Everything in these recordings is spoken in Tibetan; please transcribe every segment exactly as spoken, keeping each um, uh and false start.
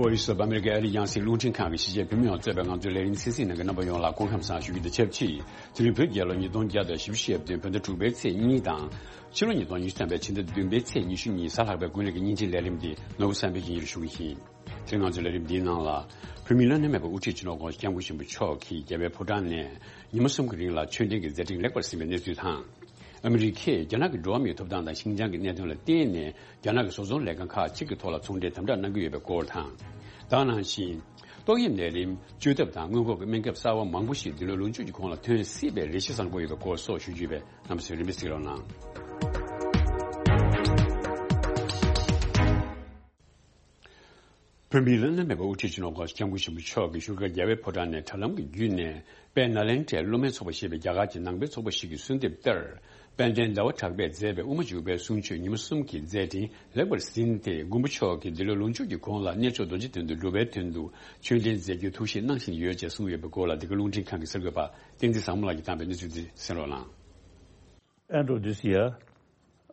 Voice of America ཨ་རིའི་རྒྱང་སྲིང་རླུང་འཕྲིན་ཁང་གི་གཞིས་བྱེས་བོད་མི་ཡོངས་གཙོས་པའི་ང་ཚོའི་ལས་རིམ་གསན་གཟིགས་གནང་མཁན་རྣམ་པ་ཡོངས་ལ་སྐུ་ཁམས་བཟང་ཞུ་རྒྱུ་དང་ཆབས་ཅིག་དེ་རིང་བོད་རྒྱལ་ལོ་ཉིས་སྟོང་བརྒྱ་དང་བཞི་བཅུ་ཞེ་བདུན་བོད་ཟླ་དྲུག་པའི་ཚེས་གཉིས་དང་། ཕྱི་ལོ་ཉིས་སྟོང་ཉི་ཤུ་རྩ་བདུན་པའི་ཚེས་ཉི་ཤུ་གཉིས་གཟའ་ལྷག་པའི་དགུན་ལས་ཀྱི་ཉིན་གཅིག་ལས་རིམ་འདི་ནོར་བུ་བསམ་འཕེལ་གྱིས་སྙན་སྒྲོན་ཞུ་གི་ཡིན། དེ་རིང་ང་ཚོའི་ལས་རིམ་འདིའི་ནང་ལ། བོད་མིའི་བླ་ན་མེད་པའི་དབུ་ཁྲིད་སྤྱི་ནོར་༧གོང་ས་༧སྐྱབས་མགོན་ཆེན་པོ་མཆོག་གིས་རྒྱལ་བའི་ཕོ་བྲང་ནས་ཉི་མ་གསུམ་གྱི་རིང་ལ་ཆོས་ལྡན་གྱི་མཛད་འཕྲིན་ལེགས་པར་ཟིན་པའི་གནས་ཚུལ་དང་། ཨ་མི་རི་ཀས་རྒྱ་ནག་གི་འགྲོ་བ་མིའི་ཐོབ་ཐང་དང་ཤིན་ཅང་གི་གནད་དོན་ལ་བརྟེན་ནས་རྒྱ་ནག་གི་བཟོ་ཚོང་ལས་ཁང་ཁག་ཅིག་གི་ཐོག་ལ་ཚོང་འབྲེལ་དམ་དྲག་གནང་གི་ཡོད་པའི་སྐོར་དང་། ད་ག་ནང་བཞིན། ཏོག་དབྱིབས་ནད་རིམས་བཅོས་ཐབས་དང་སྔོན་འགོག་གི་སྨན་ཁབ་གསར་བ་མང་པོ་ཞིག་འདི་ལོའི་ལོ་མཇུག་གི་གོང་ལ་ཐོན་སྲིད་པའི་རེ་ཞིག་བཟང་པོ་ཡོད་པའི་སྐོར་སོགས་ཞུ་རྒྱུ་ཡོད་པས་རྣམ་པ་ཚོས་རིམ་པས་གཟིགས་རོགས་གནང་། བོད་མིའི་བླ་ན་མེད་པའི་དབུ་ཁྲིད་སྤྱི་ནོར་༧གོང་ས་༧སྐྱབས་མགོན་ཆེན་པོ་མཆོག་གིས་བཞུགས་སྒར་རྒྱལ་བའི་ཕོ་བྲང་ནས་དྲ་ལམ་གྱི་བརྒྱུད་ནས་དཔལ་ནཱ་ལེནྡྲའི་སློབ་མའི་ཚོགས་པ་ཞེས་པའི་རྒྱ་གར་གྱི་ནང་པའི་ཚོགས་པ་ཞིག་གི་གསོལ་འདེབས་ལྟར། དཔལ་ལྡན་ཟླ་བ་གྲགས་པས་མཛད་པའི་དབུ་མ་འཇུག་པའི་གསུང་ཆོས་ཉི་མ་གསུམ་གྱི་མཛད་འཕྲིན་ལེགས་པར་ཟིན་ཏེ། མགོན་པོ་མཆོག་གིས་འདི་ལོའི་ལོ་མཇུག་གི་གོང་ལ་གནས་མཆོག་རྡོ་རྗེ་གདན་དུ་སྒྲུབ་པའི་དོན་དུ་ཆོས་འབྲེལ་མཛད་རྒྱུའི་ཐུགས་བཞེད་གནང་བཞིན་ཡོད་ཅེས་གསུངས་ཡོད་པའི་སྐོར་ལ། འདི་ག་རླུང་འཕྲིན་ཁང་གི་གསར་འགོད་པ་བསྟན་འཛིན་བཟང་མོ་ལགས་ཀྱིས་བཏང་པའི་གནས་ཚུལ་འདི་གསན་རོགས་གནང་། End of this year,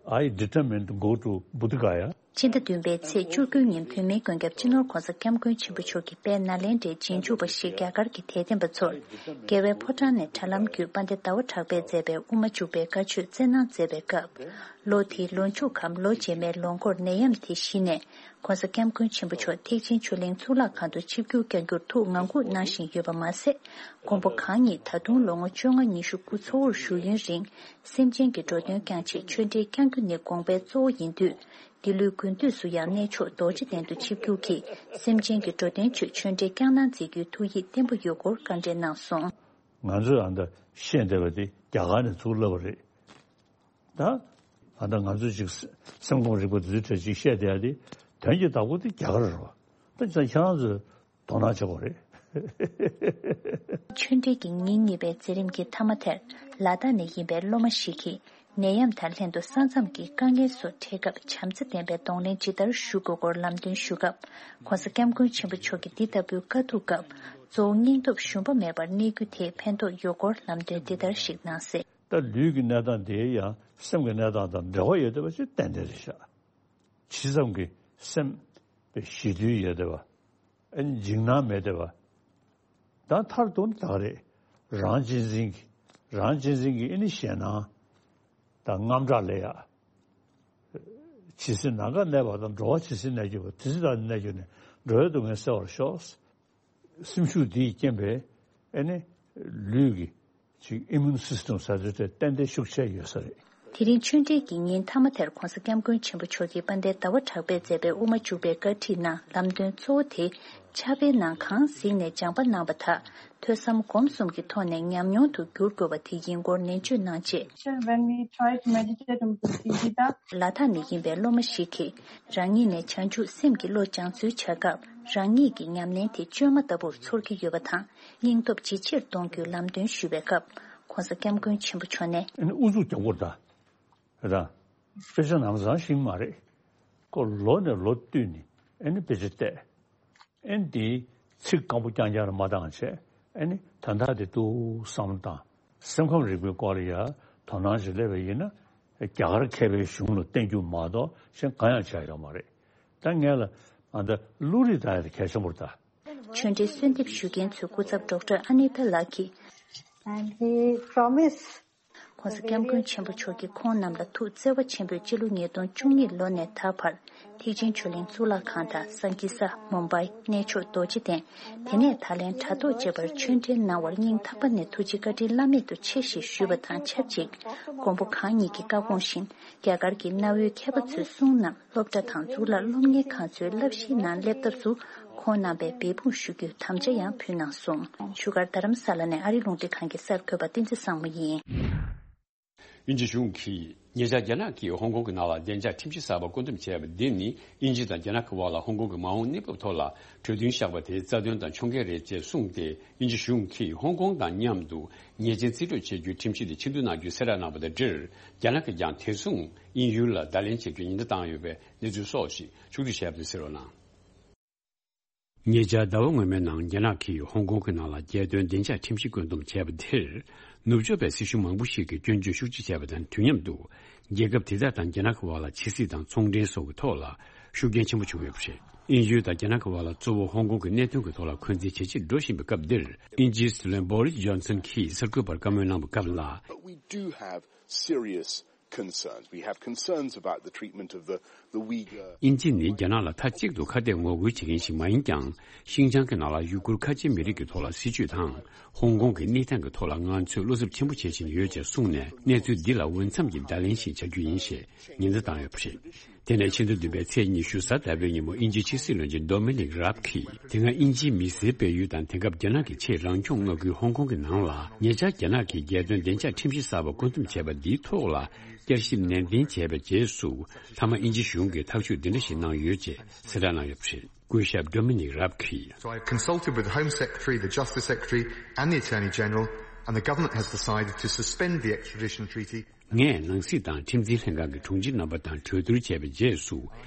I determined to go to Buddha Gaya. སྤྱི་ཟླ་བདུན་པའི་ཚེས་བཅུ་དགུ་ཉིན་བོད་མིའི་མགོན་སྐྱབས་སྤྱི་ནོར་༧གོང་ས་༧སྐྱབས་མགོན་ཆེན་པོ་མཆོག་གིས་དཔལ་ནཱ་ལེནྡྲའི་རྗེས་འཇུག་པ་ཞིག་རྒྱ་གར་གྱི་དད་ལྡན་པ་ཚོར་རྒྱལ་བའི་ཕོ་བྲང་ནས་དྲ་ལམ་བརྒྱུད་དཔལ་ལྡན་ཟླ་བ་གྲགས་པས་མཛད་པའི་དབུ་མ་འཇུག་པའི་བཀའ་ཆོས་སྩལ་གནང་མཛད་པའི་སྐབས། ལོ་དེའི་ལོ་མཇུག་གམ་ལོ་རྗེས་མའི་ལོ་འགོར་ནད་ཡམས་དེ་གཞི་ནས་༧གོང་ས་༧སྐྱབས་མགོན་ཆེན་པོ་མཆོག་ཐེག་ཆེན་ཆོས་གླིང་གཙུག་ལག་ཁང་དུ་ཆིབས་བསྒྱུར་བསྐྱང་རྒྱུར་ཐུགས་ངང་སྒུག་གནང་བཞིན་ཡོད་པ་མ་ཟད། མགོན་པོ་གང་ཉིད་ད་དུང་ལོ་ངོ་བཅོ་ལྔ་ཉི་ཤུ་སྐུ་འཚོ་བོར་བཞུགས་ཡུན་རིང་སེམས་ཅན་གྱི་འགྲོ་དོན་བསྐྱངས་ཆེད་ཆོས་འབྲེལ་བསྐྱང་རྒྱུ་ནི་དགོངས་པའི་གཙོ་བོ་ཡིན་དུས། འདི་ལོའི་དགུན་དུས་སུ་ཡང་གནས་མཆོག་རྡོ་རྗེ་གདན་དུ་ཆིབས་བསྒྱུར་གྱིས་སེམས་ཅན་གྱི་འགྲོ་དོན་ཆེད་ཆོས་འབྲེལ་བསྐྱངས་གནང་མཛད་རྒྱུའི་ཐུགས་ཡིད་བརྟན་པོ་ཡོད་སྐོར་བཀའ་འདྲི་གནང་སོང་། ང་ཚོས་ཨ་འདྲ་བཤད་བསྡད་པ་དེ་རྒྱ་གར་ནས་ཚུར་བསླབས་པ་རེད། ད་ཨ་འདྲ་ང་ཚོས་ཅིག་སེམས་ཁམས་རིག་པ་དེ་ཚོའི་གྲས་ཅིག་བཤད་བསྡད་ཡ་དེ་དོན་གྱི་བདག་པོ་དེ་རྒྱ་གར་རེད་བ། ད་ཅིག་ཁྱེད་རང་ཚོས་དོ་སྣང་བྱེད་དགོས་རེད། ཆོས་འབྲེལ་གྱི་ཉིན་གཉིས་པའི་མཛད་རིམ་གྱི་མཐའ་མ་དེར་ལ་དྭགས་ནས་ཡིན་པའི་སློབ་མ་ཞིག་གིས་ནད་ཡམས་དང་ལྷན་དུ་ས་མཚམས་ཀྱི་དཀའ་ངལ་སོགས་འཕྲད་སྐབས་བྱམས་བརྩེ་ལྡན་པའི་གདོང་ལེན་ཇི་ལྟར་ཞུ་དགོས་སྐོར་ལམ་སྟོན་ཞུ་སྐབས། ༧གོང་ས་༧སྐྱབས་མགོན་ཆེན་པོ་མཆོག་གིས་འདི་ལྟ་བུའི་དཀའ་སྡུག་སྐབས་གཙོ་བོ་སྙིང་སྟོབས་ཞུམ་པ་མེད་པར་གནས་རྒྱུ་དེས་ཕན་ཐོགས་ཡོད་སྐོར་ལམ་སྟོན་འདི་ལྟར་ཞིག་གནང་གསལ། ད་ལུས་ཀྱི་གནས་སྟངས་དེ་ཡང་སེམས་ཀྱི་གནས་སྟངས་དང་འབྲེལ་བ་ཡོད་བསྡད་པ་ཞིག་ཏན་ཏན་རེད་ཤག་ཇི་ཙམ་གྱིས་སེམས་པའི་ཞི་དུལ་ཡོད་བསྡད་པ། ཨ་ནི་འཇིགས་སྣང་མེད་བསྡད་པ། ད་མཐར་གཏུགས་ན་ད་ག་རེད། རང་གཅེས་འཛིན་གྱི་རང་གཅེས་འཛིན་གྱི་ཨ་ནི་ཞེད་སྣང་དང་དངངས་སྐྲག་ལས་ཡག་ཇི་སྲིད་ནམ་མཁའ་གནས་པ་དང་། འགྲོ་བ་ཇི་སྲིད་གནས་གྱུར་པ། དེ་སྲིད་བདག་ནི་གནས་གྱུར་ནས། འགྲོ་བའི་སྡུག་བསྔལ་སེལ་བར་ཤོག་སེམས་ཤུགས་འདིས་རྐྱེན་པས་ཨ་ནི་ལུས་ཀྱི་ཅིག་ཨི་མུན་སིས་ཊམ་ཟེར་དུས་དེ་ཏན་ཏན་ཤུགས་ཆེ་ཡོད་ས་རེད། དེ་རིང་ཆོས་འབྲེལ་གྱི་ཉིན་མཐའ་མ་དེར་༧གོང་ས་༧སྐྱབས་མགོན་ཆེན་པོ་མཆོག་གིས་དཔལ་ལྡན་ཟླ་བ་གྲགས་པས་མཛད་པའི་དབུ་མ་འཇུག་པའི་བཀའ་ཁྲིད་ནང་ལམ་སྟོན་གཙོ་བོ་དེ་ཕྱག་དཔེའི་ནང་གང་གཟིགས་ནས་སྦྱངས་པ་གནང་བ་དག་ཐོས་བསམ་སྒོམ་གསུམ་གྱི་ཐོག་ནས་ཉམས་མྱོང་དུ་བསྒྱུར་དགོས་པ་དེ་ཡིན་སྐོར་ནན་བརྗོད་གནང་རྗེས། When we try to meditate on Buddhagita, ལ་དྭགས་ནས་ཡིན་པའི་སློབ་མ་ཞིག་གིས་རང་ཉིད་ནས་བྱང་ཆུབ་སེམས་ཀྱི་བློ་སྦྱང་ཚུལ་བྱ་སྐབས་རང་ཉིད་ཀྱི་ཉམས་ལེན་དེ་བཅོས་མ་ལྟ་བུར་ཚོར་གྱི་ཡོད་པ་དང་། སྙིང་སྟོབས་ཇེ་ཆེར་གཏོང་རྒྱུའི་ལམ་སྟོན་ཞུས་པའི་སྐབས། ༧གོང་ས་༧སྐྱབས་མགོན་ཆེན་པོ་མཆོག་ནས། ཨ་ནི་ཨུ་ཚུགས་རྒྱག་དགོས་རེད་ད། རེད་ད། དཔེ་ཆ་ནང་ཚང་ཤེས་ཀྱི་མ་རེད། ཁོ་ལོ་ནས་ལོ་བསྟུད་ནས་ཨ་ནི་དཔེ་ཆ་བལྟས། ཨ་ནི་དེའི་ཚིག་སྐམ་པོ་རྐྱང་རྐྱང་རེ་མ་བཏང་བྱས། ཨ་ནི་དོན་དག་དེ་ཏོག་བསམ་བློ་བཏང་། སེམས་ཁམས་རིག་པའི་སྐོར་ལ་ཡ་དོ་སྣང་ཞིག་སླེབས་པ་ཡིན་ན། རྒྱ་གར་མཁས་པའི་གཞུང་ལ་བརྟེན་རྒྱུ་མ་གཏོགས་གཞན་གང་ཡང་བྱས་ཡོད་མ་རེད། ད་ངས་ལ་ང་ད་བློ་རིག་ད་ཡ་དེ་གལ་ཆེན་པོ་རེད་ད། ཆོས་འབྲེལ་གསོལ་འདེབས་ཞུ་མཁན་ཚོའི་སྐུ་ཚབ་ཌོག་ཊར་ཨ་ནི་ཏཱ་ལགས་ཀྱིས། And he promised. ༧གོང་ས་༧སྐྱབས་མགོན་ཆེན་པོ་མཆོག་གིས་ཁོང་རྣམས་ལ་ཐུགས་བརྩེ་བ་ཆེན་པོས་སྤྱི་ལོ་ཉིས་སྟོང་བཅུ་གཉིས་ལོ་ནས་ད་བར་ཐེག་ཆེན་ཆོས་གླིང་གཙུག་ལག་ཁང་དང་སང་ཀི་ས། མུམ་བྷའི། གནས་མཆོག་རྡོ་རྗེ་གདན། དེ་ནས་ད་ལན་དྲ་ཐོག་བཅས་པར་ཆོས་འབྲེལ་གནང་བར་སྙིང་ཐག་པ་ནས་ཐུགས་རྗེ་བཀའ་དྲིན་བླ་མེད་དུ་ཆེ་ཞེས་ཞུས་པ་དང་ཆབས་ཅིག་མགོན་པོ་གང་ཉིད་ཀྱི་བཀའ་དགོངས་བཞིན། རྒྱ་གར་གྱི་གནའ་བོའི་མཁས་པ་ཚོའི་གསུང་རྣམས་སློབ་གྲྭ་དང་གཙུག་ལག་སློབ་གཉེར་ཁང་ཚོའི་བསླབ་གཞིའི་ནང་སླེབས་ཐབས་སུ་ཁོང་རྣམ་པས་འབད་འབུངས་ཞུ་རྒྱུའི་དམ་བཅའ་ཡང་ཕུལ་གནང་སོང་། བཞུགས་སྒར་རྡ་རམ་ས་ལ་ནས་ཨ་རིའི་རླུང་འཕྲིན་ཁང་གི་གསར་འགོད་པ་བསྟན་འཛིན་བཟང་མོ་ཡིན། དབྱིན་ཇི་གཞུང་གིས་ཉེ་ཆར་རྒྱ་ནག་གིས་ཧོང་ཀོང་གི་ནང་ལ་བདེ་འཇགས་ཁྲིམས་གཞི་གསར་པ་བཀོད་འདོམས་བྱས་པ་འདི་ནི་དབྱིན་ཇི་དང་རྒྱ་ནག་གི་དབར་ལ་ཧོང་ཀོང་གི་མ་འོངས་གནས་བབ་ཐོག་ལ་གྲོས་མཐུན་བཞག་པ་དེ་རྩ་དོན་དང་ཕྱོགས་འགལ་རེད་ཅེས་གསུངས་ཏེ། དབྱིན་ཇི་གཞུང་གིས་ཧོང་ཀོང་དང་མཉམ་དུ་ཉེས་ཅན་རྩིས་སྤྲོད་བྱེད་རྒྱུའི་ཁྲིམས་གཞི་དེ་ཕྱིར་བསྡུ་གནང་རྒྱུའི་གསལ་བསྒྲགས་གནང་བ་དང་འབྲེལ། རྒྱ་ནག་གིས་ཀྱང་དེ་མཚུངས་དབྱིན་ཡུལ་ལ་བརྡ་ལན་བྱེད་རྒྱུའི་ཉེན་བརྡ་བཏང་ཡོད་པའི་གནས་ཚུལ་སོགས་ཤིག་ཕྱོགས་བསྡུས་བྱས་པ་དེ་གསན་རོགས་གནང་། ཉེ་ཆར་ཟླ་བ་སྔོན་མའི་ནང་རྒྱ་ནག་གིས་ཧོང་ཀོང་གི་ནང་ལ་རྒྱལ་དོན་བདེ་འཇགས་ཁྲིམས་གཞི་བཀོད་འདོམས་བྱས་པ་དེར། ནུབ་ཕྱོགས་པའི་སྲིད་གཞུང་མང་པོ་ཞིག་གིས་སྐྱོན་བརྗོད་ཤུགས་ཆེ་བྱས་པ་དང་དུས་མཉམ་དུ། རྒྱལ་ཁབ་དེ་དག་དང་རྒྱ་ནག་གི་དབར་ལ་ཕྱི་སྲིད་དང་ཚོང་འབྲེལ་སོགས་ཀྱི་ཐོག་ལ་ཤུགས་རྐྱེན་ཆེན་པོ་བྱུང་ཡོད་པ་རེད། དབྱིན་ཡུལ་དང་རྒྱ་ནག་གི་བར་ལ་གཙོ་བོ་ཧོང་ཀོང་གི་གནད་དོན་གྱི་ཐོག་ལ་འཁོན་འཛིན་ཇེ་ཆེར་འགྲོ་བཞིན་པའི་སྐབས་འདིར། དབྱིན་ཇིའི་སྲིད་བློན་བོ་རིས་ཇོན་སན་གྱིས་གསར་འགོད་པར་བཀའ་མོལ་གནང་བའི་སྐབས་ལ། But we do have serious concerns. We have concerns about the treatment of the, the Uyghur. དབྱིན་ཇི་ནི་རྒྱ་ནག་ལ་མཐའ་གཅིག་ཏུ་ཁ་གཏད་ངོ་རྒོལ་བྱེད་མཁན་ཞིག་མ་ཡིན་ཀྱང་། ཤིན་ཅང་གི་ནང་ལ་ཡུ་གུར་ཁ་ཆེའི་མི་རིགས་ཀྱི་ཐོག་ལ་སྲིད་བྱུས་དང་། ཧོང་ཀོང་གི་གནས་སྟངས་ཀྱི་ཐོག་ལ་ང་ཚོས་བློ་འཚབ་ཆེན་པོ་བྱེད་བཞིན་ཡོད་ཅེས་གསུངས་ནས། གནས་ཚུལ་འདི་ལ་འོས་འཚམ་གྱི་བརྡ་ལན་ཞིག་བྱ་རྒྱུ་ཡིན་ཞེས་ཉེན་བརྡ་བཏང་ཡོད་པ་རེད། དེ་ནས་ཕྱི་ཟླ་བདུན་པའི་ཚེས་ཉི་ཤུ་གཟའ་ཟླ་བའི་ཉིན་མོ་དབྱིན་ཇིའི་ཕྱི་སྲིད་བློན་ཆེན་ཌོ་མི་ནིག་རབ་ཀྱིས། དེ་སྔ་དབྱིན་ཇིའི་མི་སེར་སྤེལ་ཡུལ་དང་། དེང་སྐབས་རྒྱ་ནག་གི་ཆེས་རང་སྐྱོང་མངའ་ཁུལ་ཧོང་ཀོང་གི་ནང་ལ། ཉེ་ཆར་རྒྱ་ནག་གིས་རྒྱལ་དོན་བདེ་འཇགས་ཁྲིམས་གཞི་གསར་པ་བཀོད་འདོམས་བྱས་པ་འདིའི་ཐོག་ལ། བསྐྱར་ཞིབ་ནན་ཏན་བྱས་པའི་རྗེས་སུ། མཐའ་མ་དབྱིན་ཇི་གཞུང་གིས་ཐག་གཅོད་འདི་འདྲ་ཞིག་གནང་ཡོད་ཅེས་གསལ་བསྒྲགས་གནང་ཡོད་པ་རེད། སྐུ་ཞབས་ཌོ་མི་ནིག་རབ་ཀྱིས། So I consulted with the Home Secretary, the Justice Secretary, and the Attorney General, and the government has decided to suspend the extradition treaty. ངས་ནང་སྲིད་དང་ཁྲིམས་འཛིན་ལྷན་ཁང་གི་དྲུང་ཆེ་རྣམ་པ་དང་གྲོས་བསྡུར་བྱས་པའི་རྗེས་སུ།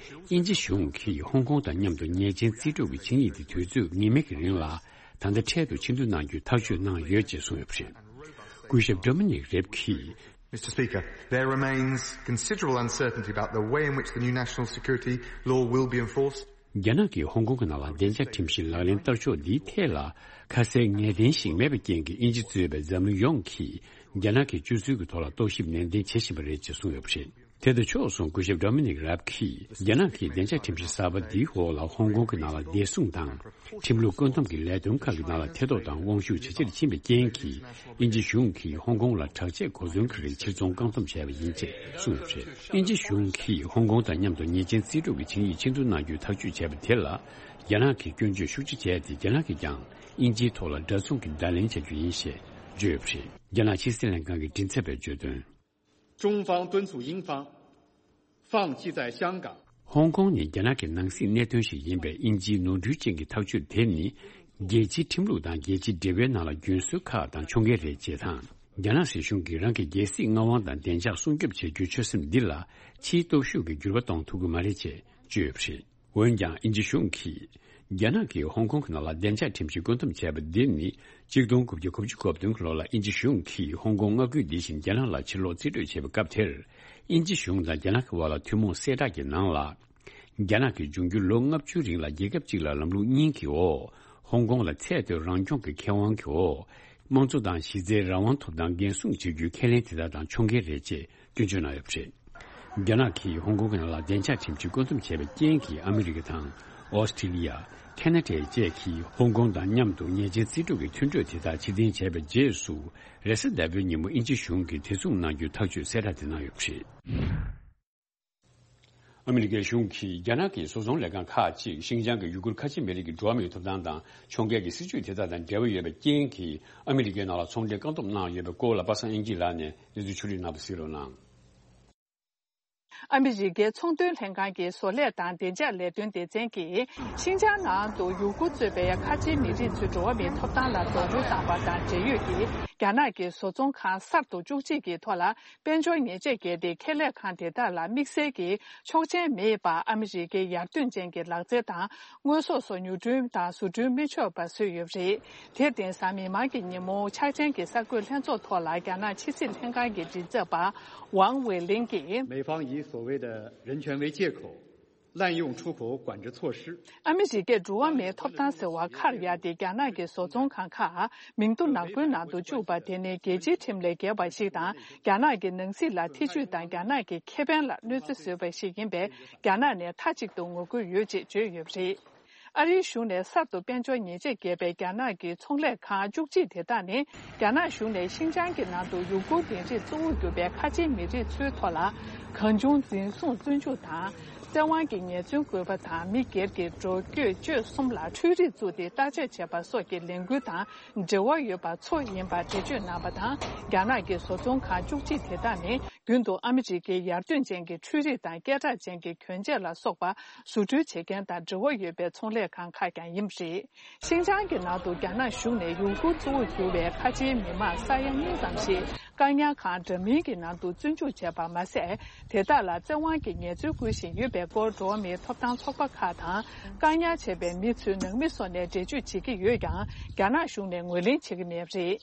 དབྱིན་ཇི་གཞུང་གིས་ཧོང་ཀོང་དང་མཉམ་དུ་ཉེས་ཅན་རྩིས་སྤྲོད་ཀྱི་ཆིངས་ཡིག་དེ་དུས་ཚོད་ངེས་མེད་ཀྱི་རིང་ལ་ད་ལྟ་འཕྲལ་དུ་ཕྱིར་བསྡུ་གནང་རྒྱུའི་ཐག་གཅོད་གནང་ཡོད་ཅེས་གསུངས་ཡོད་པ་རེད། སྐུ་ཞབས་ཌོ་མི་ནིག་རེབ་ཀྱིས། Mister Speaker, there remains considerable uncertainty about the way in which the new national security law will be enforced. རྒྱ་ནག་གིས་ཧོང་ཀོང་གི་ནང་ལ་བདེ་འཇགས་ཁྲིམས་གཞི་ལག་ལེན་བསྟར་ཕྱོགས་འདིའི་ཐད་ལ་ཁ་གསལ་ངེས་གཏན་ཞིག་མེད་པའི་རྐྱེན་གྱིས། དབྱིན་ཇི་གཙོས་པའི་འཛམ་གླིང་ཡོངས་ཀྱིས་རྒྱ་ནག་གི་སྤྱོད་ཚུལ་གྱི་ཐོག་ལ་རྟོག་ཞིབ་ནན་ཏན་བྱེད་བཞིན་པ་རེད་ཅེས་གསུངས་ཡོད་པ་རེད། དེ་དང་ཕྱོགས་མཚུངས། སྐུ་ཞབས་ཌོ་མི་ནིག་རབ་ཀྱིས་རྒྱ་ནག་གིས་བདེ་འཇགས་ཁྲིམས་གཞི་གསར་པ་འདིའི་འོག་ལ་ཧོང་ཀོང་གི་ནང་ལ་བདེ་སྲུང་དང་། ཁྲིམས་ལུགས་བཀོད་འདོམས་ཀྱི་ལས་དོན་ཁག་གི་ནང་ལ་ཐེ་གཏོགས་དང་དབང་ཤུགས་ཇེ་ཆེར་ཕྱིན་པའི་རྐྱེན་གྱིས། དབྱིན་ཇི་གཞུང་གིས་ཧོང་ཀོང་ལ་དྲག་ཆས་གོ་མཚོན་གྱི་རིགས་ཕྱིར་ཚོང་བཀག་སྡོམ་བྱས་པ་ཡིན་ཅེས་གསུངས་ཡོད་པ་རེད། དབྱིན་ཇི་གཞུང་གིས་ཧོང་ཀོང་དང་མཉམ་དུ་ཉེས་ཅན་རྩིས་སྤྲོད་ཀྱི་ཆིངས་ཡིག་ཕྱིར་བསྡུ་གནང་རྒྱུའི་ཐག་གཅོད་བྱས་པ་དེ་ལ། རྒྱ་ནག་གིས་སྐྱོན་བརྗོད་ཤུགས་ཆེ་བྱས་ཏེ། རྒྱ་ནག་གིས་ཀྱང་དབྱིན་ཇིའི་ཐོག་ལ་འདྲ་མཚུངས་ཀྱི་བརྡ་ལན་བྱ་རྒྱུ་ཡིན་ཞེས་བརྗོད་ཡོད་པ་རེད། རྒྱ་ནག་ཕྱི་སྲིད་ལྷན་ཁང་གི་མགྲིན་ཚབ་པས་བརྗོད་དོན། 中方敦促英方放弃在香港 ཧོང་ཀོང་ནི་རྒྱ་ནག་གི་ནང་སྲིད་གནད་དོན་ཞིག་ཡིན་པས། དབྱིན་ཇིའི་ནོར་འཁྲུལ་ཅན་གྱི་ཐག་གཅོད་དེ་ནི། རྒྱལ་སྤྱིའི་ཁྲིམས་ལུགས་དང་རྒྱལ་སྤྱིའི་འབྲེལ་བའི་ནང་ལ་རྒྱུན་སྲོལ་ཁག་དང་ཕྱོགས་འགལ་རེད་ཅེས་དང་། རྒྱ་ནག་སྲིད་གཞུང་གིས་རང་གི་རྒྱལ་སྲིད་མངའ་དབང་དང་བདེ་འཇགས་སྲུང་སྐྱོབ་བྱེད་རྒྱུའི་ཆོད་སེམས་འདི་ལ། ཕྱིའི་སྟོབས་ཤུགས་ཀྱིས་འགྱུར་བ་གཏོང་ཐུབ་ཀྱི་མ་རེད་ཅེས་བརྗོད་ཡོད་པ་རེད། འོན་ཀྱང་། དབྱིན་ཇི་གཞུང་གིས་རྒྱ་ནག་གིས་ཧོང་ཀོང་གི་ནང་ལ་བདེ་འཇགས་ཁྲིམས་གཞི་བཀོད་འདོམས་བྱས་པ་འདི་ནི། གཅིག་སྟོང་དགུ་བརྒྱ་གོ་བཅུ་གོ་བདུན་གྱི་ལོ་ལ་དབྱིན་ཇི་གཞུང་གིས་ཧོང་ཀོང་མངའ་ཁུལ་འདི་བཞིན་རྒྱ་ནག་ལ་ཕྱིར་སློག་རྩིས་སྤྲོད་བྱས་པའི་སྐབས་དེར། དབྱིན་ཇི་གཞུང་དང་རྒྱ་ནག་གི་བར་ལ་ཐུན་མོང་གསལ་བསྒྲགས་ཀྱི་ནང་ལ། རྒྱ་ནག་གིས་འབྱུང་འགྱུར་ལོ་ལྔ་བཅུའི་རིང་ལ་རྒྱལ་ཁབ་གཅིག་ལ་ལམ་ལུགས་གཉིས་ཀྱི་འོག་ཧོང་ཀོང་ལ་ཚད་མཐོའི་རང་སྐྱོང་གི་ཁེ་དབང་གི་འོག་དམངས་གཙོ་དང་གཞི་རྩའི་རང་དབང་ཐོབ་ཐང་འགན་སྲུང་བྱེད་རྒྱུའི་ཁས་ལེན་དེ་དག་དང་ཕྱོགས་འགལ་རེད་ཅེས་སྐྱོན་བརྗོད་གནང་ཡོད་པ་རེད། རྒྱ་ནག་གིས་ཧོང་ཀོང་གི་ནང་ལ་བདེ་འཇགས་ཁྲིམས་གཞི་བཀོད་འདོམས་བྱས་པའི་རྐྱེན་གྱིས། ཨ་མི་རི་ཀ་དང་། ཨོ་སི་ཀྲི་ལི་ཡ། ཁ་ན་ཌ་བཅས་ཀྱིས་ཧོང་ཀོང་དང་མཉམ་དུ་ཉེས་ཅན་རྩིས་སྤྲོད་ཀྱི་མཐུན་གྲོས་དེ་དག་ཕྱིར་འཐེན་བྱས་པའི་རྗེས་སུ། རེས་གཟའ་ཟླ་བའི་ཉིན་མོ་དབྱིན་ཇི་གཞུང་གིས་དེ་མཚུངས་གནང་རྒྱུའི་ཐག་གཅོད་གསལ་བསྒྲགས་དེ་གནང་ཡོད་པ་རེད། ཨ་མི་རི་ཀའི་གཞུང་གིས་རྒྱ་ནག་གི་བཟོ་ཚོང་ལས་ཁང་ཁག་ཅིག་ཤིན་ཅང་གི་ཡུ་གུར་ཁ་ཆེ་མི་རིགས་ཀྱི་འགྲོ་བ་མིའི་ཐོབ་ཐང་དང་ཕྱོགས་འགལ་གྱི་སྲིད་བྱུས་དེ་དག་དང་འབྲེལ་བ་ཡོད་པའི་རྐྱེན་གྱིས། ཨ་མི་རི་ཀའི་ནང་ལ་ཚོང་འབྲེལ་བཀག་སྡོམ་གནང་ཡོད་པའི་སྐོར་ལ། པ་སངས་དབྱངས་སྐྱིད་ལགས་ནས་གནས་ཚུལ་ཕྱོགས་བསྒྲིགས་གནང་བ་གཟིགས་རོགས་གནང་། ཨ་མི་རི་ཀའི་ཚོང་དོན་ལྷན་ཁང་གི་བཟོ་ལས་དང་བདེ་འཇགས་ལས་དོན་སྡེ་ཚན་གྱིས། ཤིན་ཅང་ནང་དུ་ཡུ་གུར་གཙོས་པའི་ཁ་ཆེའི་མི་རིགས་ཚོའི་འགྲོ་བ་མིའི་ཐོབ་ཐང་ལ་རྡོག་རོལ་བཏང་བ་དང་འབྲེལ་ཡོད་ཀྱི་རྒྱ་ནག་གི་བཟོ་ཚོང་ཁང་གསར་དུ་བཅུ་གཅིག་གི་ཐོག་ལ། དཔལ་འབྱོར་ཉེས་ཆད་བཀལ་ཏེ། ཁེ་ལས་ཁང་དེ་དག་ལ་དམིགས་བསལ་གྱི་ཆོག་མཆན་མེད་པར། ཨ་མི་རི་ཀའི་ཡར་ཐོན་ཅན་གྱི་ལག་རྩལ་དང་། དངོས་ཟོག་སོགས་ཉོ་སྐྲུན་དང་བཟོ་སྐྲུན་མི་ཆོག་པ་བཟོས་ཡོད་པ་རེད། དེར་བརྟེན། གཟའ་མིག་དམར་གྱི་ཉིན་མོ། འཆར་ཅན་གྱི་གསར་འགོད་ལྷན་ཚོགས་ཐོག་ལ། རྒྱ་ནག་ཕྱི་སྲིད་ལྷན་ཁང་གི་མགྲིན་ཚབ་པ་ཝང་ཝེ་ལིན་གྱིས། 美方以所谓的人权为借口，滥用出口管制措施。 ཨ་མི་རི་ཀས་འགྲོ་བ་མིའི་ཐོབ་ཐང་ཟེར་བ་ཁར་ཡ་སྟེ། རྒྱ་ནག་གི་བཟོ་ཚོང་ཁང་ཁག་མིང་ཐོ་ནག་པོའི་ནང་དུ་བཅུག་པ་དེ་ནི། རྒྱལ་སྤྱིའི་ཁྲིམས་ལས་འགལ་བ་ཞིག་དང་། རྒྱ་ནག་གི་ནང་སྲིད་ལ་ཐེ་ཇུས་དང་། རྒྱ་ནག་གི་ཁེ་ཕན་ལ་གནོད་འཚེ་བཟོས་པ་ཞིག་ཡིན་པས། རྒྱ་ནག་ནས་མཐའ་གཅིག་ཏུ་ངོ་རྒོལ་ཡོད་ཅེས་བརྗོད་ཡོད་པ་རེད། ཨ་རིའི་གཞུང་ནས་གསར་དུ་དཔལ་འབྱོར་ཉེས་ཆད་བཀལ་བའི་རྒྱ་ནག་གི་ཚོང་ལས་ཁང་བཅུ་གཅིག་དེ་དག་ནི། རྒྱ་ནག་གཞུང་ནས་ཤིན་ཅང་གི་ནང་དུ་ཡུ་གུར་སྡེ་རིགས་གཙོ་བོར་གྱུར་པའི་ཁ་ཆེའི་མི་རིགས་ཚོའི་ཐོག་ལ། གང་བྱུང་འཛིན་བཟུང་བཙོན་འཇུག་དང་། བཙན་དབང་གི་ཉེས་འཛུགས་བཀོད་པ་དང་། མི་སྒེར་གྱི་འགྲོ་སྐྱོད་སྤྱོད་གསུམ་ལ་འཕྲུལ་རིག་བཙུགས་ཏེ་བརྟག་དཔྱད་བྱས་པ་སོགས་ཀྱི་ལས་འགུལ་དང་འབྲེལ་བ་ཡོད་པ་ཚོ་ཡིན་པར་འགྲེལ་བརྗོད་གནང་བ་དང་། རྒྱ་ནག་གི་བཟོ་ཚོང་ཁང་བཅུ་གཅིག་དེ་དག་ནི། རྒྱུན་དུ་ཨ་མི་རི་ཀའི་ཡར་ཐོན་ཅན་གྱི་འཕྲུལ་རིག་དང་སྐད་གྲགས་ཅན་གྱི་གྱོན་ཆས་ལ་སོགས་པ་བཟོ་སྐྲུན་བྱེད་མཁན་དང་འབྲེལ་བ་ཡོད་པའི་ཚོང་ལས་ཁང་ཁག་ཀྱང་ཡིན་པ་རེད། ཤིན་ཅང་གི་ནང་དུ་རྒྱ་ནག་གཞུང་ནས་ཡུ་གུར་གཙོ་བོར་གྱུར་བའི་ཁ་ཆེའི་མི་མང་ས་ཡ་གཉིས་ཙམ་ཞིག་བཀག་ཉར་ཁང་འདྲ་མིན་གྱི་ནང་དུ་བཙོན་འཇུག་བྱས་པ་མ་ཟད། དེ་དག་ལ་བཙན་དབང་གི་ཉེས་འཛུགས་བཀོད་བཞིན་ཡོད་པའི་སྐོར། འགྲོ་བ་མིའི་ཐོབ་ཐང་ཚོགས་པ་ཁག་དང་། བཀག་ཉར་བྱས་པའི་མི་ཚོའི་ནང་མི་སོགས་ནས་འགྲེལ་བརྗོད་བྱེད་ཀྱི་ཡོད་ཀྱང་། རྒྱ་ནག་གཞུང་ནས་ངོས་ལེན་བྱེད་ཀྱི་མེད་པ་རེད།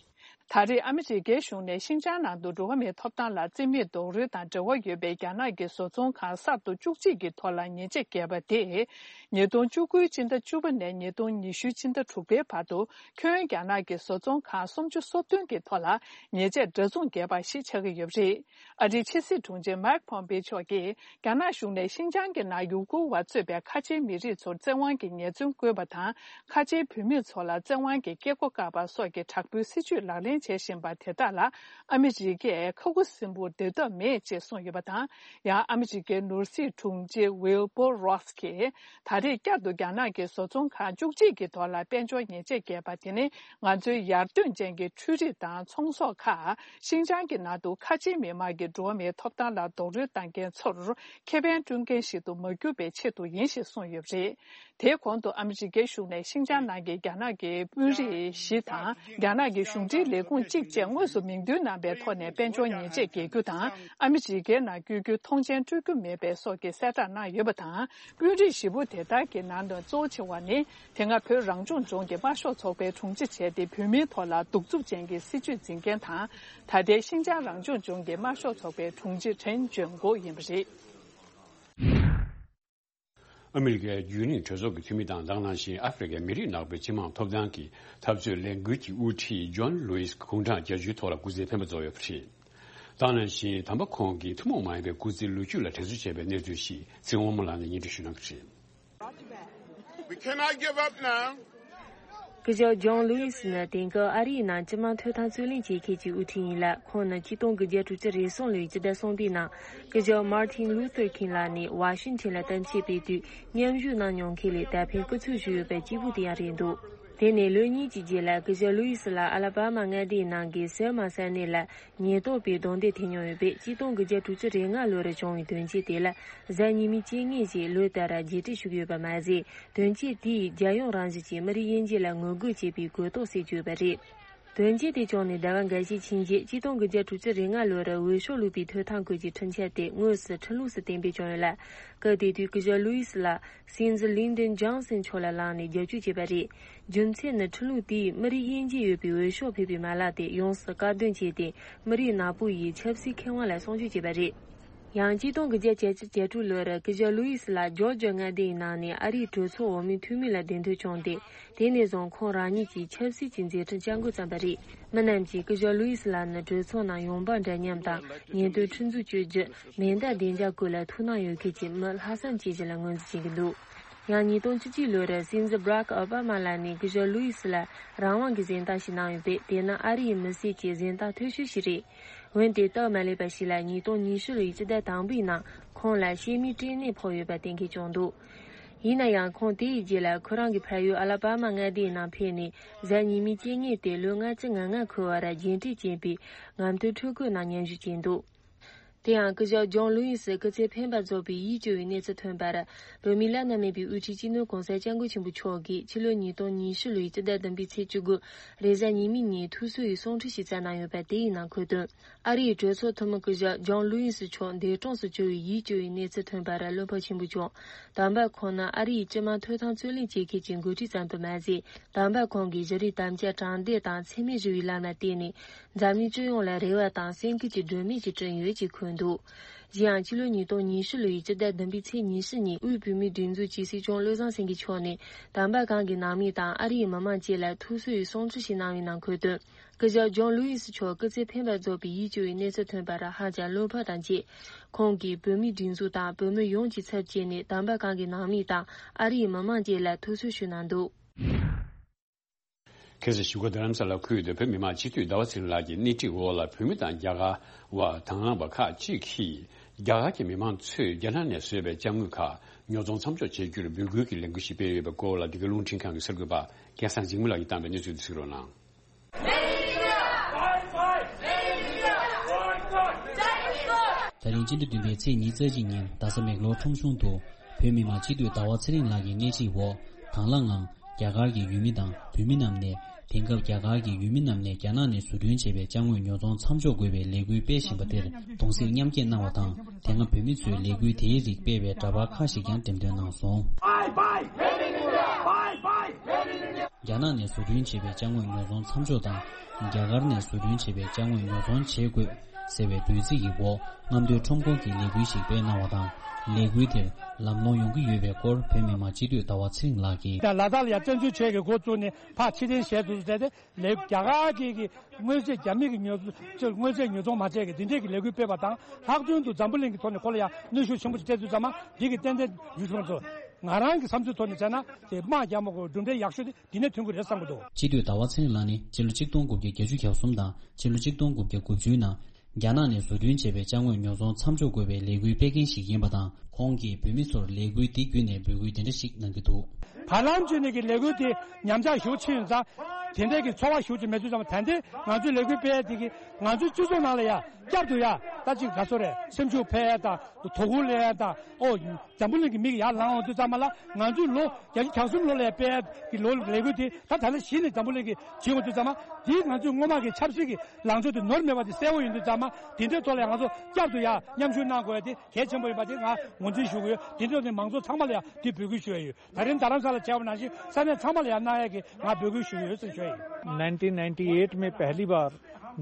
ད་རེས་ཨ་མི་རི་ཀའི་གཞུང་ནས་ཤིན་ཅང་ནང་དུ་འགྲོ་བ་མིའི་ཐོབ་ཐང་ལ་བརྩི་མེད་རྡོག་རོལ་དང་འབྲེལ་བ་ཡོད་པའི་རྒྱ་ནག་གི་བཟོ་ཚོང་ཁང་གསར་དུ་བཅུ་གཅིག་གི་ཐོག་ལ་ཉེས་ཆད་བཀལ་བ་དེས། ཉིས་སྟོང་བཅུ་དགུ་ཕྱི་ཟླ་བཅུ་པ་ནས་ཉིས་སྟོང་ཉི་ཤུ་ཕྱི་ཟླ་དྲུག་པའི་བར་དུ་ཁྱོན་རྒྱ་ནག་གི་བཟོ་ཚོང་ཁང་སུམ་ཅུ་སོ་བདུན་གྱི་ཐོག་ལ་ཉེས་ཆད་འདྲ་མཚུངས་བཀལ་བ་ཞིག་ཆགས་ཀྱི་ཡོད་པ་རེད། ཨ་རིའི་ཕྱི་སྲིད་དྲུང་ཆེ་མཱིག་ཕོམ་པེ་མཆོག་གིས། རྒྱ་ནག་གཞུང་ནས་ཤིན་ཅང་གི་ནང་ཡུ་གུར་བ་གཙོས་པའི་ཁ་ཆེའི་མི་རིགས་ཚོར་བཙན་དབང་གིས་ཉེས་རྩོད་བཀོད་པ་དང་། ཁ་ཆེའི་བུད་མེད་ཚོ་ལ་བཙན་དབང་གིས་སྐྱེ་སྒོ་བཀག་པ་སོགས་ཀྱི་དྲག་པོའི་སྲིད་བྱུས་ལག་ལེན་བྱེད་བཞིན་པ་དེ་དག་ལ་ཨ་མི་རི་ཀས་ཁ་ཁུ་སིམ་པོར་སྡོད་ཐབས་མེད་ཅེས་གསུངས་ཡོད་པ་དང་། ཡང་ཨ་མི་རི་ཀའི་ནོར་སྲིད་དྲུང་ཆེ་ཝིལ་བྷོ་རོས་ཀྱིས། ད་རེས་བསྐྱར་དུ་རྒྱ་ནག་གི་བཟོ་ཚོང་ཁང་བཅུ་གཅིག་གི་ཐོག་ལ་དཔལ་འབྱོར་ཉེས་ཆད་བཀལ་པ་དེ་ནི། ང་ཚོའི་ཡར་ཐོན་ཅན་གྱི་འཕྲུལ་རིག་དང་ཚོང་ཟོག་ཁག་ཤིན་ཅང་གི་ནང་དུ་ཁ་ཆེའི་མི་དམངས་ཀྱི་འགྲོ་བ་མིའི་ཐོབ་ཐང་ལ་རྡོག་རོལ་བཏང་མཁན་ཚོར་ཁེ་ཕན་སྐྲུན་མཁན་ཞིག་ཏུ་མ་གྱུར་པའི་ཆེད་དུ་ཡིན་ཞེས་གསུངས་ཡོད་པ་རེད། དེའི་གོང་དུ་ཨ་མི་རི་ཀའི་གཞུང་ནས་ཤིན་ཅང་ནང་གི་རྒྱ་ནག་གི་དཔོན་རིགས་བཞི་དང་རྒྱ་ནག་གི་གཞུང་འབྲེལ་ལས་ཁུངས་གཅིག་བཅས་དངོས་སུ་མིང་འདོན་གནང་པའི་ཐོག་ནས་དཔལ་འབྱོར་ཉེས་ཆད་འགེལ་རྒྱུ་དང་ཨ་མི་རི་ཀའི་ནང་བསྐྱོད་རྒྱུའི་ཐོངས་མཆན་སྤྲོད་རྒྱུ་མེད་པའི་སོགས་ཀྱི་གསལ་བསྒྲགས་གནང་ཡོད་པ་དང་། དཔོན་རིགས་བཞི་པོ་དེ་དག་གི་ནང་ནས་གཙོ་ཆེ་བ་ནི། དེ་སྔ་བོད་རང་སྐྱོང་ལྗོངས་ཀྱི་དམར་ཤོག་ཚོགས་པའི་དྲུང་ཆེ་བྱས་ཏེ་བོད་མིའི་ཐོག་ལ་གདུག་རྩུབ་ཅན་གྱི་སྲིད་བྱུས་འཛིན་མཁན་དང་། ད་ལྟའི་ཤིན་ཅང་རང་སྐྱོང་ལྗོངས་ཀྱི་དམར་ཤོག་ཚོགས་པའི་དྲུང་ཆེ་ཁྲེན་ཅོན་གོ་ཡིན་པ་རེད། ཨ་མི་རི་ཀའི་རྒྱུན་ལས་གྲོས་ཚོགས་ཀྱི་འཐུས་མི་དང་དེ་ནང་བཞིན་ཨ་ཧྥེ་རི་ཁའི་མི་རིགས་ནག་པོའི་སྤྱི་དམངས་ཐོབ་ཐང་གི་འཐབ་རྩོད་ལས་འགུལ་གྱི་དབུ་ཁྲིད་ཇོན་ལུའི་སི་དགུང་གྲངས་བརྒྱད་ཅུའི་ཐོག་ལ་སྐུ་ཚེ་འཕེན་པ་རྫོགས་ཡོད་པ་རེད། དེ་ནང་བཞིན་དམ་པ་ཁོང་གིས་ཐུན་མོང་མ་ཡིན་པའི་སྐུ་ཚེའི་ལོ་རྒྱུས་ལ་དྲན་གསོ་བྱས་པའི་གནས་ཚུལ་ཞིག་ཚེ་དབང་མོ་ལགས་ནས་སྙན་སྒྲོན་ཞུ་གནང་གི་རེད། We cannot give up now. སྐུ་ཞབས་ཇོན་ལུའི་སི་ནི་དེང་སྐབས་ཨ་རིའི་ནང་སྤྱི་དམངས་ཐོབ་ཐང་རྩོད་ལེན་བྱེད་མཁན་གྱི་དབུ་ཁྲིད་ཡིན་ལ། ཁོང་ནི་ཆིག་སྟོང་དགུ་བརྒྱ་དྲུག་ཅུ་རེ་གསུམ་ལོའི་སྤྱི་ཟླ་གསུམ་པའི་ནང་སྐུ་ཞབས་མར་ཏིན་ལུ་ཐར་ཁིང་ལགས་ནས་ཝ་ཤིང་ཊོན་ལ་གཏམ་བཤད་སྤེལ་དུས་མཉམ་ཞུགས་གནང་མྱོང་མཁན་ལས་ད་ཕན་སྐུ་ཚབ་ཞུས་ཡོད་པའི་གཅིག་པུ་དེ་ཡང་རེད་འདུག་དེ་ནས་ལོ་གཉིས་ཀྱི་རྗེས་ལ་སྐུ་ཞབས་ལུའི་སི་ལ་ཨ་ལ་པ་མ་མངའ་སྡེའི་ནང་གི་སེལ་མ་ས་གནས་ལ་ཉེན་རྟོག་པས་རྡུང་རྡེག་ཐེབས་མྱོང་ཡོད་པས། ཆིག་སྟོང་དགུ་བརྒྱ་དྲུག་ཅུ་རེ་ལྔ་ལོར་བྱུང་བའི་དོན་རྐྱེན་དེ་ལ་གཟའ་ཉི་མའི་རྐྱེན་ངན་ཞེས་ལོ་ལྟར་རྗེས་དྲན་ཞུ་གི་ཡོད་པ་མ་ཟད། དོན་རྐྱེན་དེས་རྒྱལ་ཡོངས་རང་བཞིན་གྱི་མི་རིགས་དབྱེ་འབྱེད་ལ་ངོ་རྒོལ་བྱེད་པའི་གོ་རྟོགས་སད་ཡོད་པ་རེད། དོན་རྐྱེན་དེ་བྱུང་ནས་ཟླ་བ་འགའ་ཤས་ཕྱིན་རྗེས་ཆིག་སྟོང་དགུ་བརྒྱ་དྲུག་ཅུ་རེ་ལྔ་ལོར་འོས་ཤོག་བླུགས་པའི་ཐོབ་ཐང་དགོས་ཀྱི་ཁྲིམས་འཆར་དེ་དངོས་སུ་ཁྲིམས་ལུགས་སུ་གཏན་འབེབས་བྱུང་ཡོད་ལ། སྐབས་དེ་དུས་སྐུ་ཞབས་ལུའི་སི་ལ་སྲིད་འཛིན་ལིན་ཌོན་ཇོན་སན་མཆོག་ལ་ལངས་ནས་རྒྱབ་སྐྱོར་བྱས་པ་རེད། རྒྱུ་མཚན་ནི་ཁྲིམས་ལུགས་དེས་མི་རིགས་དབྱེ་འབྱེད་ཡོད་པའི་འོས་ཤོག་ཕུལ་བའི་མ་ལག་དེ་ཡོངས་སུ་བཀག་སྡོམ་བྱས་ཏེ་མི་རིགས་ནག་པོ་ཡི་ཆབ་སྲིད་ཁེ་དབང་ལ་སྲུང་སྐྱོབ་བྱས་པ་རེད། ཡང་ཆིག་སྟོང་དགུ་བརྒྱ་བརྒྱད་ཅུ་གྱ་དྲུག་ལོར་སྐུ་ཞབས་ལུའི་སི་ལ་ཇོར་ཇི་མངའ་སྡེའི་ནང་ནས་ཨ་རིའི་གྲོས་ཚོགས་འོག་མའི་འཐུས་མི་ལ་གདན་འདྲེན་བྱུང་སྟེ། དེ་ནས་བཟུང་ཁོང་རང་ཉིད་ཀྱིས་ཆབ་སྲིད་ཀྱི་མཛད་འཕྲིན་བསྐྱར་འགོད་བརྩམས་པ་རེད། མི་རྣམས་ཀྱིས་སྐུ་ཞབས་ལུའི་སི་ལ་ནི་གྲོས་ཚོགས་ནང་ཡོང་འབབ་འདྲ་མཉམ་དང་ཉེས་དོན་ཁྲིམས་འཛུགས་གཅོད་རྒྱུ། མེ་མདའ་བདེ་འཇགས་སྐོར་ལ་ཐུགས་སྣང་ཡོད་མཁན་གྱི་མི་ལྷག་བསམ་ཅན་ཞིག་ལ་ངོས་འཛིན་བྱེད་ཀྱི་འདུག་ཡང་ཉིས་སྟོང་བཅུ་གཅིག་ལོར་སྲིད་འཛིན་བྷ་རག་ཨོ་བྷ་མ་ལགས་ནས་སྐུ་ཞབས་ལུའི་སི་ལ་རང་དབང་གི་གཟེངས་རྟགས་ཤིག་གནང་ཡོད་པས། དེ་ནི་ཨ་རིའི་མི་སེར་གྱི་གཟེངས་རྟགས་མཐོ་ཤོས་ཤིག་རེད། འོན་ཏེ་སྟབས་མ་ལེགས་པ་ཞིག་ལ་ཉིས་སྟོང་ཉི་ཤུ་ལོའི་སྤྱི་ཟླ་དང་པོའི་ནང་ཁོང་ལ་ཤེལ་མའི་སྐྲན་ནད་ཕོག་ཡོད་པ་གཏན་འཁེལ་བྱུང་འདུག་ཡིན་ན་ཡང་ཁོང་དེའི་རྗེས་ལ་ཁོ་རང་གི་ཕ་ཡུལ་ཨ་ལ་པ་མ་མངའ་སྡེའི་ནང་ཕེབས་ནས་གཟའ་ཉི་མའི་རྐྱེན་ངན་དེ་ལོ་ལྔ་བཅུ་ང་ལྔ་འཁོར་བར་རྗེས་དྲན་ཅན་པའི་ངམ་ཐོག་འཕྲུལ་འཁོར་ནང་མཉམ་ཞུགས་བྱས་འདུག་དེ་ཡང་སྐུ་ཞབས་ཇོན་ལུའི་སི་སྐུ་ཚེ་འཕེན་པ་རྫོགས་པའི་ཡིད་སྐྱོ་བའི་གནས་ཚུལ་ཐོན་པར། བོད་མིའི་བླ་ན་མེད་པའི་དབུ་ཁྲིད་སྤྱི་ནོར་༸གོང་ས་༸སྐྱབས་མགོན་ཆེན་པོ་མཆོག་གིས་ཕྱི་ལོ་ཉིས་སྟོང་ཉི་ཤུ་ལོའི་སྤྱི་ཟླ་བདུན་པའི་ཚེས་བཅུ་དགུ་རེས་གཟའ་ཉི་མའི་ཉིན་ཐུགས་གསོ་ཡི་གསུང་འཕྲིན་ཞིག་བསྩལ་གནང་ཡོད་པ་དེ་ཡི་ནང་འཁོད་དོན། ཨ་རིའི་གྲོས་ཚོགས་འཐུས་མི་སྐུ་ཞབས་ཇོན་ལུའི་སི་མཆོག་འདས་གྲོངས་སུ་གྱུར་བའི་ཡིད་སྐྱོ་བའི་གནས་ཚུལ་ཐོན་པར་བློ་ཕམ་ཆེན་པོ་བྱུང་། དམ་པ་ཁོང་ནི་ཨ་རིའི་སྤྱི་དམངས་ཐོབ་ཐང་རྩོད་ལེན་བྱེད་མཁན་གྱི་འགོ་ཁྲིད་ཙམ་དུ་མ་ཟད། དམ་པ་ཁོང་གིས་བཞུགས་རིགས་དམ་བཅའ་དྲང་བདེན་དང་འཚེ་མེད་ཞི་བའི་ལམ་ལ་བརྟེན་ནས། འཛམ་གླིང་སྤྱི་ཡོངས་ལ་རེ་བ་དང་སེམས་འགུལ་གྱི་སྒྲོན་མེ་ཞིག་བསྐྲུན་ཡོད་ཅེས་འཁོད་འདུག་གཞན་ཡང་ཕྱི་ལོ་ཉིས་སྟོང་ཉི་ཤུ་ལོའི་སྤྱི་ཟླ་བདུན་པའི་ཚེས་ཉི་ཤུ་ཉིན་དབུས་བོད་མིའི་སྒྲིག་འཛུགས་ཀྱི་སྲིད་སྐྱོང་བློ་བཟང་སེང་གེ་མཆོག་ནས་དམ་པ་ཁོང་གི་ནང་མི་དང་ཨ་རིའི་མི་མང་བཅས་ལ་ཐུགས་གསོ་ཡི་གསུང་འཕྲིན་ཞིག་གནང་བའི་ནང་འཁོད་དོན། སྐུ་ཞབས་ཇོན་ལུའི་སི་མཆོག་སྐུ་ཚེ་འཕེན་པ་རྫོགས་པའི་ཡིད་སྐྱོ་བའི་གནས་ཚུལ་ཐོན་པར་ཧ་ཅང་བློ་ཕམ་དང་བཅས། ཁོང་གིས་བོད་མིའི་སྒྲིག་འཛུགས་དང་བོད་མི་ཡོངས་ཀྱི་ཚབ་བྱས་ནས་དམ་པ་ཁོང་གི་ནང་མི་དང་ཨ་རིའི་མི་མང་བཅས་ལ་ཐུགས་གསོ་ཞུ་གནང་འདུག་ཁ་སང་བཞུགས་སྒར་རྡ་རམ་ས་ལ་ཁུལ་དུ་བོད་མི་མང་སྤྱི་འཐུས་ཟླ་བ་ཚེ་རིང་ལགས་ཀྱི་སྣེ་ཁྲིད་འོག་ལ་བོད་མི་དང་རྒྱ་གར་བ་དང་བླངས་པ་ཁག་ཅིག་གིས་རྒྱ་གར་གྱི་མི་མང་ཚོས་རྒྱ་ནག་ནས་བཟོས་པའི་ཅ་དངོས་ཁག་ཉོ་ཚོང་མཚམས་འཇོག་བྱེད་རྒྱུར་འབོད་སྐུལ་གྱི་ལས་འགུལ་ཞིག་སྤེལ་ཡོད་པའི་སྐོར་ལ། འདི་ག་རླུང་འཕྲིན་ཁང་གི་གསར་འགོད་པ་སྐལ་བཟང་འཇིགས་མེད་ལགས་ཀྱིས་བཏང་བའི་གནས་ཚུལ་དེ་གཟིགས་རོགས་གནང་། ད་རིང་སྤྱི་ཟླ་བདུན་པའི་ཚེས་ཉི་ཤུ་རྩ་གཅིག་ཉིན་རྡ་ས་མེག་ལོར་ཁྲོམ་གཞུང་དུ། བོད་མི་མང་སྤྱི་འཐུས་ཟླ་བ་ཚེ་རིང་ལགས་ཀྱི་སྣེ་ཁྲིད་འོག་དང་བླངས་ངང་རྒྱ་གར་གྱི་ཡུལ་མི་དང་བོད་མི་རྣམས་ནས། དེང་སྐབས་རྒྱ་གར་གྱི་ཡུལ་མི་རྣམས་ནས་རྒྱ་ནག་ནས་བཟོ་སྐྲུན་བྱས་པའི་ཅ་དངོས་ཉོ་ཚོང་མཚམས་འཇོག་དགོས་པའི་ལས་འགུལ་སྤེལ་བཞིན་པ་དེར་གདུང་སེམས་མཉམ་སྐྱེད་གནང་བ་དང་། དེ་སྔ་བོད་མི་ཚོས་ལས་འགུལ་དེའི་རིགས་སྤེལ་བའི་འདྲ་པར་ཁག་ཞིག་ཀྱང་འགྲེམས་སྟོན་གནང་སོང་། Bye bye Made in India! Bye bye Made in India! རྒྱ་ནག་ནས་བཟོ་སྐྲུན་བྱས་པའི་ཅ་དངོས་ཉོ་ཚོང་མཚམས་འཇོག་དང་། རྒྱ་གར་ནས་བཟོ་སྐྲུན་བྱས་པའི་ཅ་དངོས་ཉོ་ཚོང་བྱེད་དགོས་ཟེར་བའི་འབོད་ཚིག་གི་འོག་རྔམ་སྟོན་ཁྲོམ་སྐོར་གྱི་ལས་འགུལ་ཞིག་སྤེལ་གནང་བ་དང་། ལས་འགུལ་དེར་ལམ་ལྷོང་ཡོང་གི་ཡོད་པའི་སྐོར་བོད་མི་མང་སྤྱི་འཐུས་ཟླ་བ་ཚེ་རིང་ལགས་ཀྱིས། ཡང་ལ་དྭགས་ལ་ཡང་བཙན་འཛུལ་བྱས་ཀྱི་འགོ་བཙུགས་ནས་ཕར་ཕྱིར་འཐེན་བྱས་འདུག་ཟེར་ཏེ། ལས་རྒྱ་གར་གྱི་གི་དངོས་རྫས། རྒྱ་མི་གི་ཉོ་ཚོང་དངོས་རྫས་ཉོ་ཚོང་མ་བྱས་ཀྱི་འདི་འདྲས་ཀྱི་ལས་འགུལ་སྤེལ་བ་དང་། ལྷག་དོན་དུ་འཛམ་བུ་གླིང་གི་ཐོག་ནས་ཁོ་ལ་ཡང་གནོན་ཤུགས་ཆེན་པོ་ཞིག་སྤྲད་དུས་ཙམ་པ། འདི་གི་ཏན་ཏན་ཡུལ་གྲུ་ཚོ་ང་རང་གི་བསམ་ཚུལ་ཐོག་ནས་བྱས་ན་དེ་དམག་རྒྱག་མ་དགོས། གྲུབ་འབྲས་ཡག་ཤོས་དེ་འདི་ནས་ཐོན་གྱི་རེད་བསམ་གྱི་འདུག། སྤྱི་འཐུས་ཟླ་བ་ཚེ་རིང་ལགས་ནི་ཕྱི་ལོ་ཆིག་སྟོང་དགུ་བརྒྱ་བརྒྱད་ཅུ་གྱ་གསུམ་དང་ཕྱི་ལོ་ཆིག་སྟོང་དགུ་བརྒྱ་དགུ་བཅུའི་ནང་རྒྱ་ནག་ནས་བཟོ་སྐྲུན་བྱས་པའི་ཅ་དངོས་ཉོ་ཚོང་མཚམས་འཇོག་དགོས་པའི་ལས་འགུལ་སྤེལ་མཁན་ཞིག་ཡིན་པ་དང་། ཁོང་གིས་བོད་མི་ཚོར་ལས་འགུལ་འདི་བརྒྱུད་ནས་འབོད་སྐུལ་དེ་འདྲ་ཞིག་གནང་གི་འདུག། བར་ལམ་བརྒྱུད་ནས་ཀྱི་ལས་འགུལ་དེ་ཉམས་ཆག་ཞེ་པོ་ཕྱིན་ཡོད་ཙང་། དེ་འདྲའི་གི་ཚོར་བ་ཞེ་པོ་ཅིག་མེད་དུས་ཙམ། ད་ལྟའི་ང་ཚོའི་ལས་འགུལ་སྤེལ་ཡ་དེ་གིས་ང་ཚོའི་སྤྱི་ཚོགས་ནང་ལ་ཡ་བསྐྱར་དུ་ཡ་ད་ཅིག་ག་ཚོད་རེད། སེམས་ཤུགས་འཕེལ་ཡ་དང་དོ་ཁུར་སླེབས་ཡ་དང་། ཨོ། འཛམ་བུ་གླིང་གི་མིག་ཡར་ལངས་ཡོང་དུས་ཙམ་པ་ལ། ང་ཚོའི་ལོ་བརྒྱད་ཅུ་གྱ་གསུམ་ལོ་ལ་ཡ་སྤེལ་ཡ་གི་ལོ་ལས་འགུལ་དེ་ད་ད་ལྟ་གཞི་ནས་འཛམ་བུ་གླིང་གིས་བྱེད་ཡོང་དུས་ཙམ་པ། དེས་ང་ཚོའི་སྔོན་མ་གི་ཆབ་སྲིད་ཀྱི་ལངས་ཕྱོགས་དེ་ནོར་མེད་པ་དེ་གསལ་པོ་ཡིན་དུས་ཙམ་པ། དེ་འདྲའི་ཐོག་ལ་ཡ་ང་ཚོ་བསྐྱར་དུ་ཡ་མཉམ་ཞུགས་གནང་དགོས་ཡ་དེ་གལ་ཆེན་པོ་ཡིན་པ་དེ་ང་ངོས་འཛིན་ཞུ་གི་ཡོད། དེ་འདྲའི་ཐོག་ནས་མང་ཚོགས་ཚང་མ་ལ་ཡ་དེ་འབོད་སྐུལ་ཞུ་ཡ་ཡོད། ད་རིང་རྡ་རམ་ས་ལ་བྱས་པ་ནང་བཞིན་ས་གནས་ཚང་མ་ལ་ཡང་གནང་ཡག་གི་ང་འབོད་སྐུལ་ཞུ་གི་ཡོད་ཟེར་ཞུ་ཡ་ཡིན། nineteen ninety eight में पहली बार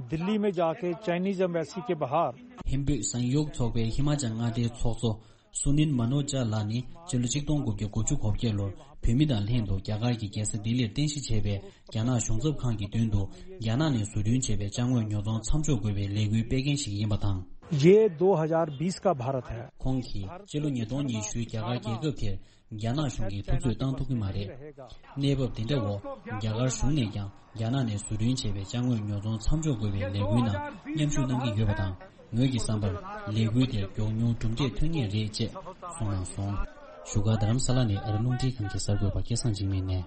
दिल्ली में जाके Chinese embassy के बाहर། ཧིན་བོད་གསང་སྔགས་ཚོགས་པའི་ཧི་མ་ཅལ་མངའ་སྡེའི་ཚོགས་གཙོ་སུ་ནིལ་མ་ནོ་ཇ་ལགས་ནི་ཕྱི་ལོ་ཆིག་སྟོང་དགུ་བརྒྱ་དགུ་བཅུ་གོ་བརྒྱད་ལོར་བོད་མི་དང་ལྷན་དུ་རྒྱ་གར་གྱི་རྒྱལ་ས་ལྡི་ལིར་རྟེན་གཞི་བྱས་པའི་རྒྱ་ནག་གཞུང་ཚབ་ཁང་གི་མདུན་དུ་རྒྱ་ནག་ནས་བཟོ་སྐྲུན་བྱས་པའི་ཅ་དངོས་ཉོ་ཚོང་མཚམས་འཇོག་དགོས་པའི་ལས་འགུལ་སྤེལ་མཁན་ཞིག་ཡིན་པ་དང་། ये दो हज़ार बीस का भारत है। ཁོང་གིས་ཕྱི་ལོ་ཉིས་སྟོང་ཉི་ཤུའི་རྒྱ་གར་རྒྱལ་ཁབ་དེར་རྒྱ་ནག་གཞུང་གིས་ཐུབ་ཚོད་བཏང་ཐུབ་ཀྱི་མ་རེད། གནས་བབ་འདི་འདྲ་འོག་རྒྱ་གར་གཞུང་ནས་ཀྱང་རྒྱ་ནག་ནས་བཟོ་སྐྲུན་བྱས་པའི་ཅ་དངོས་ཉོ་ཚོང་མཚམས་འཇོག་དགོས་པའི་ལས་འགུལ་ནང་མཉམ་ཞུགས་གནང་གི་ཡོད་པ་དང་། ངོས་ཀྱི་བསམ་པར་ལས་འགུལ་དེར་མགྱོགས་མྱུར་གྲུབ་འབྲས་ཐོན་ངེས་རེད་ཅེས་གསུངས་གནང་སོང་། བཞུགས་སྒར་རྡ་རམ་ས་ལ་ནས་ཨ་རི་རླུང་འཕྲིན་ཁང་གི་གསར་འགོད་པ་སྐལ་བཟང་འཇིགས་མེད་ནས།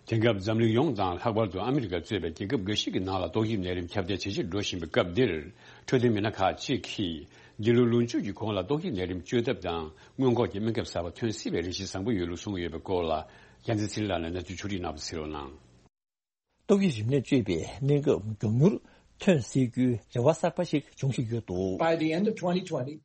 དེང་སྐབས་འཛམ་གླིང་ཡོངས་དང་ལྷག་པར་དུ་ཨ་མི་རི་ཀ་གཙོས་པའི་རྒྱལ་ཁབ་འགའ་ཞིག་གི་ནང་ལ་ཏོག་དབྱིབས་ནད་རིམས་ཁྱབ་གདལ་ཇེ་ཆེར་འགྲོ་བཞིན་པའི་སྐབས་འདིར། འཕྲོད་བསྟེན་མི་སྣ་ཁག་ཅིག་གིས་འདི་ལོའི་ལོ་མཇུག་གི་གོང་ལ་ཏོག་དབྱིབས་ནད་རིམས་བཅོས་ཐབས་དང་སྔོན་འགོག་གི་སྨན་ཁབ་གསར་པ་ཐོན་སྲིད་པའི་རེ་ཞིག་བཟང་པོ་ཡོད་ལུགས་གསུངས་ཡོད་པའི་སྐོར་ལ། རྒྱལ་མཚན་ཚེ་རིང་ལགས་ནས་གནས་ཚུལ་ཕྱོགས་སྒྲིག་གནང་བ་གསན་རོགས་གནང་། ཏོག་དབྱིབས་རིམས་ནད་བཅོས་པའི་སྨན་ཁབ་མགྱོགས་མྱུར་ཐོན་སྲིད་རྒྱུའི་རེ་བ་གསར་པ་ཞིག་འབྱུང་བཞིན་ཡོད་འདུག། By the end of twenty twenty,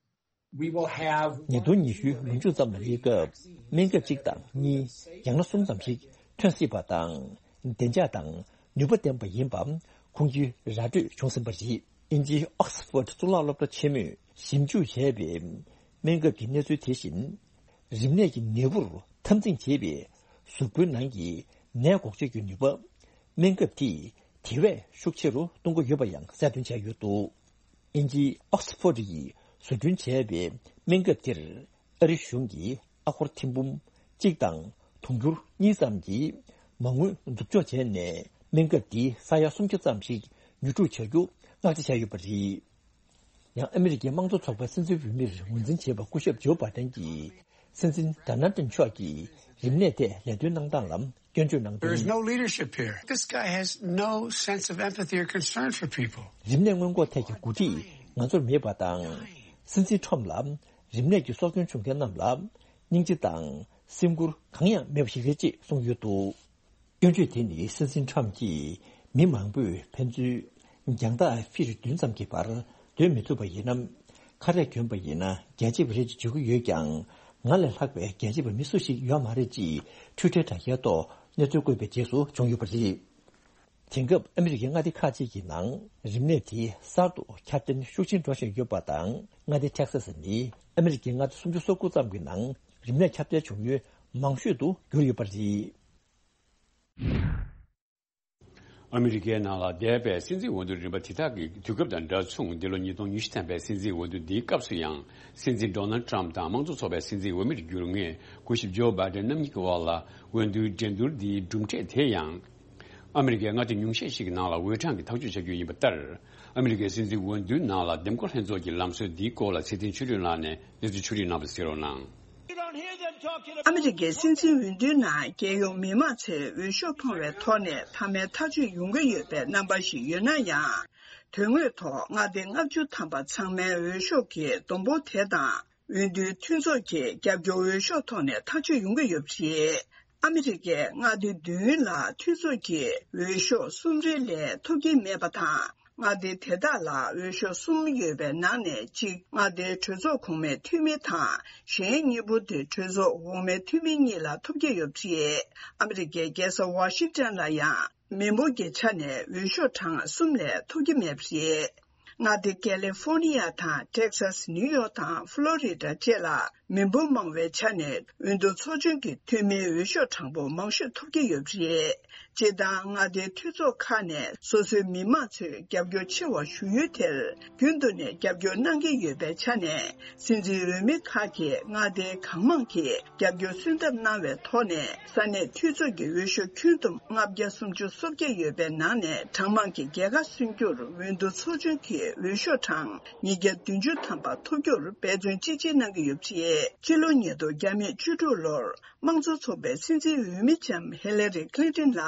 we will have ཉིས་སྟོང་ཉི་ཤུའི་ལོ་མཇུག་ཙམ་ལ་སླེབས་སྐབས་སྨན་ཁབ་གཅིག་དང་གཉིས། ཡང་ན་གསུམ་ཙམ་ཞིག་ཐོན་སྲིད་པ་དང་། བདེ་འཇགས་དང་ནུས་པ་ལྡན་པ་ཡིན་པ་ཁུངས་སྐྱེལ་ར་སྤྲོད་བྱུང་ཟིན་པ་རེད། དབྱིན་ཇིའི་ཨོག་སི་ཕོར་གཙུག་ལག་སློབ་གྲྭ་ཆེན་མོས་ཞིབ་འཇུག་བྱས་པའི་སྨན་ཁབ་ཀྱི་གནས་ཚུལ་དེ་བཞིན། རིམས་ནད་ཀྱི་ནད་འབུར་འཐབ་འཛིང་བྱེད་པའི་གཟུགས་པོའི་ནང་གི་ནད་འགོག་བྱེད་ཀྱི་ནུས་པ། སྨན་ཁབ་དེས་དེ་བས་ཤུགས་ཆེ་རུ་གཏོང་གི་ཡོད་པ་ཡང་གསལ་སྟོན་བྱས་ཡོད་འདུག། དབྱིན་ཇིའི་ཨོག་སི་ཕོར་ཡིས་བཟོ་སྐྲུན་བྱས་པའི་སྨན་ཁབ་དེར་ཨ་རི་གཞུང་གིས་ཨ་སྒོར་ཐེར་འབུམ་གཅིག་དང་དུང་ཕྱུར་གཉིས་ཙམ་གྱི་མ་དངུལ་མཛུབ་འཇོག་བྱས་ནས། སྨན་ཁབ་འདི་ས་ཡ་སུམ་བརྒྱ་ཙམ་ཞིག་ཉོ་སྒྲུབ་བྱ་རྒྱུ་མངགས་འདྲེན་བྱས་ཡོད་པ་རེད། ཡང་ཨ་མི་རི་ཀའི་དམངས་གཙོ་ཚོགས་པའི་སྲིད་འཛིན་འོས་མིར་ངོས་འཛིན་བྱས་པ་སྐུ་ཞབས་ཇོ་བྷ་དན་གྱིས། སྲིད་འཛིན་ཌོ་ནལ་ཏྲམ་མཆོག་གིས་རིམས་ནད་ཐད་ལས་དོན་གནང་སྟངས་ལ་སྐྱོན་བརྗོད་གནང་དོན། There is no leadership here. This guy has no sense of empathy or concern for people. རིམས་ནད་སྔོན་འགོག་ཐད་ཀྱི་འགོ་ཁྲིད་ང་ཚོར་མེད་པ་དང་། སྲིད་འཛིན་ཁྲོམ་ལ་རིམས་ནད་ཀྱི་སྲོག་སྐྱོན་བྱུང་མཁན་རྣམས་ལ་སྙིང་རྗེ་དང་སེམས་ཁུར་གང་ཡང་མེད་པ་ཞིག་རེད་ཅེས་གསུངས་ཡོད་འདུག། སྐྱོན་བརྗོད་དེ་ནི་སྲིད་འཛིན་ཁྲོམ་གྱིས་མི་མང་པོས་ཕན་ཚུན་རྒྱང་ཐག་ཕྱིར་བདུན་ཙམ་གྱི་བར་སྡོད་མི་ཐུབ་པ་ཡིན་ན། ཁ་རས་གྱོན་པ་ཡིན་ན་རྒྱལ་གཅེས་པ་རེད་ཅེས་བརྗོད་ཀྱི་ཡོད་ཀྱང་། ང་ལས་ལྷག་པའི་རྒྱལ་གཅེས་པ་མི་སུ་ཞིག་ཡོད་མ་རེད་ཅེས་ཊུའི་ཊར་དྲ་རྒྱའི་ཐོག་གནས་ཚུལ་བཀོད་པའི་རྗེས་སུ་བྱུང་ཡོད་པ་རེད། དེང་སྐབས་ཨ་མི་རི་ཀའི་མངའ་སྡེ་ཁག་ཅིག་གི་ནང་རིམས་ནད་དེ་གསར་དུ་ཁྱབ་གདལ་ཤུགས་ཆེན་འགྲོ་བཞིན་ཡོད་པ་དང་། མངའ་སྡེ་ཊེག་སཱ་སི་ནི་ཨ་མི་རི་ཀའི་མངའ་སྡེ་སུམ་ཅུ་སོ་དགུ་ཙམ་གྱི་ནང་རིམས་ནད་ཁྱབ་གདལ་བྱུང་ཡུལ་མང་ཤོས་སུ་གྱུར་ཡོད་པ་རེད། ཨ་མི་རི་ཀའི་ནང་ལ་འདས་པའི་སྲིད་འཛིན་འོས་བསྡུ་རིམ་པ་དེ་དག་གི་དུས་སྐབས་དང་འདྲ་མཚུངས། འདི་ལོ་ཉིས་སྟོང་ཉི་ཤུ་ཐམ་པའི་སྲིད་འཛིན་འོས་བསྡུ་འདིའི་སྐབས་སུ་ཡང་། སྲིད་འཛིན་ཌོ་ནལ་ཊམ་དང་དམངས་གཙོ་ཚོགས་པའི་སྲིད་འཛིན་འོས་མིར་གྱུར་མཁན་སྐུ་ཞབས་ཇོ་བྷ་དན་རྣམ་གཉིས་ཀྱི་དབར་ལ་འོས་བསྡུའི་འགྲན་བསྡུར་འདིའི་གྲུབ་འབྲས་དེ་ཡང་། ཨ་མི་རི་ཀའི་མངའ་སྡེ་ཉུང་ཤས་ཤིག་གི་ནང་ལ་འོས་གྲངས་ཀྱིས་ཐག་གཅོད་བྱ་རྒྱུ་ཡིན་པ་ལྟར། ཨ་མི་རི་ཀའི་སྲིད་འཛིན་འོས་བསྡུའི་ནང་ལ་འདེམས་བསྐོ་ལྷན་ཚོགས་ཀྱི་ལམ་སྲོལ་འདིའི་སྐོར་ལ་ཚེ་བརྟན་ཆོས་སྒྲོན་ལགས་ནས་གནས་ཚུལ་ཕྱོགས་སྒྲིག་གནང་བ་གསན་རོགས་གནང་། ཨ་མི་རི་ཀའི་སྲིད་འཛིན་འོས་བསྡུའི་ནང་རྒྱལ་ཡོངས་མི་མང་ཚོས་འོས་ཤོག་འཕངས་པའི་ཐོག་ནས་མཐའ་མའི་ཐག་གཅོད་ཡོང་གི་ཡོད་པའི་རྣམ་པ་ཞིག་ཡོད་ན་ཡང་། དོན་དངོས་ཐོག་མངའ་སྡེ་ལྔ་བཅུ་ཐམ་པ་ཚང་མའི་འོས་ཤོག་གི་བསྡོམས་འབོར་དེ་དང་། འོས་བསྡུའི་མཐུན་ཚོགས་ཀྱི་རྒྱབ་སྐྱོར་འོས་ཤོག་ཐོག་ནས་ཐག་གཅོད་ཡོང་གི་ཡོད་པ་རེད། ཨ་མི་རི་ཀའི་མངའ་སྡེ་བདུན་ལ་མཐུན་ཚོགས་ཀྱི་འོས་ཤོག་གསུམ་རེ་ལས་ཐོབ་ཀྱི་མེད་པ་དང་། མངའ་སྡེ་དེ་དག་ལ་འོས་ཤོག་གསུམ་ཡོད་པའི་ནང་ནས་གཅིག་མངའ་སྡེའི་གྲོས་ཚོགས་གོང་མའི་འཐུས་མི་དང་། གཞན་གཉིས་པོ་དེ་གྲོས་ཚོགས་འོག་མའི་འཐུས་མི་གཉིས་ལ་ཐོབ་ཀྱི་ཡོད་པ་རེད། ཨ་མི་རི་ཀའི་རྒྱལ་ས་ཝ་ཤིང་ཏན་ལ་ཡང་མི་འབོར་གྱི་ཆ་ནས་འོས་ཤོག་གྲངས་གསུམ་ལས་ཐོབ་ཀྱི་མེད་པ་རེད། མངའ་སྡེ་ཀེ་ལི་ཧྥོར་ནི་ཡ་དང་ཊེག་སཱས། ནིའུ་ཡོག་དང་ཕློ་རི་ཌ་བཅས་ལ་མི་འབོར་མང་བའི་ཆ་ནས་འོས་བསྡུ་ཚོགས་ཆུང་གི་འཐུས་མིའི་འོས་ཤོག་གྲངས་འབོར་མང་ཤོས་ཐོབ་ཀྱི་ཡོད་པ་རེད། སྤྱིར་བཏང་མངའ་སྡེའི་འཐུས་ཚོགས་ཁག་ནས་སོ་སོའི་མི་མང་ཚོས་རྒྱབ་སྐྱོར་ཆེ་བ་ཞུ་ཡུལ་དེར་རྒྱུན་དུ་ནས་རྒྱབ་སྐྱོར་གནང་གི་ཡོད་པའི་ཆ་ནས། སྲིད་འཛིན་འོས་མི་ཁག་གིས་མངའ་སྡེའི་གང་མང་གིས་རྒྱབ་སྐྱོར་སོན་ཐབས་གནང་བའི་ཐོག་ནས། ས་གནས་འཐུས་ཚོགས་ཀྱི་འོས་ཤོག་ཁྱོན་བསྡོམས་ལྔ་བརྒྱ་སུམ་ཅུ་སོ་བརྒྱད་ཡོད་པའི་ནང་ནས་གྲངས་མང་གི་རྒྱལ་ཁ་སོན་རྒྱུར་འོས་བསྡུ་ཚོགས་ཆུང་གིས་འོས་ཤོག་གྲངས་ཉིས་བརྒྱ་བདུན་ཅུ་ཐམ་པ་ཐོབ་རྒྱུར་འབད་བརྩོན་ཅི་ཆེ་གནང་གི་ཡོད་པ་རེད། ཕྱི་ལོ་ཉིས་སྟོང་བརྒྱ་མེད་བཅུ་དྲུག་ལོར་དམངས་གཙོ་ཚོགས་པའི་སྲིད་འཛིན་འོས་མི་ལྕམ་ཧི་ལ་རི་ཁི་ལིན་ཏིན་ལ་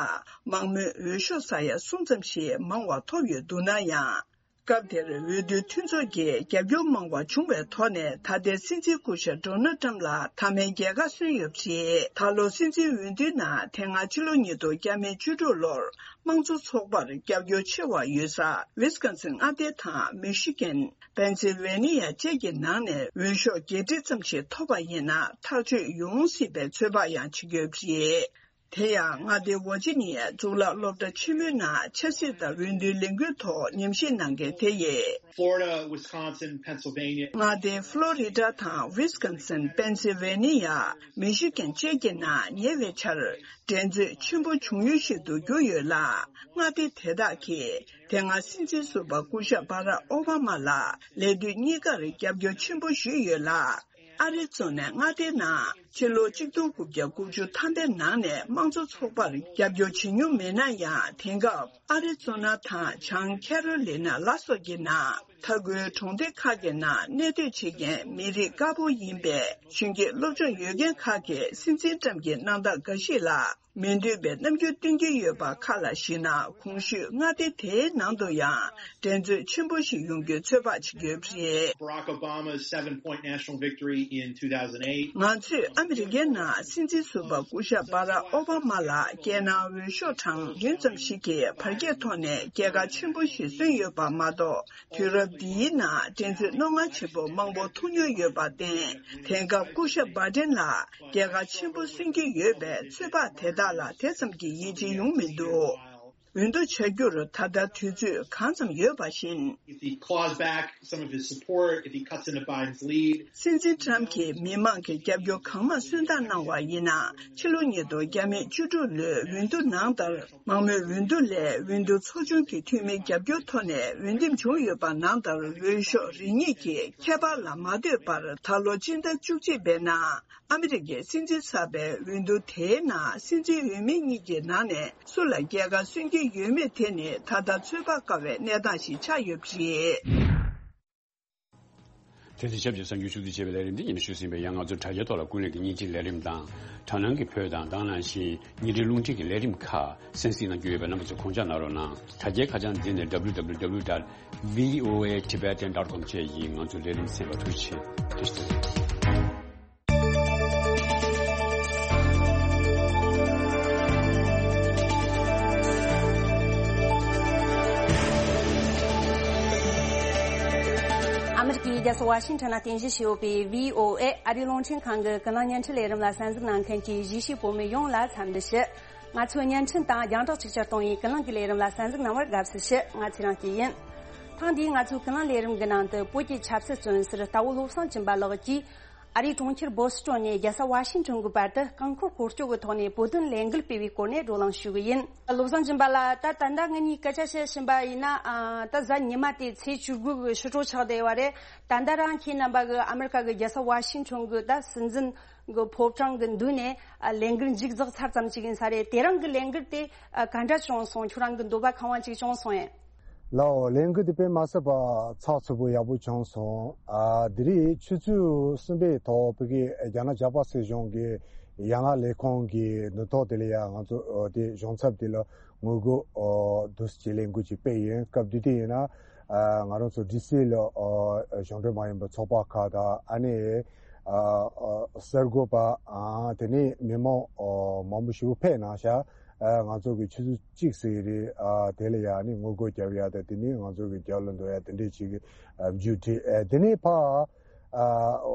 མང་མོས་འོས་ཤོག་ས་ཡ་གསུམ་ཙམ་ཞིག་མང་བ་ཐོབ་ཡོད་འདུག་ན་ཡང་། སྐབས་དེར་འོས་བསྡུའི་མཐུན་ཚོགས་ཀྱིས་རྒྱབ་སྐྱོར་མང་བ་བྱུང་བའི་ཐོག་ནས། ད་ལྟའི་སྲིད་འཛིན་སྐུ་ཞབས་ཌོ་ནལ་ཊམ་ལ་མཐའ་མའི་རྒྱལ་ཁ་སོན་ཡོད་པ་རེད། ད་ལོ་སྲིད་འཛིན་འོས་བསྡུའི་ནང་། དེ་སྔ་ཕྱི་ལོ་ཉིས་སྟོང་བརྒྱ་མེད་བཅུ་དྲུག་ལོར་དམངས་གཙོ་ཚོགས་པར་རྒྱབ་སྐྱོར་ཆེ་བ་ཡོད་ས་ཝི་སི་ཀོན་སིན་མངའ་སྡེ་དང་མི་ཤི་གན། པེན་སིལ་ཝེ་ནི་ཡ་བཅས་ཀྱི་ནང་ནས་འོས་ཤོག་བརྒྱད་ཁྲི་ཙམ་ཞིག་ཐོབ་པ་ཡིན་ན། ཐག་གཅོད་ཡོང་སྲིད་པའི་ཚོད་དཔག་ཡང་བྱེད་ཀྱི་ཡོད་པ་རེད། དེ་ཡང་མངའ་སྡེ་ཝར་ཇི་ནི་ཡའི་གཙུག་ལག་སློབ་གྲྭ་ཆེན་མོའི་ནང་ཆབ་སྲིད་དང་འོས་བསྡུའི་ལས་འགུལ་ཐོག་ཉམས་ཞིབ་གནང་མཁན་དེ་ཡིས། Florida, Wisconsin, Pennsylvania. མངའ་སྡེ་ཕློ་རི་ཌ་དང་ཝི་སི་ཀོན་སིན། པེན་སིལ་ཝེ་ནི་ཡ། མི་ཤི་གན་བཅས་ཀྱི་ནང་ཉེ་བའི་ཆར་འགྲན་རྩོད་ཆེན་པོ་བྱུང་ཡུལ་ཞིག་ཏུ་གྱུར་ཡོད་ལ། མངའ་སྡེ་དེ་དག་གིས་དེ་སྔ་སྲིད་འཛིན་ཟུར་པ་སྐུ་ཞབས་བྷ་རག་ཨོ་བྷ་མ་ལ་ལས་དུས་གཉིས་ཀར་རྒྱབ་སྐྱོར་ཆེན་པོ་ཞུས་ཡོད་ལ། ཨ་རི་ཛོ་ན་མངའ་སྡེའི་ནང་ཕྱི་ལོ་གཅིག་སྟོང་དགུ་བརྒྱ་དགུ་བཅུ་ཐམ་པའི་ནང་ནས་དམངས་གཙོ་ཚོགས་པར་རྒྱབ་སྐྱོར་བྱེད་མྱོང་མེད་ན་ཡང་། དེང་སྐབས་ཨ་རི་ཛོ་ན་དང་བྱང་ཁེ་རོ་ལི་ན་ལ་སོགས་ཀྱི་ནང་མཐའ་འཁོར་གྲོང་སྡེ་ཁག་གི་ནང་གནས་སྡོད་བྱེད་མཁན་མི་རིགས་དཀར་པོ་ཡིན་པའི་གཞོན་སྐྱེས་སློབ་སྦྱོང་ཡོད་མཁན་ཁག་གིས་སྲིད་འཛིན་ཊམ་གྱི་གནང་སྟངས་འགའ་ཞིག་ལ་མི་འདོད་པའི་རྣམ་འགྱུར་སྟོན་གྱི་ཡོད་པ་ཁག་ལ་གཞིགས་ན། གོང་ཞུས་མངའ་སྡེ་དེའི་ནང་དུ་ཡང་འགྲན་རྩོད་ཆེན་པོ་ཞིག་ཡོང་རྒྱུའི་ཚོད་དཔག་བྱེད་ཀྱི་ཡོད་པ་རེད། Barack Obama's seven-point national victory in two thousand eight. ང་ཚོས་ཨ་མི་རི་ཀའི་ནང་སྲིད་འཛིན་ཟུར་པ་སྐུ་ཞབས་བྷ་རག་ཨོ་བྷ་མ་ལ་རྒྱལ་ནང་འོས་ཤོག་གྲངས་བདུན་ཙམ་ཞིག་གི་བར་ཁྱད་ཐོག་ནས་རྒྱལ་ཁ་ཆེན་པོ་ཞིག་སོན་ཡོད་པ་མ་གཏོགས། དུས་རབས་འདིའི་ནང་འགྲན་རྩོད་རྣོ་ངར་ཆེན་པོ་མང་པོ་ཐུག་མྱོང་ཡོད་པར་བརྟེན། དེང་སྐབས་སྐུ་ཞབས་བྷ་ཏན་ལ་རྒྱལ་ཁ་ཆེན་པོ་སོན་གྱི་ཡོད་པའི་ཚོད་དཔག་དེ་དག་ལ་དེ་ཙམ་གྱི་ཡིད་ཆེས་ཡོང་མི་འདུག་འོས་བསྡུ་བྱ་རྒྱུར་ད་ལྟ་དུས་ཚོད་གང་ཙམ་ཡོད་པ་བཞིན། If he claws back some of his support, if he cuts into Biden's lead. སྲིད་འཛིན་ཊམ་གྱིས་མི་མང་གི་རྒྱབ་སྐྱོར་གང་མང་སོན་ཐབས་གནང་བ་ཡིན་ན། ཕྱི་ལོ་ཉིས་སྟོང་བརྒྱ་མེད་བཅུ་དྲུག་ལོའི་འོས་བསྡུ་ནང་ལྟར། མང་མོས་འོས་བསྡུ་ལས་འོས་བསྡུ་ཚོགས་ཆུང་གི་འཐུས་མིའི་རྒྱབ་སྐྱོར་ཐོག་ནས་འོས་འདེམས་བྱུང་ཡོད་པ་ནང་ལྟར། འོས་ཤོག་རེ་གཉིས་ཀྱི་ཁྱད་པར་ལ་མ་ལྟོས་པར། ད་ལོ་སྤྱི་ཟླ་བཅུ་གཅིག་པའི་ནང་ཨ་མི་རི་ཀའི་སྲིད་འཛིན་གསར་པའི་འོས་བསྡུ་དེའི་ནང་སྲིད་འཛིན་འོས་མི་གཉིས་ཀྱི་ནང་ནས་སུ་ལ་རྒྱལ་ཁ་སོན་གྱི་ཡོད་མེད་དེ་ནི་ད་ལྟ་ཚོད་དཔག་དཀའ་བའི་གནས་སྟངས་ཤིག་ཆགས་ཡོད་པ་རེད། དེ་དང་ཆབས་ཅིག་གསར་འགྱུར་ཕྱོགས་བསྡུས་བྱས་པའི་ལས་རིམ་འདི་ཉན་ཞུ་ཟིན་པའི། ཡང་ང་ཚོ་དྲ་རྒྱའི་ཐོག་ལ་ཀུན་གླེང་གི་བརྙན་འཕྲིན་ལས་རིམ་དང་། དྲ་སྣང་གི་བོད་དང་དེ་ནང་བཞིན་བརྙན་འཕྲིན་རླུང་འཕྲིན་གྱི་ལས་རིམ་ཁག་གསན་གཟིགས་གནང་རྒྱུ་ཡོད་པས། རྣམ་པ་ཚོས་གོང་བརྗོད་གནང་རོགས་གནང་། དྲ་རྒྱའི་ཁ་བྱང་འདི་ནི་www dot voatibetan dot com བཅས་ཡིན། ང་ཚོའི་ལས་རིམ་གསན་པར་ཐུགས་རྗེ་ཆེ། ཐུགས་རྗེ་ཆེ། ཨ་མི་རི་ཀའི་རྒྱལ་ས་ཝ་ཤིང་ཊོན་ལ་རྟེན་གཞི་བྱས་ཡོད་པའི་བྷི་ཨོ་ཨེ་ཨ་རིའི་རླུང་འཕྲིན་ཁང་གི་ཀུན་གླེང་བརྙན་འཕྲིན་ལས་རིམ་ལ་གསན་གཟིགས་གནང་མཁན་གྱི་གཞིས་བྱེས་བོད་མི་ཡོངས་ལ་འཚམས་འདྲི་ཞུ། ང་ཚོའི་བརྙན་འཕྲིན་དང་རྒྱང་བསྒྲགས་གཅིག་གྱུར་གཏོང་བའི་ཀུན་གླེང་གི་ལས་རིམ་ལ་གསན་གཟིགས་གནང་བར་དགའ་བསུ་ཞུ། ང་ཚེ་རིང་སྐྱིད་ཡིན། ཐེངས་འདིའི་ང་ཚོའི་ཀུན་གླེང་ལས་རིམ་གྱི་ནང་དུ། བོད་ཀྱི་ཆབ་སྲིད་བཙོན་ཟུར་རྟ་བོ་བློ་བཟང་སྦྱིན་པ་ལགས་ཀྱིས་ཨ་རིའི་གྲོང་ཁྱེར་བོ་སི་ཊོན་ནས་རྒྱལ་ས་ཝ་ཤིང་ཊོན་གྱི་བར་དུ་རྐང་འཁོར་སྐོར་སྐྱོད་ཀྱི་ཐོག་ནས་བོད་དོན་ལས་འགུལ་སྤེལ་བའི་སྐོར་ནས་བགྲོ་གླེང་ཞུ་གི་ཡིན། བློ་བཟང་སྦྱིན་པ་ལགས། ད་ད་ལྟ་ངེད་གཉིས་སྐད་ཆ་བཤད་བཞིན་པ་ཡིན་ན། ཨ། ད་གཟའ་ཉི་མ་དེ་ཚེས་བཅུ་དགུ་གི་ཕྱི་དྲོ་ཆགས་བསྡད་ཡོད་རེད། ད་ལྟ་རང་ཁྱེད་རྣམ་པ་གི་ཨ་མི་རི་ཀ་གི་རྒྱལ་ས་ཝ་ཤིང་ཊོན་གྱི་ད་སྲིད་འཛིན་གྱི་ཕོ་བྲང་གི་མདུན་ནས། ཨ། ལས་འགུལ་མཇུག་རྫོགས་ཚར་ཙམ་ཅིག་ཡིན་ས་རེད། དེ་རིང་གི་ལས་འགུལ་དེ། ཨ། ག་འདྲ་བྱུང་སོང་། ཁྱོད་རང་གི་འདོད་པ་ཁེངས་པ་ཅིག་བྱུང་སོང་ངས། ལགས་འོ། ལས་འགུལ་དེ་དཔེ་མ་སྲིད་པ་ཚགས་ཚུད་པོ་ཡག་པོ་བྱུང་སོང་། ཨ། དེ་རིང་ཆུ་ཚོད་གསུམ་པའི་ཐོག་བོད་ཀྱི་རྒྱ་ནག་ཇཱ་པ་སྲིད་གཞུང་གི་ཡན་ལག་ལས་ཁུངས་ཀྱི་མདུན་ཐོག་དེ་ལ་ཡང་ང་ཚོ་དེ་གཞུང་ཚབ་དེ་ལ་ངོ་རྒོལ་འདུ་ཞིག་ལས་འགུལ་ཅིག་སྤེལ་ཡིན། སྐབས་དེ་དུས་ཡིན་ན། ཨ། ང་རང་ཚོ་ཌི་སི་ལ། ཨ། གཞུང་འབྲེལ་མ་ཡིན་པའི་ཚོགས་པ་ཁག་དང་། ཨ་ནི། ཨ། ཨ། གསར་འགོད་པ། ཨ། དེ་ནས་མི་མང་མང་པོ་ཞིག་ཕེབས་གནང་ཤག་ཨ་ང་ཚོ་གི་ཆུ་ཚོད་གཅིག་ཟེར་གི་རེད། ཨ་དེ་ལ་ཡ་ནི་ངོ་རྒོལ་རྒྱབ་ཡ་དང་དེ་ནས་ང་ཚོ་གི་རྒྱབ་ལ་འགྲོ་ཡ་དེ་འདྲས་ཅིག་གི་ཨ་མཇུག་སྒྲིལ། ཨ་དེ་ནས་ཕ་ཨ་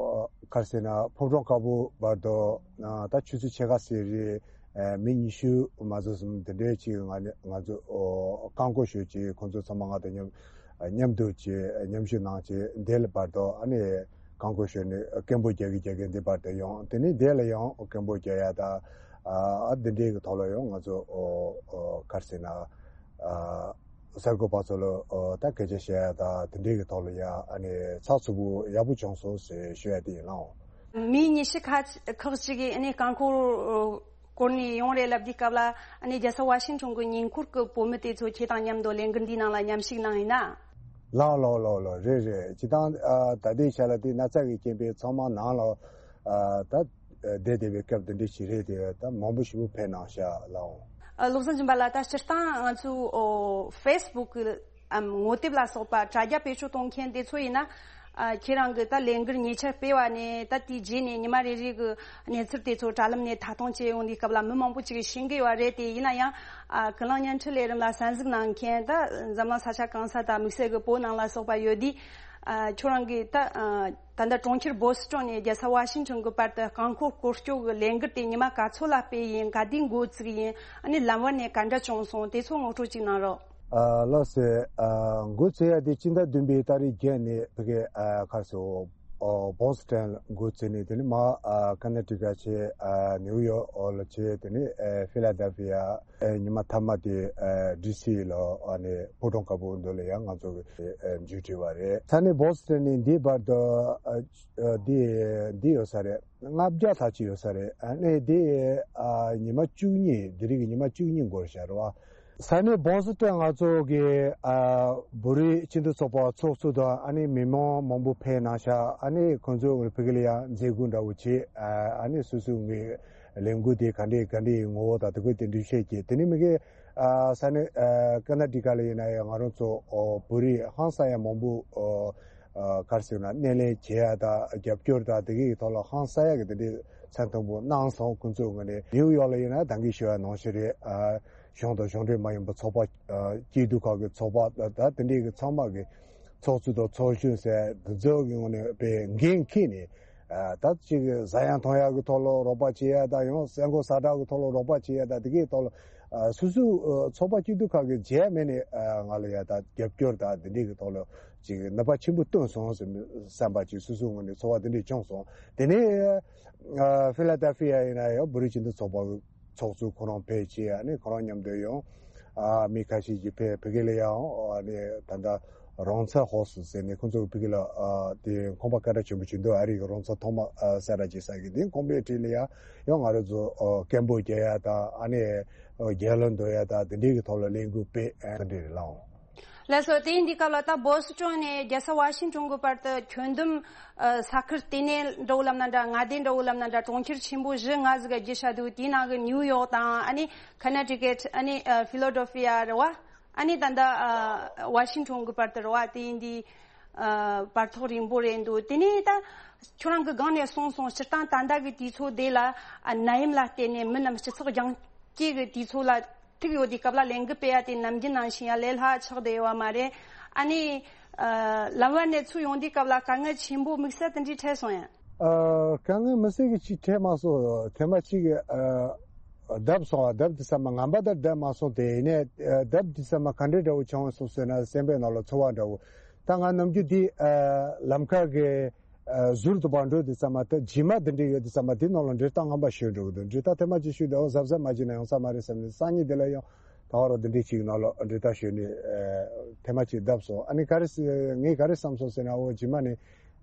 ག་རེ་ཟེར་ན་ཕོ་བྲང་དཀར་པོ་བར་དུ་ཨ་ད་ཆུ་ཚོད་ཕྱེད་ཀ་ཟེར་རེད། ཨ་མི་ཉི་ཤུ་མ་ཟིན་ཙམ་དེ་འདྲས་ཅིག་ང་ནི་ང་ཚོ་ཨོ་རྐང་འཁོར་ཞོལ་ཅིག་ཁོང་ཚོ་ཚང་མ་ང་དང་མཉམ་མཉམ་དུ་བྱས་མཉམ་ཞུགས་གནང་བྱས་འདི་ལ་བར་དུ་ཨ་ནི་རྐང་འཁོར་ཞོལ་ནས་སྐད་འབོད་རྒྱག་གི་རྒྱག་གི་འདི་བར་དུ་ཡོང་། དེ་ནས་འདི་ལ་ཡང་སྐད་འབོད་རྒྱག་ཡ་ད་ཨ་འདི་འདྲའི་གི་ཐོག་ལ་ཡང་ང་ཚོ་ཨོ་ཨོ་ག་རེ་ཟེར་ན་ཨ་གསར་འགོད་པ་ཚོ་ལ་ཨོ་ད་སྐད་ཆ་བཤད་ཡ་ད་དེ་འདྲའི་གི་ཐོག་ལ་ཡ་ཨ་ནི་ཚགས་ཚུད་པོ་ཡག་པོ་བྱུང་སོང་ཟེར་ཞུ་ཡ་དེ་ཡིན་ལགས། མི་ཉི་ཤུ་ཁ་ཁག་ཅིག་གིས་ཨ་ནི་རྐང་འཁོར་སྐོར་ནས་ཡོང་རེད་ལབ་དུས་སྐབས་ལ་ཨ་ནི་རྒྱལ་ས་ཝ་ཤིང་ཊོན་གི་ཉེ་འཁོར་གི་བོད་མི་དེ་ཚོ་ཁྱེད་དང་མཉམ་དུ་ལས་འགུལ་འདིའི་ནང་ལ་མཉམ་ཞུགས་གནང་ཡིན་ན། ལགས་ལགས་ལགས་ལགས། རེད་རེད། སྤྱིར་བཏང་ཨ་ད་ལྟའི་ཆ་ལ་དེ་ན་ཚ་གི་རྐྱེན་པས་ཚང་མ་ནང་ལ་ཨ་ད་བསྡད་བསྡད་པའི་སྐབས་དེ་འདྲ་ཞིག་རེད་དེ་ད་མང་པོ་ཞིག་པོ་ཕེབས་གནང་ཤག་ལགས། ཨ་བློ་བཟང་སྦྱིན་པ་ལགས། ད་སྤྱིར་བཏང་ང་ཚོའི་ཨོ་ཕེ་སི་བུག་གི་ཨམ་ངོ་དེབ་ལ་སོགས་པ་དྲ་རྒྱ་བེད་སྤྱོད་གཏོང་མཁན་དེ་ཚོ་ཡིན་ན། ཨ་ཁྱེད་རང་གི་ད་ལས་འགུལ་ཉེ་ཆར་སྤེལ་བ་ནས་ད་དེའི་རྗེས་ནས་ཉི་མ་རེ་རེ་གི་གནས་ཚུལ་དེ་ཚོ་དྲ་ལམ་ནས་མཐའ་སྟོང་བྱས་ཡོང་དུས་སྐབས་ལ་མི་མང་པོ་ཅིག་ཤེས་ཀྱི་ཡོད་རེད་དེ། ཡིན་ན་ཡང་ཨ་ཀུན་གླེང་བརྙན་འཕྲིན་ལས་རིམ་ལ་གསན་གཟིགས་གནང་མཁན་ད་འཛམ་གླིང་ས་ཆ་གང་ས་དང་དམིགས་བསལ་གི་བོད་ནང་ལ་སོགས་པ་ཡོད་དུས། ཨ་ཁྱོད་རང་གིས་ད་ཨ་ད་ལྟ་གྲོང་ཁྱེར་བོ་སི་ཊོན་ནས་རྒྱལ་ས་ཝ་ཤིང་ཊོན་གི་བར་དུ་རྐང་འཁོར་སྐོར་སྐྱོད་གི་ལས་འགུལ་དེ་ཉི་མ་ག་ཚོད་ལ་སྤེལ་ཡིན། ག་དུས་འགོ་བཙུགས་ཡིན། ཨ་ནི་ལམ་བར་ནས་ག་འདྲ་བྱུང་སོང་དེ་ཚོ་ངོ་སྤྲོད་ཅིག་གནང་རོགས། ཨ་ལགས་སེ། ཨ་འགོ་བཙུགས་ཡ་དེ་སྤྱི་ཟླ་བདུན་པའི་ཏ་རིག་བརྒྱད་ནས་ཕ་གི་ཨ་ག་རེ་ཟེར་ཨོ་བོ་སི་ཊོན་འགོ་བཙུགས་ནས་དེ་ནས་མར་ཨ་ཀ་ན་ཊི་ཀ་བྱས། ཨ་ནིའུ་ཡོག་ལ་བྱས། དེ་ནས་ཨ་ཕི་ལ་ཌེལ་ཕི་ཡ། ཨ་ཉི་མ་མཐའ་མ་དེ་ཨ་ཌི་སི་ལ་ཨ་ནི་ཕོ་བྲང་དཀར་པོ་འདི་ལ་ཡང་ང་ཚོ་གི་ཨ་མཇུག་སྒྲིལ་བ་རེད། ས་གནས་བོ་སི་ཊོན་ནས་འདིའི་བར་དུ་ཨ་ཨ་འདི་འདི་ཡོད་ས་རེད། ལྔ་བརྒྱ་ལྷག་ཅིག་ཡོད་ས་རེད། ཨ་ནི་དེ་ཨ་ཉི་མ་བཅུ་གཉིས། དེ་རིང་གི་ཉི་མ་བཅུ་གཉིས་འགོར་བཞག་རེད་བ། ས་གནས་བོ་སི་ཊོན་ང་ཚོ་གི་ཨ་བོད་རིགས་སྤྱི་མཐུན་ཚོགས་པ་ཚོགས་གཙོ་དང་ཨ་ནི་མི་མང་མང་པོ་ཕེབས་གནང་ཤག་ཨ་ནི་ཁོང་ཚོ་ཕ་གི་ལ་ཡང་མཛད་སྒོ་འདྲ་བོ་བྱས། ཨ་ཨ་ནི་སོ་སོ་གི་ལས་འགུལ་དེ་ག་འདྲས་ག་འདྲས་ངོ་བོ་དང་དེ་ཁོས་དེ་འདྲ་བཤད་ཀྱི། དེ་ནི་མི་གི་ཨ་ས་གནས་ཨ་ཀ་ན་ཊི་ཀ་ལ་ཡིན་ན་ཡང་ང་རང་ཚོ་ཨོ་བོད་རིགས་ཧང་སང་ཡ་མང་པོ་ཨོ་ཨ་ག་རེ་ཟེར་ན་སྣེ་ལེན་བྱེད་ཡ་དང་རྒྱབ་སྐྱོར་དང་དེ་གའི་ཐོག་ལ་ཧང་སང་ཡ་གི་དེ་འདྲའི་མཚན་མཐོན་པོ་གནང་སོང་། ཁོང་ཚོའི་ངོས་ནས་ནིའུ་ཡོག་ལ་ཡིན་ན་ད་གིན་ཞུ་བ་ནང་བཞིན་རེད། ཨ་གཞུང་དང་གཞུང་འབྲེལ་མ་ཡིན་པ་ཚོགས་པ་ཨ་སྐྱིད་སྡུག་ཁག་གི་ཚོགས་པ་ད་ད་དེ་འདྲའི་གི་ཚང་མ་གི་ཚོགས་གཙོ་དང་ཚོགས་གཞོན་ཟེར་དེ་ཚོ་གི་ངོས་ནས་དཔེ་འགན་འཁྱེར་ནས། ཨ་ད་ཅིག་ཟ་ཡང་འཐུང་ཡག་གི་ཐོག་ལ་རོགས་པ་བྱེད་ཡ་དང་ཡང་ཟས་གོས་ཟ་གྲྭ་གི་ཐོག་ལ་རོགས་པ་བྱེད་ཡ་དང་དེ་གའི་ཐོག་ལ་ཨ་སོ་སོའི་ཨ་ཚོགས་པ་སྐྱིད་སྡུག་ཁག་གི་བྱས་མེད་ནས་ཨ་ང་ལ་ཡ་ད་རྒྱབ་སྐྱོར་དང་དེ་འདྲའི་གི་ཐོག་ལ་ཅིག་ནུས་པ་ཆེན་པོ་བཏོན་སོང་ཟེར་བསམ་པ་ཅིག་སོ་སོའི་ངོས་ནས་ཚོར་བ་དེ་འདྲས་བྱུང་སོང་། དེ་ནས་ཨ་ཕི་ལ་ཌེལ་ཕི་ཡ་ཡིན་ན་ཡང་བོད་རིགས་སྤྱི་མཐུན་ཚོགས་པ་གི་ཚོགས་གཙོ་ཁོ་རང་ཕེབས་བྱས། ཨ་ནི་ཁོ་རང་མཉམ་དུ་ཡང་ཨ་མི་ཁ་ཤས་ཀྱིས་ཕེབས། ཕ་གི་ལ་ཡང་ཨ་ནི་ད་ལྟ་རོང་ཚ་ཧོ་སི་ཟེར་ནས་ཁོང་ཚོ་ཕ་གི་ལ་ཨ་དེ་ཁང་པ་སྐད་གྲགས་ཆེན་པོ་ཅིག་འདུག་ཨ་རི་གི་རོང་ཚ་ཐོག་མ་ཨ་གསལ་བསྒྲགས་བྱེད་ས་གི་དེ་ཁང་པའི་འཁྲིས་ལ་ཡང་ཡང་ང་རང་ཚོ་ཨ་སྐད་འབོད་རྒྱག་ཡ་དང་ཨ་ནི་ཨ་རྒྱལ་ལོ་འདོན་ཡ་དང་དེ་འདྲའི་གི་ཐོག་ལ་ལས་འགུལ་སྤེལ། ཨ་དེ་འདྲ་རེད་ལགས། ལགས་སོ། དེ་ཡིན་དུས་སྐབས་ལ་ད་བོ་སི་ཊོན་ནས་རྒྱལ་ས་ཝ་ཤིང་ཊོན་གྱི་བར་དུ་ཁྱོན་བསྡོམས་ཨ་ས་ཁུལ་ལྟེ་གནས་འདྲ་བོ་ལབ་ན་འདྲ། མངའ་སྡེ་འདྲ་བོ་ལབ་ན་འདྲ། གྲོང་ཁྱེར་ཆེན་པོ་བཞི་ལྔ་ཟིག་བརྒྱུད་བཞག་འདུག་དེའི་ནང་གི་ནིའུ་ཡོག་དང་ཨ་ནི་ཁ་ན་ཊི་ཀེཊ། ཨ་ནི་ཨ་ཕི་ལོ་ཌེལ་ཕི་ཡ་རེད་བ། ཨ་ནི་ད་ལྟ་ཨ་ཝ་ཤིང་ཊོན་གྱི་བར་དུ་རེད་བ། དེ་ཡིན་དུས་ཨ་བར་ཐག་རིང་པོ་རེད་འདུག་དེ་ནས་ད་ཁྱོད་རང་གི་སྒང་ནས་གསུངས་སོང་། སྤྱིར་བཏང་ད་ལྟ་གི་དུས་ཚོད་དེ་ལ་ཨ་ནད་ཡམས་ལ་བརྟེན་ནས་མི་རྣམས་སྤྱི་ཚོགས་རྒྱང་སྐྱེས་ཀྱི་དུས་ཚོད་ལ་ཐུག་ཡོད་དུས་སྐབས་ལ་ལས་འགུལ་སྤེལ་ཡ་དེ་ནམ་རྒྱུན་ནང་བཞིན་ཡ་ལས་སླ་ཆགས་བསྡད་ཡོད་པ་མ་རེད། ཨ་ནི་ཨ་ལམ་བར་ནས་ཚུར་ཡོང་དུས་སྐབས་ལ་དཀའ་ངལ་ཆེན་པོ་དམིགས་བསལ་དེ་འདྲའི་འཕྲད་སོང་ཡ། ཨ་དཀའ་ངལ་དམིགས་བསལ་གྱི་ཅིག་འཕྲད་མ་སོང་། ཐེངས་མ་གཅིག་གི་ཨ་བརྡབ་སོང་བ། བརྡབ་དུས་ཙམ་མ་ངན་པ་དང་བརྡབ་མ་སོང་། དེ་ཡིན་ནའི་ཨ་བརྡབ་དུས་ཙམ་མ་ག་འདྲའི་འདྲ་བོ་བྱུང་སོང་ཟེར་ན་སེམས་པའི་ནང་ལ་ཚོར་བ་འདྲ་བོ། ད་ང་ནམ་རྒྱུན་འདི་ཨ་ལམ་ཁ་གི་ཨ་ཟུར་དུ་བང་འགྲོ་དུས་ཙམ་མ་ད་བྱེ་མ་འདི་འདྲ་ཡོད་དུས་ཙམ་མ་དེ་ནང་ལ་འབྲས་རྟགས་ངན་པ་ཞིག་འགྲོ་གི་འདུག་འབྲས་རྟགས་ཐེངས་མ་གཅིག་ཞུས་དུས་ཨོ་གཟབ་གཟབ་མ་བྱས་ན་ཡོང་ས་མ་རེད་བསམ་ནས་སང་ཉིན་དེ་ལ་ཡང་ད་ག་རང་འདི་འདྲ་ཅིག་ནང་ལ་འབྲས་རྟགས་ཞོན་ནས་ཨ་ཐེངས་མ་གཅིག་བརྡབ་སོང་། ཨ་ནི་ག་རེ་ཟེར་ངས་ག་རེ་བསམ་སོང་ཟེར་ན་ཨོ་བྱེ་མ་ནི་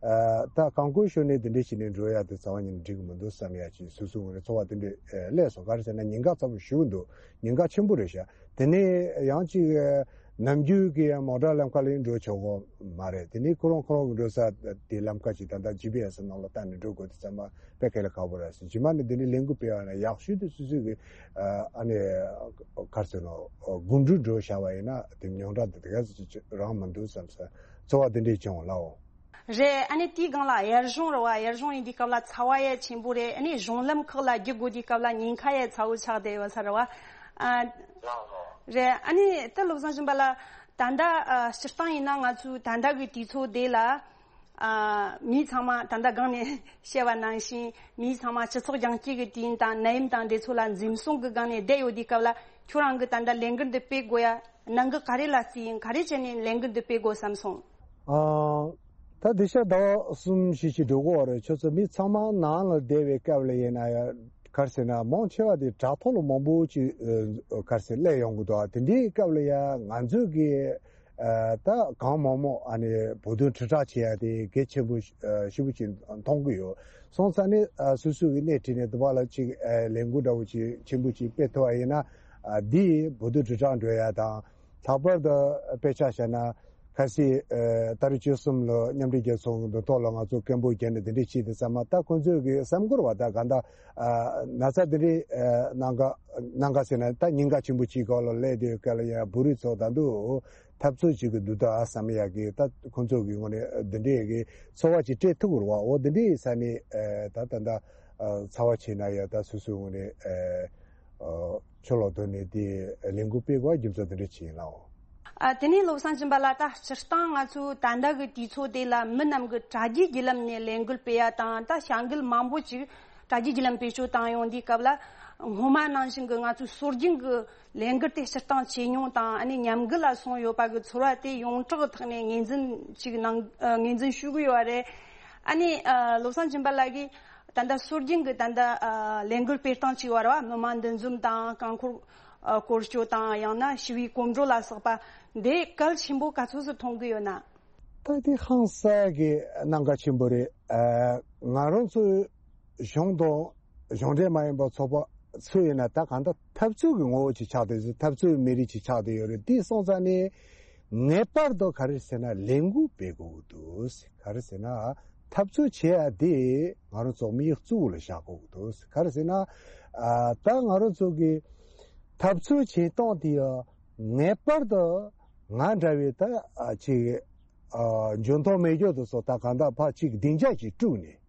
ཨ་ད་རྐང་འཁོར་ཞོན་ནས་འདི་འདྲ་བྱས་ནས་འགྲོ་ཡ་དེ་རྩ་བ་ཉིད་ནས་འགྲིག་གི་མི་འདུག་བསམ་ཡ་ཅིག་སོ་སོའི་ངོས་ནས་ཚོར་བ་དེ་འདྲ་ཨ་སླེབས་སོང་། ག་རེ་ཟེར་ན་ཉེན་ཁ་ཚ་པོ་ཞེ་པོ་འདུག་ཉེན་ཁ་ཆེན་པོ་རེད་ཤག་དེ་ནས་ཡང་ཅིག་ཨ་ནམ་རྒྱུན་གྱི་མོ་ཊ་ལམ་ཁ་ལ་འགྲོ་ཆོག་གི་མ་རེད། དེ་ནས་ཁོ་རང་ཁོ་རང་གི་འགྲོ་ས་དེ་ལམ་ཁ་ཅིག་ད་ལྟ་ཇི་པི་ཨེ་སི་ནང་ལ་བལྟས་ནས་འགྲོ་དགོས་དུས་ཙམ་པ་དཔེ་གལ་ཁག་པོ་རེད་ཟེར། རྗེས་མ་ནས་འདི་ནས་ལས་འགུལ་སྤེལ་བ་ན་ཡག་ཤོས་དེ་སོ་སོ་གི་ཨ་ནི་ག་རེ་ཟེར་ནོ་གོམ་འགྲོས་འགྲོ་བྱ་བ་ཡིན་ན་དེ་ཉུང་དྲགས་འདི་དེ་ག་ཚོད་ཅིག་རང་མི་འདུག་བསམ་ས་ཚོར་བ་འདི་འདྲས་བྱུང་ལགས། རེད། ཨ་ནི་དེའི་སྒང་ལ་གཡར་གཞུང་རེད་བ། གཡར་གཞུང་ཡིན་དུས་སྐབས་ལ་ཚ་བ་ཡ་ཆེན་པོ་རེད། ཨ་ནི་གཞུང་ལམ་ཁག་ལ་རྒྱུག་དགོས་དུས་སྐབས་ལ་ཉེན་ཁ་ཡ་ཚ་བོ་ཆགས་བསྡད་ཡོད་ས་རེད་བ། ཨ། རེད། ཨ་ནི་ད་བློ་བཟང་སྦྱིན་པ་ལགས། ད་ལྟ་ཨ་སྤྱིར་བཏང་ཡིན་ན་ང་ཚོའི་ད་ལྟ་གི་དུས་ཚོད་དེ་ལ། ཨ། མི་ཚང་མ་ད་ལྟ་སྒང་ནས་བཤད་པ་ནང་བཞིན། མི་ཚང་མ་སྤྱི་ཚོགས་རྒྱང་བཀྱེད་ཀྱི་དུས་ཡུན་དང་ནད་ཡམས་དང་དེ་ཚོ་ལ་འཛེམ་ཟོན་གྱི་སྒང་ནས་བསྡད་ཡོད་དུས་སྐབས་ལ། ཁྱོད་རང་གིས་ད་ལྟ་ལས་འགུལ་འདི་སྤེལ་དགོས་ཡ་གནད་འགག་ག་རེ་ལ་བརྩིས་ཡིན། ག་རེ་བྱས་ནས་ལས་འགུལ་འདི་སྤེལ་དགོས་བསམ་སོང་། ཨ། ད་དེ་ཤ་ཟླ་བ་གསུམ་བཞི་ཞིག་འགྲོ་གི་ཡོད་རེད། ཁྱོད་ཚོ་མི་ཚང་མ་ནང་ལ་བསྡད་པའི་སྐབས་ལ་ཡིན་ན་ཡང་། ག་རེ་ཟེར་ན། མང་ཆེ་བ་དེ་དྲ་ཐོག་ལ་མང་པོ་ཅིག་ཨ། ག་རེ་ཟེར། སླེབས་ཡོང་གི་འདུག་དེ་འདྲའི་སྐབས་ལ་ཡང་ང་ཚོས་ཀྱི་ཨ། ད་གང་མང་མང་ཨ་ནི་བོད་དོན་དྲིལ་བསྒྲགས་བྱེད་ཡ་དེ་གལ་ཆེན་པོ་ཞེ་པོ་ཅིག་མཐོང་གི་ཡོད། སོང་ཙང་ནི་ཨ། སོ་སོ་གི་སྣེ་ཁྲིད་ནས་དེ་བ་ལ་ཅིག་ཨ། ལས་འགུལ་འདྲ་བོ་ཅིག་ཆེན་པོ་ཅིག་སྤེལ་ཐུབ་པ་ཡིན་ན། ཨ། འདིས་བོད་དོན་དྲིལ་བསྒྲགས་འགྲོ་ཡ་དང་། ལྷག་པར་དུ་དཔེ་ཆ་བཞག་ན། ཁ་སང་ཨ། ཏ་རིག་བཅུ་གསུམ་ལ་མཉམ་འབྲེལ་རྒྱལ་ཚོགས་མདུན་ཐོག་ལ་ང་ཚོ་སྐད་འབོད་བརྒྱབ་ནས་དེ་འདྲས་བྱས་དུས་ཙམ་པ། ད་ཁོང་ཚོས་ཀྱི་བསམ་ཀུར་བ་ད་ག་འདྲ་ཨ། ན་ཚ་དེ་འདྲས་ཨ། གནང་ག་གནང་ག་ཟེར་ན། ད་ཉེན་ཁ་ཆེན་པོ་ཅིག་སྒང་ལ་སླེབས་དུས་སྐབས་ལ་ཡང་བོད་རིགས་ཚོ་ད་དུང་འཐབ་རྩོད་བྱེད་ཀྱི་འདུག་ད་བསམ་ཡག་གི། ད་ཁོང་ཚོ་གི་ངོས་ནས་འདི་འདྲས་ཀྱི་ཚོར་བ་ཅིག་སྤྲད་ཐུབ་ཀྱི་རེད་པ། འོ་འདི་འདྲས་ས་ནས་ཨ། ད་ད་ད་ཨ། ཚ་བ་ཆེ་ན་ཡང་ད་སོ་སོའི་ངོས་ནས་ཨ། ཨ། ཕྱི་ལོགས་ཐོན་ནས་དེ་ལས་འགུལ་སྤེལ་དགོས་རྒྱུ་མཚན་དེ་འདྲ་ཅིག་ཡིན་ནའོ། ཨ། དེ་ནས་བློ་བཟང་སྦྱིན་པ་ལགས། ད་སྤྱིར་བཏང་ང་ཚོའི་ད་ལྟ་གི་དུས་ཚོད་དེ་ལ་མི་རྣམས་ཀྱིས་དྲ་རྒྱའི་བརྒྱུད་ལམ་ནས་ལས་འགུལ་སྤེལ་ཡ་དང་། ད་བྱ་འགུལ་མང་པོ་ཅིག་དྲ་རྒྱའི་བརྒྱུད་ལམ་བེད་སྤྱོད་བཏང་ཡོང་དུས་སྐབས་ལ། སྔོན་མ་ནང་བཞིན་གྱི་ང་ཚོའི་སྲོལ་རྒྱུན་གྱི་ལས་འགུལ་དེ་སྤྱིར་བཏང་ཇེ་ཉུང་དང་། ཨ་ནི་ཉམས་རྒུད་ལ་སོང་ཡོད་པ་གི་ཚོར་བ་དེ་ཡོངས་གྲགས་གི་ཐོག་ནས་ངོས་འཛིན་ཅིག་གནང་། ཨ། ངོས་འཛིན་ཞུ་གི་ཡོད་རེད། ཨ་ནི་ཨ། བློ་བཟང་སྦྱིན་པ་ལགས་ཀྱིས་ད་ལྟ་སྲོལ་རྒྱུན་གྱི་ད་ལྟ་ཨ། ལས་འགུལ་སྤེལ་སྟངས་ཅིག་ཡོད་རེད་པ། མི་མང་འདུ་འཛོམས་དང་། རྐང་འཁོར་ཨ། སྐོར་སྐྱོད་དང་། ཡང་ན་ཞི་བའི་གོམ་བགྲོད་ལ་སོགས་པ། འདི་གལ་ཆེན་པོ་ག་ཚོད་ཙམ་མཐོང་གི་ཡོད་ན། ད་དེ་ཧང་སང་གི་གནད་འགག་ཆེན་པོ་རེད། ཨ། ང་རང་ཚོའི་གཞུང་དང་གཞུང་འབྲེལ་མ་ཡིན་པ་ཚོགས་པ་ཚོས་ཡིན་ན། ད་གང་ལྟར་འཐབ་རྩོད་ཀྱི་ངོ་བོ་ཅིག་ཆགས་བསྡད་ཡོད། འཐབ་རྩོད་མི་རིགས་ཅིག་ཆགས་བསྡད་ཡོད་རེད། དེ་སོང་ཙང་ནས་ངེས་པར་དུ་ག་རེ་ཟེར་ན། ལས་འགུལ་སྤེལ་དགོས་ཀྱི་འདུག་ག་རེ་ཟེར་ན། འཐབ་རྩོད་བྱེད་ཡ་དེ་ང་རང་ཚོ་མིའི་གཙོ་བོ་ལ་བཞག་དགོས་ཀྱི་འདུག་ག་རེ་ཟེར་ན། ཨ། ད་ང་རང་ཚོ་གི་འཐབ་རྩོད་བྱེད་སྟངས་དེ་ཡང་ངེས་པར་དུ་ང་འདྲ་བའི་ད་ཨ། ཅིག་ཨ། འཇོན་ཐང་མེད་རྒྱུ་དེ་ཚོ་ད་གང་ལྟར་ཕར་ཅིག་སྡིངས་ཆ་ཅིག་བསྐྲུན་ནས།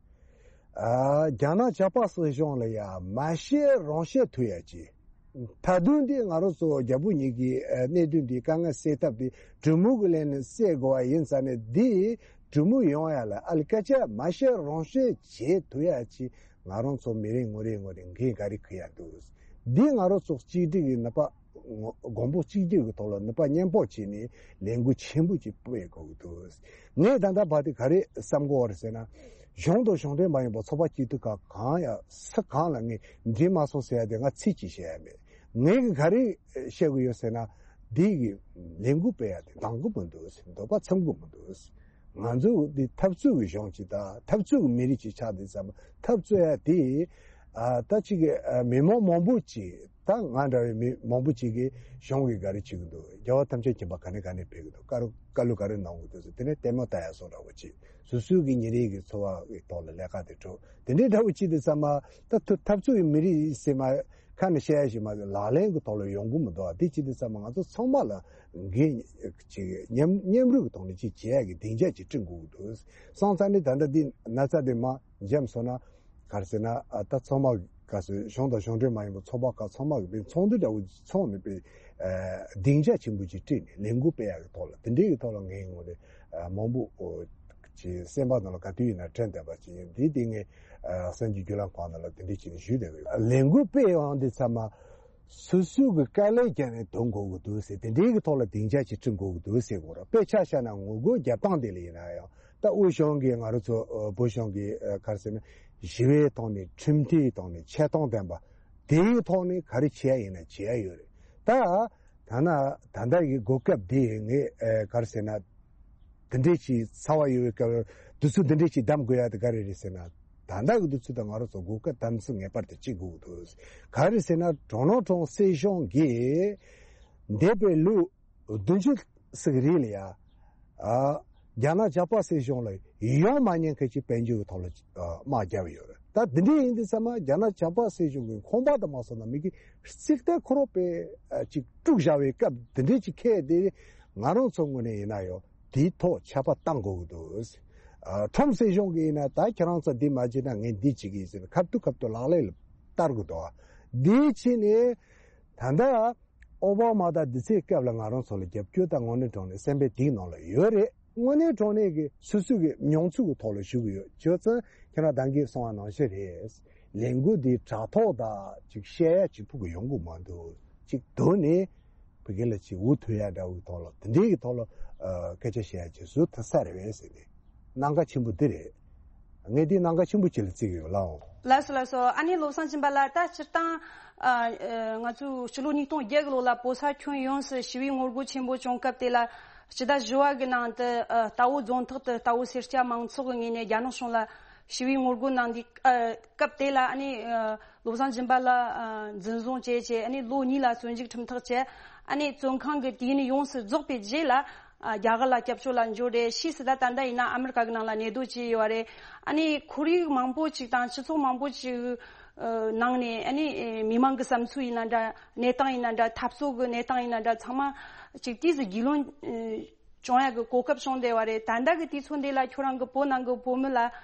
ཨ། རྒྱ་ནག་ཇག་པ་སྲིད་གཞུང་ལ་ཡ་མ་བཤད་རང་བཤད་ཐུབ་ཡ་ཅིག་མཐའ་དོན་འདི་ང་རང་ཚོ་རྒྱ་བོད་གཉིས་ཀྱི་ཨ། གནད་དོན་འདི་དཀའ་ངལ་སེལ་ཐབས་འདི་གྲོས་མོལ་གྱི་ལམ་ནས་སེལ་དགོས་པ་ཡིན་ཙང་ནས། འདི་གྲོས་མོལ་ཡོང་ཡ་ལ་ཨ་ལི་སྐད་ཆ་མ་བཤད་རང་བཤད་བྱེད་ཐུབ་ཡ་ཅིག་ང་རང་ཚོ་མི་རེ་ངོ་རེ་ངོ་རེ་འགན་ག་རེ་འཁུར་ཡ་འདུག་འདི་ང་རང་ཚོ་གཅིག་སྒྲིལ་གྱི་ནུས་པ། གོང་བུ་གཅིག་གྱུར་གྱི་ཐོག་ལ་ནུས་པ་མཉམ་སྤུངས་བྱས་ནས་ལས་འགུལ་ཆེན་པོ་ཅིག་སྤེལ་དགོས་ཀྱི་འདུག་ངས་ད་ལྟ་བར་དུ་ག་རེ་བསམ་གྱི་ཡོད་རེད་ཟེར་ན། གཞུང་དང་གཞུང་འབྲེལ་མ་ཡིན་པ་ཚོགས་པ་སྐྱིད་སྡུག་ཁག་གང་ཡང་སུ་གང་ལ་ངས་འགྲིག་མ་སོང་ཟེར་ཡ་དེ་ང་ཚིག་གཅིག་བཤད་ཡ་མེད། ངས་ག་རེ་བཤད་ཀྱི་ཡོད་ཟེར་ན། འདི་གི་ལས་འགུལ་སྤེལ་ཡ་དེ་འདང་གི་མི་འདུག་འདོད་པ་འཚམ་གི་མི་འདུག་ང་ཚོ་འདི་འཐབ་རྩོད་ཀྱི་གཞུང་ཅིག་དང་འཐབ་རྩོད་ཀྱི་མི་རིགས་ཅིག་ཆགས་དུས་ཙམ་པ། འཐབ་རྩོད་ཡ་དེ་ཨ། ད་ཅིག་གི་ཨ། མི་མང་མང་པོ་ཅིག་ད་ང་འདྲ་བའི་མི་མང་པོ་ཅིག་གིས་གཞུང་གིས་ག་རེ་བྱེད་ཀྱི་འདུག་རྒྱལ་བ་ཐམས་ཅད་མཁྱེན་པ་ག་ནས་ག་ནས་ཕེབས་ཀྱི་འདུག་བཀའ་རུ་བཀའ་སློབ་ག་རེ་གནང་གི་འདུག་ཟེར། དེ་ནས་ལྟད་མོ་ལྟ་ཡ་བཟོ་འདྲ་བོ་ཅིག་སོ་སོའི་གི་ཉིན་རེའི་གི་འཚོ་བ་གི་ཐོག་ལ་ལས་ཀ་དེ་འགྲོ། དེ་འདྲའི་འདྲ་བོ་ཅིག་དུས་ཙམ་པ། ད་ཐུ་འཐབ་རྩོད་ཀྱི་མི་རིགས་ཟེར་མ་ཁ་ནས་བཤད་ཡ་ཞིག་མ་ཟད། ལག་ལེན་གྱི་ཐོག་ལ་ཡོང་གི་མི་འདུག་བ། དེ་ཅི་དུས་ཙམ་པ་ང་ཚོ་ཚང་མ་ལ་འགན་ཅིག་མཉམ་མཉམ་རུབ་ཀྱི་ཐོག་ནས་ཅིག་བྱེད་ཡ་གི་སྡིངས་ཆ་ཅིག་བསྐྲུན་དགོས་ཀྱི་འདུག་སོང་ཙང་ནི་ད་ལྟ་འདི་ན་ཚ་འདི་མར་འཇམ་སོང་ན། ག་རེ་ཟེར་ན། ཨ། ད་ཚང་མ་ག་ཚོད་གཞུང་དང་གཞུང་འབྲེལ་མ་ཡིན་པའི་ཚོགས་པ་ཁག་ཚང་མ་གི་དཔེ་ཚོགས་འདུ་འདྲ་བོ་ཚོགས་ནས་དཔེ་ཨ། སྡིངས་ཆ་ཆེན་པོ་ཅིག་བསྐྲུན་ནས་ལས་འགུལ་སྤེལ་ཡ་གི་ཐོག་ལ། དེ་འདྲའི་གི་ཐོག་ལ་ངའི་ངོས་ནས་ཨ། མང་པོ་ཨོ། ཅིག་སེམས་པ་ནང་ལ་ག་དུས་ཡིན་ན་དྲན་བསྡད་པ་ཅིག་ཡིན། དེ་དེ་ངས་ཨ། གསར་འགྱུར་བརྒྱུད་ལམ་ཁག་ནང་ལ་དེ་འདྲའི་ཅིག་ཞུས་བསྡད་ཡོད། ལས་འགུལ་སྤེལ་ཡོང་དུས་ཙམ་པ། སོ་སོའི་གི་དཀའ་ལས་བརྒྱབ་ནས་དོན་འགྲུབ་དགོས་ཀྱི་འདུག་ཟེར། དེ་འདྲའི་གི་ཐོག་ལ་སྡིངས་ཆ་ཅིག་བསྐྲུན་དགོས་ཀྱི་འདུག་ཟེར་གོ་ར། དཔེ་ཆ་བཞག་ན་ངོ་རྒོལ་རྒྱབ་སྟངས་དེ་ལ་ཡིན་ན་ཡང་། ད་དབུས་གཞུང་གིས་ང་རང་ཚོ་ཨ། བོད་གཞུང་གིས་ཨ། ག་རེ་ཟེར་ན། ཞི་བའི་ཐོག་ནས། ཁྲིམས་མཐུན་ཐོག་ནས། ཆེ་མཐོང་ལྡན་པ། དེའི་ཐོག་ནས་ག་རེ་བྱེད་ཡ་ཡིན་ན་བྱེད་ཡ་ཡོད་རེད། ད་ད་ན་ད་ལྟ་གི་གོ་སྐབས་འདི་ངས་ཨ། ག་རེ་ཟེར་ན། འདི་འདྲས་ཀྱི་ཚ་བ་ཡོད་པའི་སྐབས་དུས་ཚོད་འདི་འདྲས་ཀྱི་གདམ་དགོས་ཡ་དེ་ག་རེ་རེད་ཟེར་ན། ད་ལྟ་གི་དུས་ཚོད་དང་ང་རང་ཚོ་གོ་སྐབས་དམ་ཚིག་ངེས་པར་དུ་བྱེད་དགོས་ཀྱི་འདུག་ག་རེ་ཟེར་ན། ཌོ་ནལ་ཊམ་སྲིད་གཞུང་གིས་འདས་པའི་ལོ་བདུན་ཅུ་ཙམ་རིང་ལ་ཡ། ཨ། རྒྱ་ནག་ཇག་པ་སྲིད་གཞུང་ལ་ཡོང་མ་ཉན་མཁན་གྱི་དཔལ་འབྱོར་གྱི་ཐོག་ལ་ཨ། དམག་བརྒྱབ་ཡོད་རེད། ད་འདི་འདྲས་ཡིན་དུས་ཙམ་པ་རྒྱ་ནག་ཇག་པ་སྲིད་གཞུང་གི་ཁང་པ་དང་མ་སོང་ན་མི་གི་རྩིག་གཏེར་ཁོ་རང་དཔེ་ཨ། ཅིག་དཀྲུགས་བཞག་པའི་སྐབས་འདི་འདྲས་ཅིག་འཁེལ་ཏེ། ང་རང་ཚོ་ངོས་ནས་ཡིན་ན་ཡང་དེའི་ཐོག་ཆད་པ་བཏང་དགོས་ཀྱི་འདུག་ཨ། ཊམ་སྲིད་གཞུང་གིས་ཡིན་ན། ད་ཁྱེད་རང་ཚོ་འདི་མ་བྱེད་ན་ངས་འདི་བྱེད་ཀྱི་ཡིན་ཟེར་ནས་ཁ་ཐུག་ཁ་ཐུག་ལག་ལེན་ལ་བསྟར་དགོས་འདུག་འདི་བྱས་ནས་ ད་ལྟ་ཨོ་བྷ་མ་དང་འདི་ཚོའི་སྐབས་ལ་ང་རང་ཚོ་ལ་རྒྱབ་སྐྱོར་དང་དངོས་གནས་དྲང་གནས་སེམས་པའི་གཏིང་ནང་ལ་ཡོད་རེད། དངོས་གནས་དྲང་གནས་ཀྱི་སོ་སོ་གི་མྱོང་ཚོར་གྱི་ཐོག་ལ་ཞུ་གི་ཡོད། བྱས་ཙང་ཁྱེད་རང་ད་གིན་གསུངས་པ་ནང་བཞིན་རེད། ལས་འགུལ་འདི་དྲ་ཐོག་དང་ཅིག་བཤད་ཡ་ཅིག་ཕུག་གི་ཡོང་གི་མ་འདུག་ཅིག་དོན་ནི་བོད་སྐད་ལ་ཅིག་འུ་ཐུག་ཡ་འདྲ་བོའི་ཐོག་ལ་དེ་འདྲའི་གི་ཐོག་ལ་ཨ་སྐད་ཆ་བཤད་ཡ་ཅིག་བཟོ་ཐུབ་ས་རེད་བས་ཟེར་ནས་གནད་འགག་ཆེན་པོ་འདི་རེད། ངས་འདི་གནད་འགག་ཆེན་པོ་ཅིག་ལ་བརྩི་གི་ཡོད་ལགས། ལགས་སོ་ལགས་སོ། ཨ་ནི་བློ་བཟང་སྦྱིན་པ་ལགས། ད་སྤྱིར་བཏང་ཨ་ཨ་ང་ཚོའི་སྤྱི་ལོ་ཉིས་སྟོང་བརྒྱད་གི་ལོ་ལ་བོད་ས་ཁྱོན་ཡོངས་སུ་ཞི་བའི་ངོ་རྒོལ་ཆེན་པོ་བྱུང་སྐབས་དེ་ལ་སྤྱི་ཟླ་བཞི་བ་གི་ནང་དུ་ཨ་རྟའུ་རྫོང་ཐོག་ཏུ་རྟའུ་སེར་སྐྱ་མང་ཚོགས་ཀྱི་ངོས་ནས་རྒྱ་ནག་གཞུང་ལ་ཞི་བའི་ངོ་རྒོལ་གནང་དུས་ཨ་སྐབས་དེ་ལ་ཨ་ནི་ཨ་བློ་བཟང་སྦྱིན་པ་ལགས་ཨ་འཛིན་བཟུང་བྱས་བྱས་ཨ་ནི་ལོ་གཉིས་ལ་བཙོན་འཇུག་ཁྲིམས་ཐག་བཅད། ཨ་ནི་བཙོན་ཁང་གི་དུས་ཡུན་ཡོངས་སུ་རྫོགས་པའི་རྗེས་ལ་ཨ་རྒྱ་གར་ལ་སྐྱབས་བཅོལ་ལ་འབྱོར་རེད། ཕྱིས་སུ་ད་ད་ལྟ་ཡིན་ན་ཨ་མི་རི་ཀ་གི་ནང་ལ་གནས་སྡོད་བྱས་ཡོད་རེད། ཨ་ནི་ཁོར་ཡུག་མང་པོ་ཅིག་དང་སྤྱི་ཚོགས་མང་པོ་ཅིག་ཨ་ནང་ནས་ཨ་ནི་ཨེ་མི་མང་གི་བསམ་ཚུལ་ཡིན་ན་འདྲ། གནས་སྟངས་ཡིན་ན་འདྲ། འཐབ་རྩོད་ཀྱི་གནས་སྟངས་ཡིན་ན་འདྲ། ཚང་མ་ཅིག་དུས་སུ་རྒྱུས་ལོན་ཨེ་བྱུང་ཡ་གི་གོ་སྐབས་བྱུང་བསྡད་པ་རེད། ད་ལྟ་གི་དུས་ཚོད་འདི་ལ་ཁྱོད་རང་གི་བོད་ནང་གི་བོད་མི་ལ་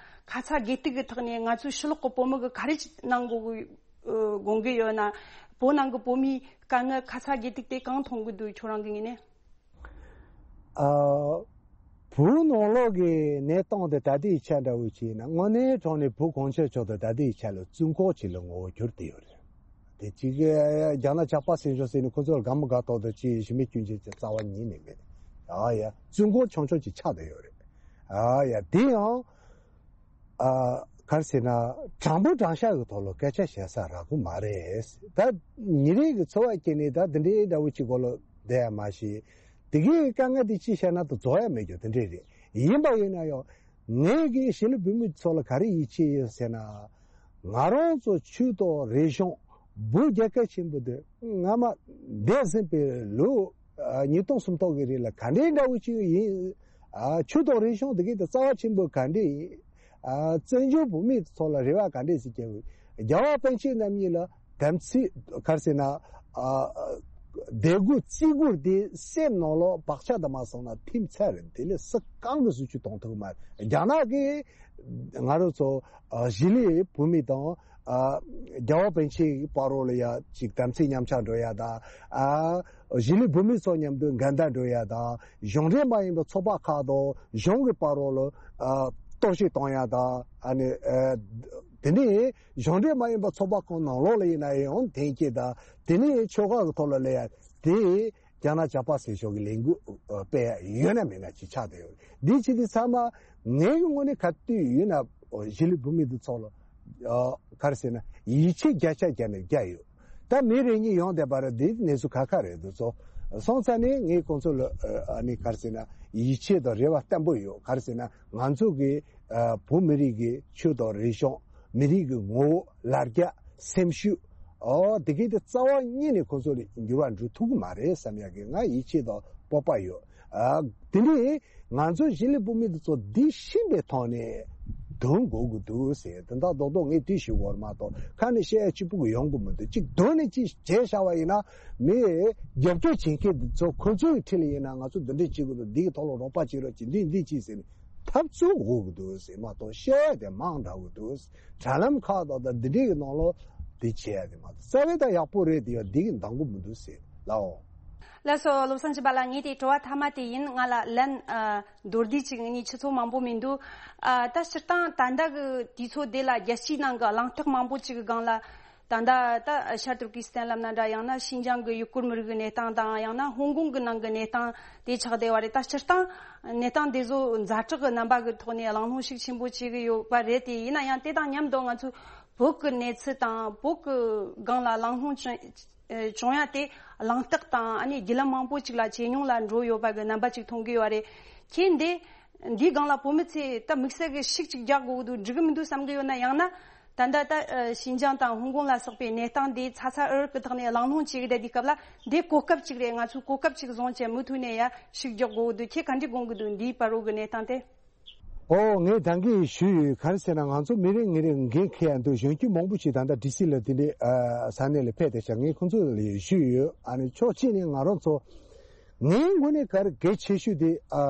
ཁ་ཚ་དགོས་གཏུག་གི་ཐོག་ནས་ང་ཚོའི་ཕྱི་ལོགས་གི་བོད་མི་གི་ག་རེ་གནང་དགོས་གི་ཨ་དགོངས་ཀྱི་ཡོད་ན། བོད་ནང་གི་བོད་མིའི་དཀའ་ངལ་ཁ་ཚ་དགོས་གཏུག་དེ་གང་མཐོང་གི་འདུག་ཁྱོད་རང་གི་ངོས་ནས། ཨ་བོད་ནང་ལོགས་ཀྱི་གནས་སྟངས་དེ་ད་ལྟའི་ཆ་འདྲ་བོ་ཅིག་ཡིན་ན་དངོས་གནས་དྲང་གནས་བོད་གངས་ཅན་ལྗོངས་དེ་ད་ལྟའི་ཆ་ལ་བཙོན་ཁང་ཅིག་ལ་ངོ་བོ་གྱུར་བསྡད་ཡོད་རེད། དེ་གཅིག་རྒྱ་ནག་ཇག་པ་ཟེར་ཆོག་ཟེར་ནས་ཁོ་ཚོ་ལ་དགའ་མི་དགའ་ཏོག་ཏོ་ཅིག་ཞུ་མེད་སྐྱོན་ཅན་ཅིག་རྩ་བ་ཉིད་ནས་མེད། ཨ་ཡ་བཙོན་ཁང་ཆུང་ཆུང་ཅིག་ཆགས་བསྡད་ཡོད་རེད། ཨ་ཡ་དེ་ཡང་ཨ་ག་རེ་ཟེར་ན་དྲང་པོ་དྲང་བཞག་གི་ཐོག་ལ་སྐད་ཆ་བཤད་ས་རག་གི་མ་རེད། ད་ཉིན་རེ་གི་འཚོ་བ་སྐྱེལ་ནས་ད་འདི་འདྲའི་འདྲ་བོ་ཅིག་གོ་ལ་བསྡད་ཡ་མ་ཤེས། དེ་གའི་དཀའ་ངལ་དེ་ཅི་བཤད་ན་ད་རྫོགས་ཡ་མེད་རྒྱུ་དེ་འདྲས་རེད། ཡིན་པ་ཡིན་ན་ཡང་ངས་གི་གཞིས་ལུས་བོད་མི་ཚོ་ལ་ག་རེ་ཡིད་ཆེས་ཡོད་ཟེར་ན། ང་རང་ཚོ་ཆོས་དང་རིག་གཞུང་བོད་རྒྱལ་ཁབ་ཆེན་པོ་འདི་སྔ་མ་འདས་ཟིན་པའི་ལོ་ཨ་ཉིས་སྟོང་སུམ་སྟོང་གི་རིང་ལ་ག་འདྲའི་འདྲ་བོ་ཅིག་ཡིན། ཨ་ཆོས་དང་རིག་གཞུང་དེ་གའི་དེ་རྩ་བ་ཆེན་པོ་ག་འདྲས་ཡིན། ཨ་བཙན་བྱོལ་བོད་མི་ཚོ་ལ་རེ་བ་ག་འདྲས་ཟེར་གྱི་རྒྱལ་བ་པཎ་ཆེན་རྣམ་གཉིས་ལ་དམ་ཚིག་ག་རེ་ཟེར་ན། ཨ་དད་གུས་བརྩི་བཀུར་དེ་སེམས་ནང་ལོགས་བག་ཆགས་དུ་མ་སོང་ན་ཐིམ་ཚར་རེད། དེ་ལས་སུ་གང་གི་སུ་ཆུ་གཏོང་ཐུབ་མ་རེད། རྒྱ་ནག་གིས་ང་རང་ཚོ་ཨ་གཞིས་ལུས་བོད་མི་དང་ཨ་རྒྱལ་བ་པཎ་ཆེན་བར་རོ་ལ་ཡ་ཅིག་དམ་ཚིག་མཉམ་ཆག་འགྲོ་ཡ་དང་ཨ་གཞིས་ལུས་བོད་མི་ཚོ་མཉམ་དུ་འགལ་ཟླ་འགྲོ་ཡ་དང་གཞུང་འབྲེལ་མ་ཡིན་པའི་ཚོགས་པ་ཁག་དང་གཞུང་གི་བར་རོ་ལ་ཨ་གཏོར་བཤིག་གཏོང་ཡ་དང་ཨ་ནི་ཨ་དེ་ནས། གཞུང་འབྲེལ་མ་ཡིན་པ་ཚོགས་པ་ཁག་ནང་ལོགས་ལ་ཡིན་ན་ཡང་འཐེན་འཁྱེར་དང་དེ་ནས་ཆོལ་ཁ་གི་ཐོག་ལ་སླེབས་ཡ་དེ་རྒྱ་ནག་ཇག་པ་ཟེར་ཕྱོགས་ཀྱི་ལས་འགུལ་སྤེལ་ཡ་ཡོད་ན་མེད་ན་ཅིག་ཆགས་བསྡད་ཡོད། འདི་ཅི་འདི་ཚང་མ་ངའི་གི་ངོས་ནས་ག་དུས་ཡིན་ན་གཞིས་ལུས་བོད་མི་འདི་ཚོ་ལ་ག་རེ་ཟེར་ན་ཡིད་ཆེས་བརྒྱ་ཆ་བརྒྱ་ནས་བརྒྱ་ཡོད། ད་མི་རེ་གཉིས་ཡོང་བསྡད་པ་རེད། འདི་གནས་ཚུལ་ཁ་ཁ་རེད། འདི་ཚོ་སོང་ཙང་ནས་ངས་ཁོང་ཚོ་ལ་ཨ་ནི་ག་རེ་ཟེར་ན་ཡིད་ཆེས་དང་རེ་བ་བརྟན་པོ་ཡོད། ག་རེ་ཟེར་ན་ང་ཚོ་གི་ཨ་བོད་མི་རིགས་ཀྱི་ཆོས་དང་རིག་གཞུང་། མི་རིགས་ཀྱི་ངོ་བོ། ལ་རྒྱ། སེམས་ཤུགས། ཨོ་དེ་གའི་དེ་རྩ་བ་ཉིད་ནས་ཁོ་ཚོ་ལ་འགྱུར་བ་འགྲོ་ཐུབ་ཀྱི་མ་རེད་བསམ་ཡག་གི་ང་ཡིད་ཆེས་དང་སྤོབས་པ་ཡོད། ཨ་དེ་ནས་ང་ཚོ་གཞིས་ལུས་བོད་མི་དེ་ཚོ་འདི་ཤེས་པའི་ཐོག་ནས་འདོན་དགོས་ཀྱི་འདུག་ཟེར། དེ་འདྲ་རྡོག་རྡོག་ངས་དེ་ཞུ་དགོས་རེད་མ་གཏོགས་ཁ་ནས་བཤད་ཡ་གཅིག་པུ་གི་ཡོང་གི་མི་འདུག་གཅིག་འདོན་ནས་གཅིག་བྱས་བཞག་པ་ཡིན་ན་མི་རྒྱབ་སྐྱོར་བྱེད་མཁན་དེ་ཚོ་ཁོ་ཚོའི་འཁྲིས་ལ་ཡིན་ན་ང་ཚོ་འདི་འདྲས་བྱེད་དགོས་འདུག་འདི་གི་ཐོག་ལ་རོགས་པ་བྱེད་རོགས་བྱེད་འདི་འདི་བྱེད་ཟེར་ནས། འཐབ་རྩོད་འོག་གི་འདུག་ཟེར་མ་གཏོགས་བཤད་ཡ་དེ་མང་དྲགས་གི་འདུག་དྲ་ལམ་ཁག་དང་དང་འདི་འདྲས་ཀྱི་ནང་ལོགས་འདི་བྱས་ཡ་དེ་མ་གཏོགས་རྩ་བའི་ད་ཡག་པོ་རེད་དེ་ཡང་འདི་གི་འདང་གི་མི་འདུག་ཟེར་ལའོ། ལགས་སོ། བློ་བཟང་སྦྱིན་པ་ལགས། ངས་དེ་དྲི་བ་མཐའ་མ་དེ་ཡིན། ང་ལ་ལན་ཨ་མདོར་བསྡུས་ཅིག་ངས་ཆུ་ཚོད་མང་པོ་མི་འདུག་ཨ་ད་སྤྱིར་བཏང་ད་ལྟ་གི་དུས་ཚོད་དེ་ལ་རྒྱལ་སྤྱིའི་ནང་གི་གླེང་སྟེགས་མང་པོ་ཅིག་གི་སྒང་ལ། ད་ལྟ་ད་ཤར་ཏུར་ཀི་སི་ཐན་ལབ་ན་འདྲ། ཡང་ན་ཤིན་ཅང་གི་ཡུ་གུར་མི་རིགས་ཀྱི་གནས་སྟངས་དང་། ཡང་ན་ཧོང་ཀོང་གི་ནང་གི་གནས་སྟངས་དེ་ཆགས་བསྡད་པ་རེད། ད་སྤྱིར་བཏང་གནས་སྟངས་དེ་ཚོ་ཛ་དྲག་གི་རྣམ་པ་གི་ཐོག་ནས་གླེང་སློང་ཤུགས་ཆེན་པོ་བྱེད་ཀྱི་ཡོད་པ་རེད་དེ། ཡིན་ན་ཡང་དེ་དང་མཉམ་དུ་ང་ཚོས་བོད་ཀྱི་གནས་ཚུལ་དང་བོད་ཀྱི་སྒང་ལ་གླེང་སློང་བྱུང་ཨེ་བྱུང་ཡ་དེ་གླེང་སྟེགས་དང་ཨ་ནི་བརྒྱུད་ལམ་མང་པོ་ཅིག་ལ་ཇེ་ཉུང་ལ་འགྲོ་ཡོད་པ་གི་རྣམ་པ་ཅིག་མཐོང་གི་ཡོད་རེད། ཁྱེད་འདི་འདིའི་སྒང་ལ་བོད་མི་ཚོས་ད་དམིགས་བསལ་གྱི་ཤུགས་ཅིག་རྒྱག་དགོས་ཀྱི་འདུག་འགྲིག་གི་མི་འདུག་བསམ་གི་ཡོད་ན། ཡང་ན་ད་ལྟ་ད་ཨ་ཤིན་ཅང་དང་ཧོང་ཀོང་ལ་སོགས་པའི་གནས་སྟངས་འདི་ཚ་ཚ་འུར་འུར་གི་ཐོག་ནས་གླེང་སློང་བྱེད་ཀྱི་བསྡད་དུས་སྐབས་ལ་འདི་གོ་སྐབས་ཅིག་རེད། ང་ཚོས་གོ་སྐབས་ཅིག་བཟུང་བྱས་མུ་མཐུད་ནས་ཡ་ཤུགས་རྒྱག་དགོས་ཀྱི་འདུག་ཁྱེད་ག་འདྲ་དགོངས་ཀྱི་འདུག་འདིའི་བར་རོ་གི་གནས་སྟངས་དེ། ཨོ་ངས་ད་གིན་ཞུས་ཡོད། ག་རེ་ཟེར་ན་ང་ཚོ་མི་རེ་ངོ་རེ་འགན་འཁྱེར་ཡ་འདུག་གཞོན་སྐྱེས་མང་པོ་ཞིག་ད་ལྟ་ཌི་སི་ལ་དེ་འདྲའི་ཨ་ས་གནས་ལ་ཕེབས་བསྡད་ཤག་ངས་ཁོང་ཚོ་ལ་ཞུས་ཡོད། ཨ་ནི་ཕྱོགས་གཅིག་ནས་ང་རང་ཚོ་ངའི་ངོས་ནས་ག་རེ་གལ་ཆེ་ཤོས་དེ་ཨ་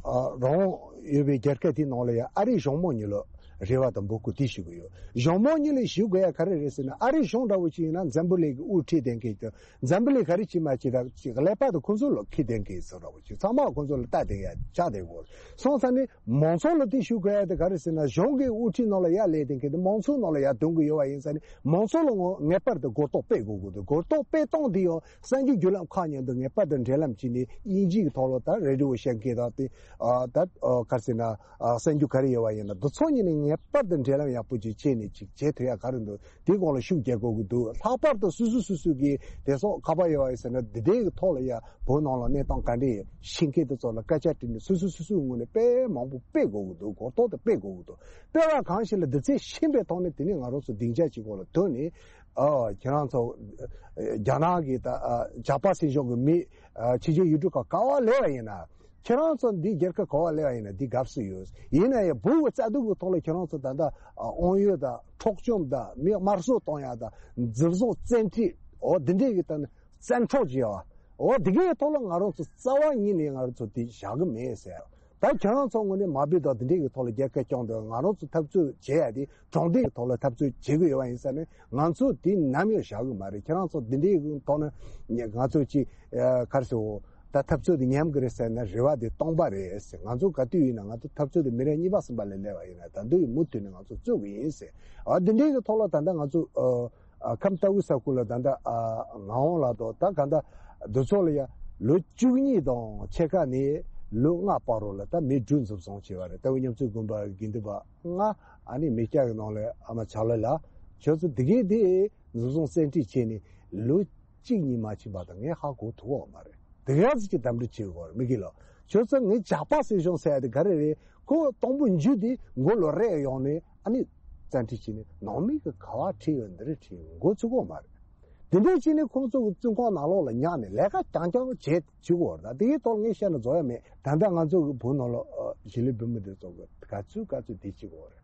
ཨ་རང་དབང་ཡོད་པའི་རྒྱལ་ཁབ་དེའི་ནང་ལ་ཡ་ཨ་རིའི་གཞུང་མང་གཉིས་ལ་ རེ་བ་དང་འབོད་སྐུལ་དེ་ཞུ་གི་ཡོད། གཞུང་མང་གཉིས་ལ་ཞུ་དགོས་ཡ་ག་རེ་རེད་ཟེར་ན། ཨ་རི་གཞུང་འདྲ་བོ་ཞིག་ཡིན་ན་འཛམ་བུ་གླིང་གི་དབུ་ཁྲིད་ལྡན་མཁན་དང་། འཛམ་བུ་གླིང་ག་རེ་བྱེད་མ་བྱེད་ད་ཅིག་ཀླད་པ་དང་ཁོང་ཚོ་ལ་ཁེ་ལྡན་མཁན་ཟེར་འདྲ་བོ་ཞིག། ཚང་མ་ཁོང་ཚོ་ལ་ལྟ་བསྡད་ཡ་ཆགས་བསྡད་ཡོད། སོང་ཙང་ནི་མང་ཚོགས་ལ་དེ་ཞུ་དགོས་ཡ་དེ་ག་རེ་ཟེར་ན། གཞུང་གི་དབུ་ཁྲིད་ནང་ལ་ཡར་སླེབས་བསྡད་མཁན་དེ་མང་ཚོགས་ནང་ལ་ཡར་ཐོན་གི་ཡོད་པ་ཡིན་ཙང་ནི། མང་ཚོགས་ལ་ངོ་ངེས་པར་དུ་གོ་རྟོགས་སྤེལ་དགོས་ཀྱི་འདུག། གོ་རྟོགས་སྤེལ་སྟངས་དེ་ཡང་གསར་འགྱུར་བརྒྱུད་ལམ་ཁག་མཉམ་དུ་ངེས་པར་དུ་འབྲེལ་ལམ་བྱས་ནས། དབྱིན་ཇི་གི་ཐོག་ལ་ད་རེ་ཌི་ཡོ་བཤད་མཁན་དང་དེ། ཨ། ད། ཨ། ག་རེ་ཟེར་ན། ཨ། གསར་འགྱུར་ག་རེ་ཡོད་པ་ཡིན་ན། འདི་ཚོ་གཉིས་ནས་ངེས་པར་དུ་འབྲེལ་ལམ་ཡག་པོ་ཅིག་བྱས་ནས་ཅིག་བྱེད་ཐུབ་ཡ་ག་རེ་འདུག། དེའི་སྐོར་ལ་ཤུགས་རྒྱག་དགོས་ཀྱི་འདུག། ལྷག་པར་དུ་སོ་སོ་སོ་སོ་གི་དེ་སོགས་ཁ་པར་ཡོད་པ་ཡིན་ཟེར་ན། འདི་འདྲའི་གི་ཐོག་ལ་ཡ་བོད་ནང་ལ་གནས་སྟངས་ག་འདྲ་ཤེས་མཁན་དེ་ཚོ་ལ་སྐད་ཆ་དྲིས་ནས། སོ་སོ་སོ་སོའི་ངོས་ནས་དཔེ་མང་པོ་སྤེལ་དགོས་ཀྱི་འདུག། གོ་རྟོགས་དེ་སྤེལ་དགོས་ཀྱི་འདུག། སྤེལ་བ་གང་ཞིག་ལ་དེ་ཚད་ཤེས་པའི་ཐོག་ནས། དེ་ནས་ང་རང་ཚོ་སྡིངས་ཆ་གཅིག་པོ་ལ་ཐོན་ནས། ཨ། ཁྱེད་རང་ཚོ་རྒྱ་ནག་གི་ད། ཨ། ཇག་པ་སྲིད་གཞུང་གི་མི། ཨ། ཕྱི་རྒྱལ་ཡུལ་གྲུ་ཁག་ག་པར་སླེབས་པ་ཡིན་ན། ཁྱེད་རང་ཚོ་འདི་རྒྱལ་ཁབ་ག་པར་སླེབས་པ་ཡིན་ན་འདི་དགའ་བསུ་ཡོད། ཡིན་ན་ཡང་བོད་ཀྱི་རྩ་དོན་གྱི་ཐོག་ལ་ཁྱེད་རང་ཚོ་ད་ལྟ། ཨ། དབང་ཡོད་དང་། འཕྲོག་བཅོམ་དང་། མི་དམར་གསོད་གཏོང་ཡ་དང་། འཛིན་བཟུང་བཙན་ཁྲིད། འོ། འདི་འདྲའི་གི་ད་ནི་བཙན་འཕྲོག་བྱས་པ། འོ། འདི་གའི་ཐོག་ལ་ང་རང་ཚོ་རྩ་བ་ཉིད་ནས་ང་རང་ཚོ་དེ་བཞག་གི་མེད་ཟེར། ད་ཁྱེད་རང་ཚོ་ངོས་ནས་མ་འབོད་དང་འདི་འདྲའི་གི་ཐོག་ལ་རྒྱལ་ཁ་སྐྱོང་དང་། ང་རང་ཚོ་འཐབ་རྩོད་བྱེད་ཡ་དེ་དྲང་བདེན་གྱི་ཐོག་ལ་འཐབ་རྩོད་བྱེད་གི་ཡོད་པ་ཡིན་ཙང་ནི། ང་ཚོ་དེ་ནམ་ཡང་བཞག་གི་མ་རེད། ཁྱེད་རང་ཚོ་འདི་འདྲའི་གི་ཐོག་ནས་ང་ཚོ་ཅིག། ཨ། ག་རེ་ཟེར། འོ། ད་འཐབ་རྩོད་དེ་ཉམས་གི་རེད་ཟེར་ན་རེ་བ་དེ་སྟོང་པ་རེད་ཟེར། ང་ཚོ་ག་དུས་ཡིན་ན། ང་ཚོ་འཐབ་རྩོད་དེ་མི་རབས་གཉིས་པ་གསུམ་པ་ལ་སླེབས་པ་ཡིན་ན། ད་དུང་མུ་མཐུད་ནས་ང་ཚོ་རྩོད་གི་ཡིན་ཟེར། ཨ། འདི་འདྲའི་གི་ཐོག་ལ་ད་ལྟ་ང་ཚོ། ཨ། ཨ། ཁམས་ལྟ་བུའི་ས་ཁུལ་ལ་ད་ལྟ། ཨ། ངག་དབང་ལགས་དང་། ད་ག་ད་འདི་ཚོ་ལ་ཡ་ལོ་བཅུ་གཉིས་དང་ཕྱེད་ཀ་ནས་ལོ་ལྔ་བར་རོ་ལ་ད་མི་དྲུག་འཛིན་བཟུང་བྱས་པ་རེད། ལྟ་བུ་མཉམ་བརྩེ་དགོན་པ་དགེ་འདུན་པ་ལྔ། ཨ་ནི་མི་སྐྱ་གི་ནང་ལ་ཨ་མ་ཆག་ལོ་ལགས། ཁྱོད་ཚོ་དེ་གའི་དེ་འཛིན་བཟུང་བཙན་ཁྲིད་བྱས་ནས་ལོ་གཅིག་གཉིས་མ་ཕྱིན་པ་དང་ངས་ཧ་གོ་ཐུབ་ཀྱི་མ་རེད། དེ་ག་ཚོད་ཅིག་འདུམ་འགྲིག་བྱེད་དགོས་རེད། མི་དགེ་ལགས། ཁྱོད་ཚོ་ངའི་ཇག་པ་སྲིད་གཞུང་ཟེར་ཡ་དེ་ག་རེ་རེད། ཁོ་དང་པོ་འཇུ་དེ་མགོ་ལོག་རེག་ཡོང་ནས། ཨ་ནི་བཙན་ཁྲིད་བྱས་ནས་ནང་མི་གི་ག་པར་ཁྲིད་ཡོད། འདི་རེད་ཁྲིད་ཡོད། མགོ་ཚོད་ཀྱི་མ་རེད། དེ་འདྲ་བྱས་ནས་ཁོང་ཚོ་གི་བཙོན་ཁང་ནང་ལོགས་ལ་ཉར་ནས་ལས་ཀ་རྐྱང་རྐྱང་བྱེད་བཅུག་གི་ཡོད་རེད། ད་དེའི་ཐོག་ངས་བཤད་ན་རྫོགས་ཡ་མེད། ད་ལྟ་ང་ཚོ་གི་བོད་ནང་ལ། ཨ། གཞིས་ལུས་བོད་མི་དེ་ཚོ་གི་ག་ཚོད་ག་ཚོད་བསྡད་བྱེད་ཀྱི་ཡོད་རེད།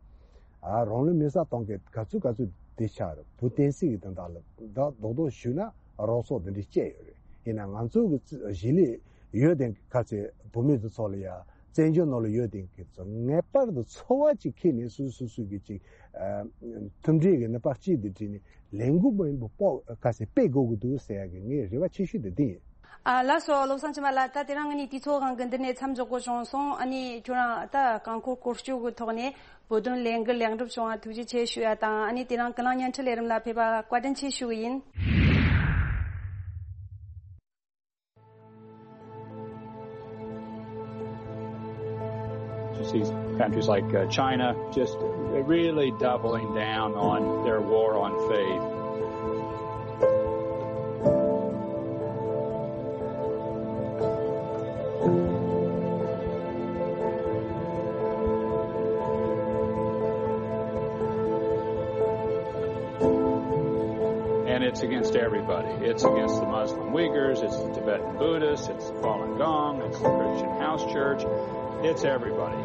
ཨ། རང་ལུས་མེ་སྲེག་གཏོང་མཁན་ག་ཚོད་ག་ཚོད་བསྡད་ཆགས་རེད། བོད་བསྟན་སྲིད་ཀྱི་དོན་དག་ལ་ད་རྡོག་རྡོག་ཞུས་ན་རོགས་ཚོགས་འདི་འདྲ་བཅས་ཡོད་རེད། ཡིན་ན་ང་ཚོ་གི་གཞིས་ལུས་ཡོད་དེ་ག་ཚོད་བོད་མི་དེ་ཚོ་ལ་ཡ། བཙན་བྱོལ་ནང་ལ་ཡོད་དེ་གི་ཚོ་ངེས་པར་དུ་འཚོ་བ་ཅིག་ཁྱེར་ནས་སོ་སོ་སོ་གི་ཅིག། ཨ། མཐུན་སྒྲིལ་གྱི་ནུས་པ་གཅིག་ཏུ་བསྒྲིལ་ནས་ལས་འགུལ་མང་པོ་སྤོ་ག་ཟེ་སྤེལ་དགོས་ཀྱི་འདུག་ཟེར་ཡ་གི་ངའི་རེ་བ་ཆེ་ཤོས་དེ་འདི་ཡིན། ཨ། ལགས་སོ། བློ་བཟང་ཆོས་འཕེལ་ལགས། ད་དེ་རིང་ང་གཉིས་དུས་ཚོད་འགའ་གི་འདི་ནས་མཚམས་འཇོག་དགོས་བྱུང་སོང་། ཨ་ནི་ཁྱོད་རང་ད་རྐང་འཁོར་སྐོར་སྐྱོད་ཀྱི་ཐོག་ནས་བོད་དོན་ལས་འགུལ་ལེགས་འགྲུབ་བྱུང་བ་ཐུགས་རྗེ་ཆེ་ཞུ་ཡ་དང་། ཨ་ནི་དེ་རིང་ཀུན་གླེང་བརྙན་འཕྲིན་ལས་རིམ་ལ་ཕེབས་པ་བཀའ་དྲིན་ཆེ་ཞུ་གི་ཡིན། You see countries like, uh, China just really doubling down on their war on faith. And it's against everybody. It's against the Muslim Uyghurs, it's the Tibetan Buddhists, it's the Falun Gong, it's the Christian House Church, it's everybody.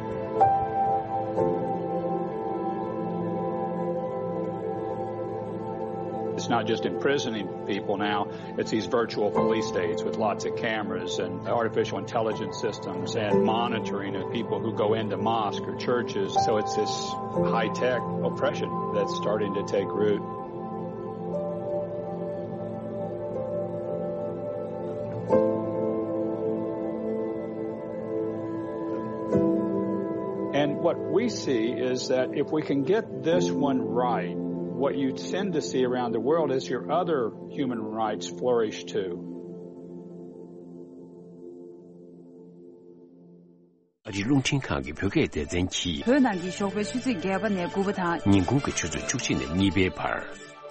It's not just imprisoning people now, it's these virtual police states with lots of cameras and artificial intelligence systems and monitoring of people who go into mosques or churches. So it's this high-tech oppression that's starting to take root. And what we see is that if we can get this one right, what you tend to see around the world is your other human rights flourish too. ཨ་རིའི་རླུང་འཕྲིན་ཁང་གི་བོད་སྐད་སྡེ་ཚན་གྱིས། བོད་ནང་གི་ཞོགས་པའི་ཆུ་ཚོད་བརྒྱད་པ་ནས་དགུ་པ་དང་། ཉིན་གུང་གི་ཆུ་ཚོད་བཅུ་གཅིག་ནས་གཉིས་པའི་བར།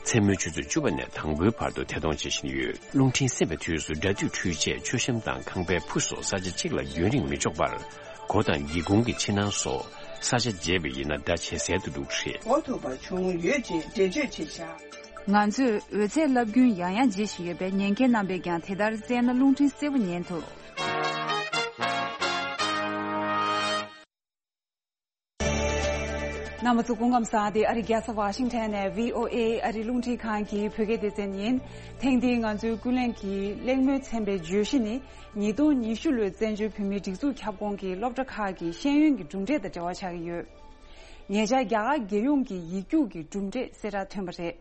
མཚན་མོའི་ཆུ་ཚོད་བཅུ་པ་ནས་དང་པོའི་བར་དུ་ཐད་གཏོང་བྱེད་བཞིན་ཡོད། རླུང་འཕྲིན་གསན་པའི་དུས་སུ་སྒྲ་སྡུད་འཕྲུལ་ཆས། མཆོད་བཤམས་དང་ཁང་པའི་ཕུ་སོགས་ས་ཆ་གཅིག་ལ་རྒྱུན་རིང་མི་འཇོག་པར། སྒོ་དང་སྒེའུ་ཁུང་གི་ཕྱི་ནང་སོགས་ས་ཆ་བརྗེ་བ་ཡིན་ན་སྒྲ་ཇེ་གསལ་དུ་འགྲོ་གི་རེད། གོ་ཐུབ་པ་བྱུང་ཡོད་ཅེས་འགྲེལ་བརྗོད་བྱས་བཞག། ང་ཚོས་འོད་ཚད་རླབས་རྒྱུན་ཡང་ཡང་བརྗེ་བཞིན་ཡོད་པས། ཉན་མཁན་རྣམ་པས་ཀྱང་དེ་ལྟར་བཙལ་ན་རླུང་འཕྲིན་གསལ་པོ་ཉན་ཐུབ། རྣམ་པ་ཚོ་སྐུ་ཁམས་བཟང་སྟེ། ཨ་རི་རྒྱལ་ས་ཝ་ཤིང་ཊོན་ནས་བྷི་ཨོ་ཨེ་ཨ་རི་རླུང་འཕྲིན་ཁང་གི་བོད་སྐད་སྡེ་ཚན་ཡིན། ཐེངས་འདིའི་ང་ཚོའི་ཀུན་གླེང་གི་གླེང་མོལ་ཚན་པའི་བརྗོད་གཞི་ནི། ཉིས་སྟོང་ཉི་ཤུ་ལོའི་བཙན་བྱོལ་བོད་མིའི་སྒྲིག་འཛུགས་ཁྱབ་ཁོངས་ཀྱི་སློབ་གྲྭ་ཁག་གི་ཤེས་ཡོན་གྱི་གྲུབ་འབྲས་དང་འབྲེལ་བ་ཆགས་ཀྱི་ཡོད། ཉེ་ཆར་རྒྱ་གར་རྒྱལ་ཡོངས་ཀྱི་ཡིག་རྒྱུགས་ཀྱི་གྲུབ་འབྲས་གསལ་བསྒྲགས་ཐོན་པ་རེད།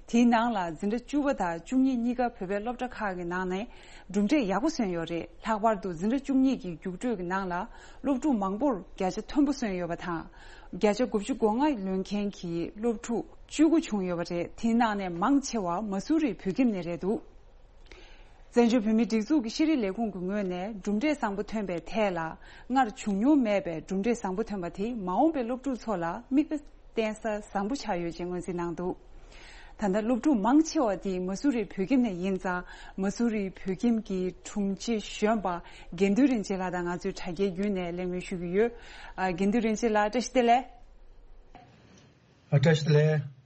དེའི་ནང་ལ་འཛིན་གྲྭ་བཅུ་པ་དང་བཅུ་གཉིས་གཉིས་ཀ་བོད་པའི་སློབ་གྲྭ་ཁག་གི་ནང་ནས་གྲུབ་འབྲས་ཡག་པོ་སོན་ཡོད་རེད། ལྷག་པར་དུ་འཛིན་གྲྭ་བཅུ་གཉིས་ཀྱི་རྒྱུགས་སྤྲོད་ཀྱི་ནང་ལ་སློབ་ཕྲུག་མང་པོར་བརྒྱ་ཆ་མཐོན་པོ་སོན་ཡོད་པ་དང་། བརྒྱ་ཆ་དགུ་བཅུ་གོ་ལྔ་ལོན་མཁན་གྱི་སློབ་ཕྲུག་བཅུ་དགུ་བྱུང་ཡོད་པ་རེད། དེའི་ནང་ནས་མང་ཆེ་བ་མ་སུ་རི་བོད་ཁྱིམ་ནས་རེད་འདུག་བཙན་བྱོལ་བོད་མིའི་སྒྲིག་འཛུགས་ཀྱི་ཤེས་རིག་ལས་ཁུངས་ཀྱི་ངོས་ནས་གྲུབ་འབྲས་བཟང་པོ་ཐོན་པའི་ཐད་ལ། སྔར་བྱུང་མྱོང་མེད་པའི་གྲུབ་འབྲས་བཟང་པོ་ཐོན་པ་དེས་མ་འོངས་པའི་སློབ་ཕྲུག་ཚོ་ལ་མིག་དཔེ་བསྟན་ས་བཟང་པོ་ཆགས་ཡོད་ཅེས་ངོས་འཛིན་གནང་འདུག་ད་ལྟ་སློབ་ཕྲུག་མང་ཆེ་བ་དེ་མ་སུ་རི་བོད་ཁྱིམ་ནས་ཡིན་ཙང་། མ་སུ་རི་བོད་ཁྱིམ་གྱི་དྲུང་ཆེ་གཞོན་པ་དགེ་འདུན་རིན་ཆེན་ལགས་དང་ང་ཚོས་དྲ་རྒྱའི་བརྒྱུད་ནས་གླེང་མོལ་ཞུ་གི་ཡོད། ཨ། དགེ་འདུན་རིན་ཆེན་ལགས། བཀྲ་ཤིས་བདེ་ལེགས། ཨ། བཀྲ་ཤིས་བདེ་ལེགས།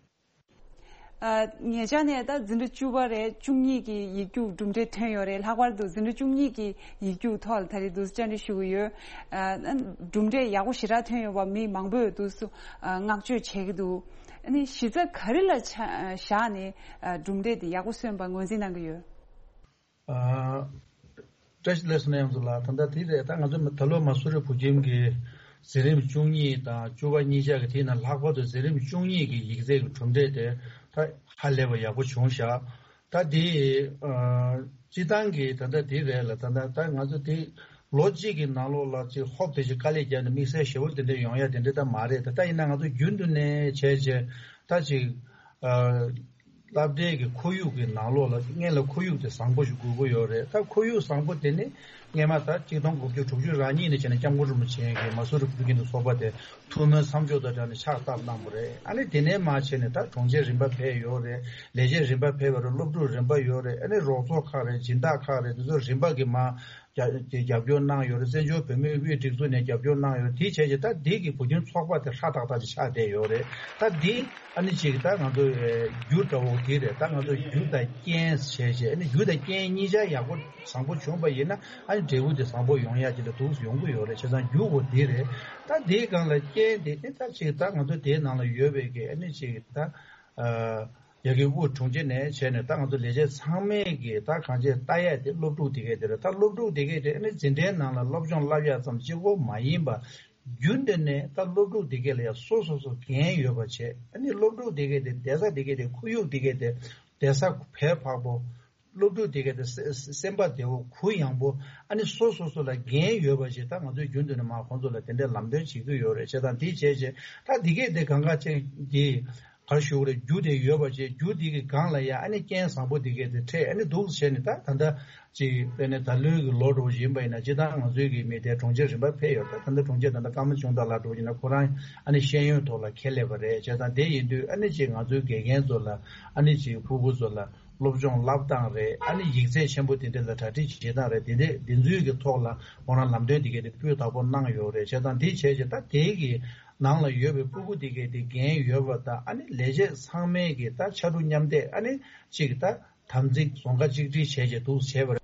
ཨ། ཉེ་ཆར་ནས་ད་འཛིན་གྲྭ་བཅུ་པ་རེད། བཅུ་གཉིས་ཀྱི་ཡིག་རྒྱུགས་གྲུབ་འབྲས་ཐོན་ཡོད་རེད། ལྷག་པར་དུ་འཛིན་གྲྭ་བཅུ་གཉིས་ཀྱི་ཡིག་རྒྱུགས་ཐོག་ལ་ད་རེས་འདུག་སེ་བཅར་འདྲི་ཞུ་གི་ཡོད། ཨ། གྲུབ་འབྲས་ཡག་པོ་ཞེ་དྲག་ཐོན་ཡོད་པ་མི་མང་པོས་འདུག་སེ་བསྔགས་བརྗོད་བྱེད་ཀྱི་འདུག་ཨ་ནི་གཞི་རྩ་ག་རེ་ལ་ཆ་བཞག་ནས་གྲུབ་འབྲས་དེ་ཡག་པོ་སོན་པ་ངོས་འཛིན་གནང་གི་ཡོད། ཨ། བཀྲ་ཤིས་བདེ་ལེགས་སོ་ན་ཡང་ཚོ་ལགས། ད་ལྟ་དེ་རེད། ད་ང་ཚོ་ད་ལོ་མ་སུ་རི་བོད་ཁྱིམ་གྱི་འཛིན་རིམ་བཅུ་གཉིས་དང་བཅུ་པ་གཉིས་ཆ་གི་དེ་ནང་ལྷག་པར་དུ་འཛིན་རིམ་བཅུ་གཉིས་ཀྱི་ཡིག་ཚད་ཀྱི་གྲུབ་འབྲས་དེ་ད་ཧ་ལས་པ་ཡག་པོ་བྱུང་ཤག་ད་དེ་ཨ། སྤྱི་བཏང་གི་ད་ལྟ་དེ་རེད་ལ། ད་ལྟ་ད་ང་ཚོ་དེ་ལོ་གཅིག་གི་ནང་ལོགས་ལ་ཅིག་ཧོབ་དེ་ཅིག་དཀའ་ལས་བརྒྱབ་ནས་དམིགས་བསལ་ཞེ་པོ་དེ་འདྲ་ཡོང་ཡ་དེ་འདྲ་ད་མ་རེད། ད་ད་ཡིན་ན་ང་ཚོ་རྒྱུན་དུ་ནས་བྱས་བྱས་ད་ཅིག་ཨ། སློབ་གྲྭའི་གི་ཁོར་ཡུག་གི་ནང་ལོགས་ལ་སྔོན་ལ་ཁོར་ཡུག་དེ་བཟང་པོ་ཞིག་དགོས་ཀྱི་ཡོད་རེད། ད་ཁོར་ཡུག་བཟང་པོ་དེ་ནི་སྔོན་མ་ད་གཅིག་སྟོང་དགུ་བརྒྱ་དྲུག་ཅུ་རེ་གཉིས་ནས་བྱས་ནས་སྐྱབས་མགོན་རིན་པོ་ཆེ་གིས་མ་སུ་རི་བོད་ཁྱིམ་དང་ཚོགས་པ་དེ་ཐུགས་སྨོན་མཚམས་འཇོག་དང་སྦྲགས་ནས་ཕྱག་བཏབ་གནང་བ་རེད། ཨ་ནི་དེ་ནས་མར་བྱས་ནས་ད་གྲོང་ཁྱེར་རིམ་པ་འཕེལ་ཡོད་རེད། ལས་བྱེད་རིམ་པ་འཕེལ་བ་རེད། སློབ་ཕྲུག་རིམ་པ་ཡོད་རེད། ཨ་ནི་རོགས་ཚོགས་ཁག་རེད། སྦྱིན་བདག་ཁག་རེད། དེ་ཚོ་རིམ་པ་གིས་མར་རྒྱ་རྒྱབ་སྐྱོར་གནང་ཡོད་རེད། བཙན་བྱོལ་བོད་མིའི་དབུས་སྒྲིག་འཛུགས་ནས་རྒྱབ་སྐྱོར་གནང་ཡོད་རེད། དེ་བྱས་རྗེས་ད་འདི་གི་བོད་ཁྱིམ་ཚོགས་པ་དེ་ཧྲ་ཏག་ཏག་ཅིག་ཆགས་བསྡད་ཡོད་རེད། ད་འདི་ཨ་ནི་ཅིག་ད་ང་ཚོ་རྒྱུ་འདྲ་བོ་དེ་རེད། ད་ང་ཚོ་རྒྱུ་དང་རྐྱེན་བྱས་རྗེས་ཨ་ནི་རྒྱུ་དང་རྐྱེན་གཉིས་ཆ་ཡག་པོ་བཟང་པོ་བྱུང་པ་ཡིན་ན་ཨ་ནི་འབྲས་བུ་དེ་བཟང་པོ་ཡོང་ཡ་ཅིག་ལ་འདུག་ཡོང་གི་ཡོད་རེད། བྱས་ཙང་རྒྱུ་བོ་དེ་རེད། ད་དེའི་སྒང་ལ་རྐྱེན་དེ་ནི་ད་ཅིག་ད་ང་ཚོ་དེའི་ནང་ལ་ཡོད་པའི་གི་ཨ་ནི་ཅིག་ད། ཨ། ཡ་གི་དབུ་དྲུང་ཆེ་ནས་བྱས་ནས་ད་ང་ཚོ་ལས་བྱེད་ཚང་མས་ཀྱི་ད་གང་ཅི་ལྟ་ཡ་དེ་སློབ་ཕྲུག་དེ་གས་དེ་རེད། ད་སློབ་ཕྲུག་དེ་གས་དེ་ཨ་ནི་འཛིན་གྲྭའི་ནང་ལ་སློབ་སྦྱོང་བསླབ་ཡ་ཙམ་གཅིག་པོ་མ་ཡིན་པ་རྒྱུན་དུ་ནས་ད་སློབ་ཕྲུག་དེ་གས་ལ་ཡ་སོ་སོ་སོ་འགན་ཡོད་པ་བྱས། ཨ་ནི་སློབ་ཕྲུག་དེ་གས་དེ་བསྡད་ས་དེ་གས་དེ་ཁོར་ཡུག་དེ་གས་དེ་བསྡད་ས་བས་ཕག་པོ། སློབ་ཕྲུག་དེ་གས་དེ་སེ་སེམས་པ་བདེ་བོ་གུ་ཡངས་པོ། ཨ་ནི་སོ་སོ་སོ་ལ་འགན་ཡོད་པ་ཞིག་ད་ང་ཚོས་རྒྱུན་དུ་ནས་མར་ཁོང་ཚོ་ལ་དེ་འདྲའི་ལམ་སྟོན་བྱེད་ཀྱི་ཡོད་རེད། བྱས་ཙང་དེ་བྱས་རྗེས་ད་དེ་གས་དེ་གང་ག་ཅིག་གི་ག་རེ་ཞུ་དགོས་རེད། རྒྱུ་དེ་ཡོད་པ་བྱས། རྒྱུ་དེ་གི་སྒང་ལ་ཡ་ཨ་ནི་རྐྱེན་བཟང་པོ་དེ་གས་དེ་འཕྲད། ཨ་ནི་འདུག་བྱས་ནས་ད་ད་ལྟ་ཅིག་དཔེར་ན་ད་ལོའི་གི་ལོ་འགྲོ་བཞིན་པ་ཡིན་ན་སྤྱིར་བཏང་ང་ཚོའི་གི་མི་དེ་གྲོང་ཁྱེར་རིམ་པ་འཕེལ་ཡོད། ད་ད་ལྟ་གྲོང་ཁྱེར་ད་ལྟ་ཀརྨ་ཆུང་བདག་ལགས་འགྲོ་བཞིན་ན་ཁོ་རང་ཨ་ནི་ཤེས་ཡོན་ཐོག་ལ་ཁྱད་ལས་པ་རེད། བྱས་ཙང་དེ་ཡིན་དུས་ཨ་ནི་ཅིག་ང་ཚོའི་དགེ་རྒན་ཚོ་ལ་ཨ་ནི་ཅིག་ཕྲུ་གུ་ཚོ་ལ། སློབ་སྦྱོང་བསླབ་སྟངས་རེད། ཨ་ནི་ཡིག་ཚད་ཆེན་པོ་དེ་འདྲ་ལ་གྲ་སྒྲིག་བྱེད་སྟངས་རེད། དེ་འདྲ་དེ་ཚོའི་གི་ཐོག་ལ་ཁོ་རང་ལམ་སྟོན་དེ་གས་དེ་སྤུས་དག་པོ་གནང་ཡོད་རེད། བྱས་ཙང་དེ་བྱས་རྗེས་ད་དེའི་གི་ནང་ལ་ཡོད་པའི་སྤུ་གུ་དེ་གས་དེ་འགན་ཡོད་པ་དང་ཨ་ནི་ལས་བྱེད་ཚང་མའི་གི་ད་ཕྱར་གྲུ་མཉམ་འདེགས་ཨ་ནི་གཅིག་ད་དམ་ཚིག་རྫོང་ཁ་གཅིག་སྒྲིལ་བྱས་རྗེས་འདུག་བྱས་པ་རེད།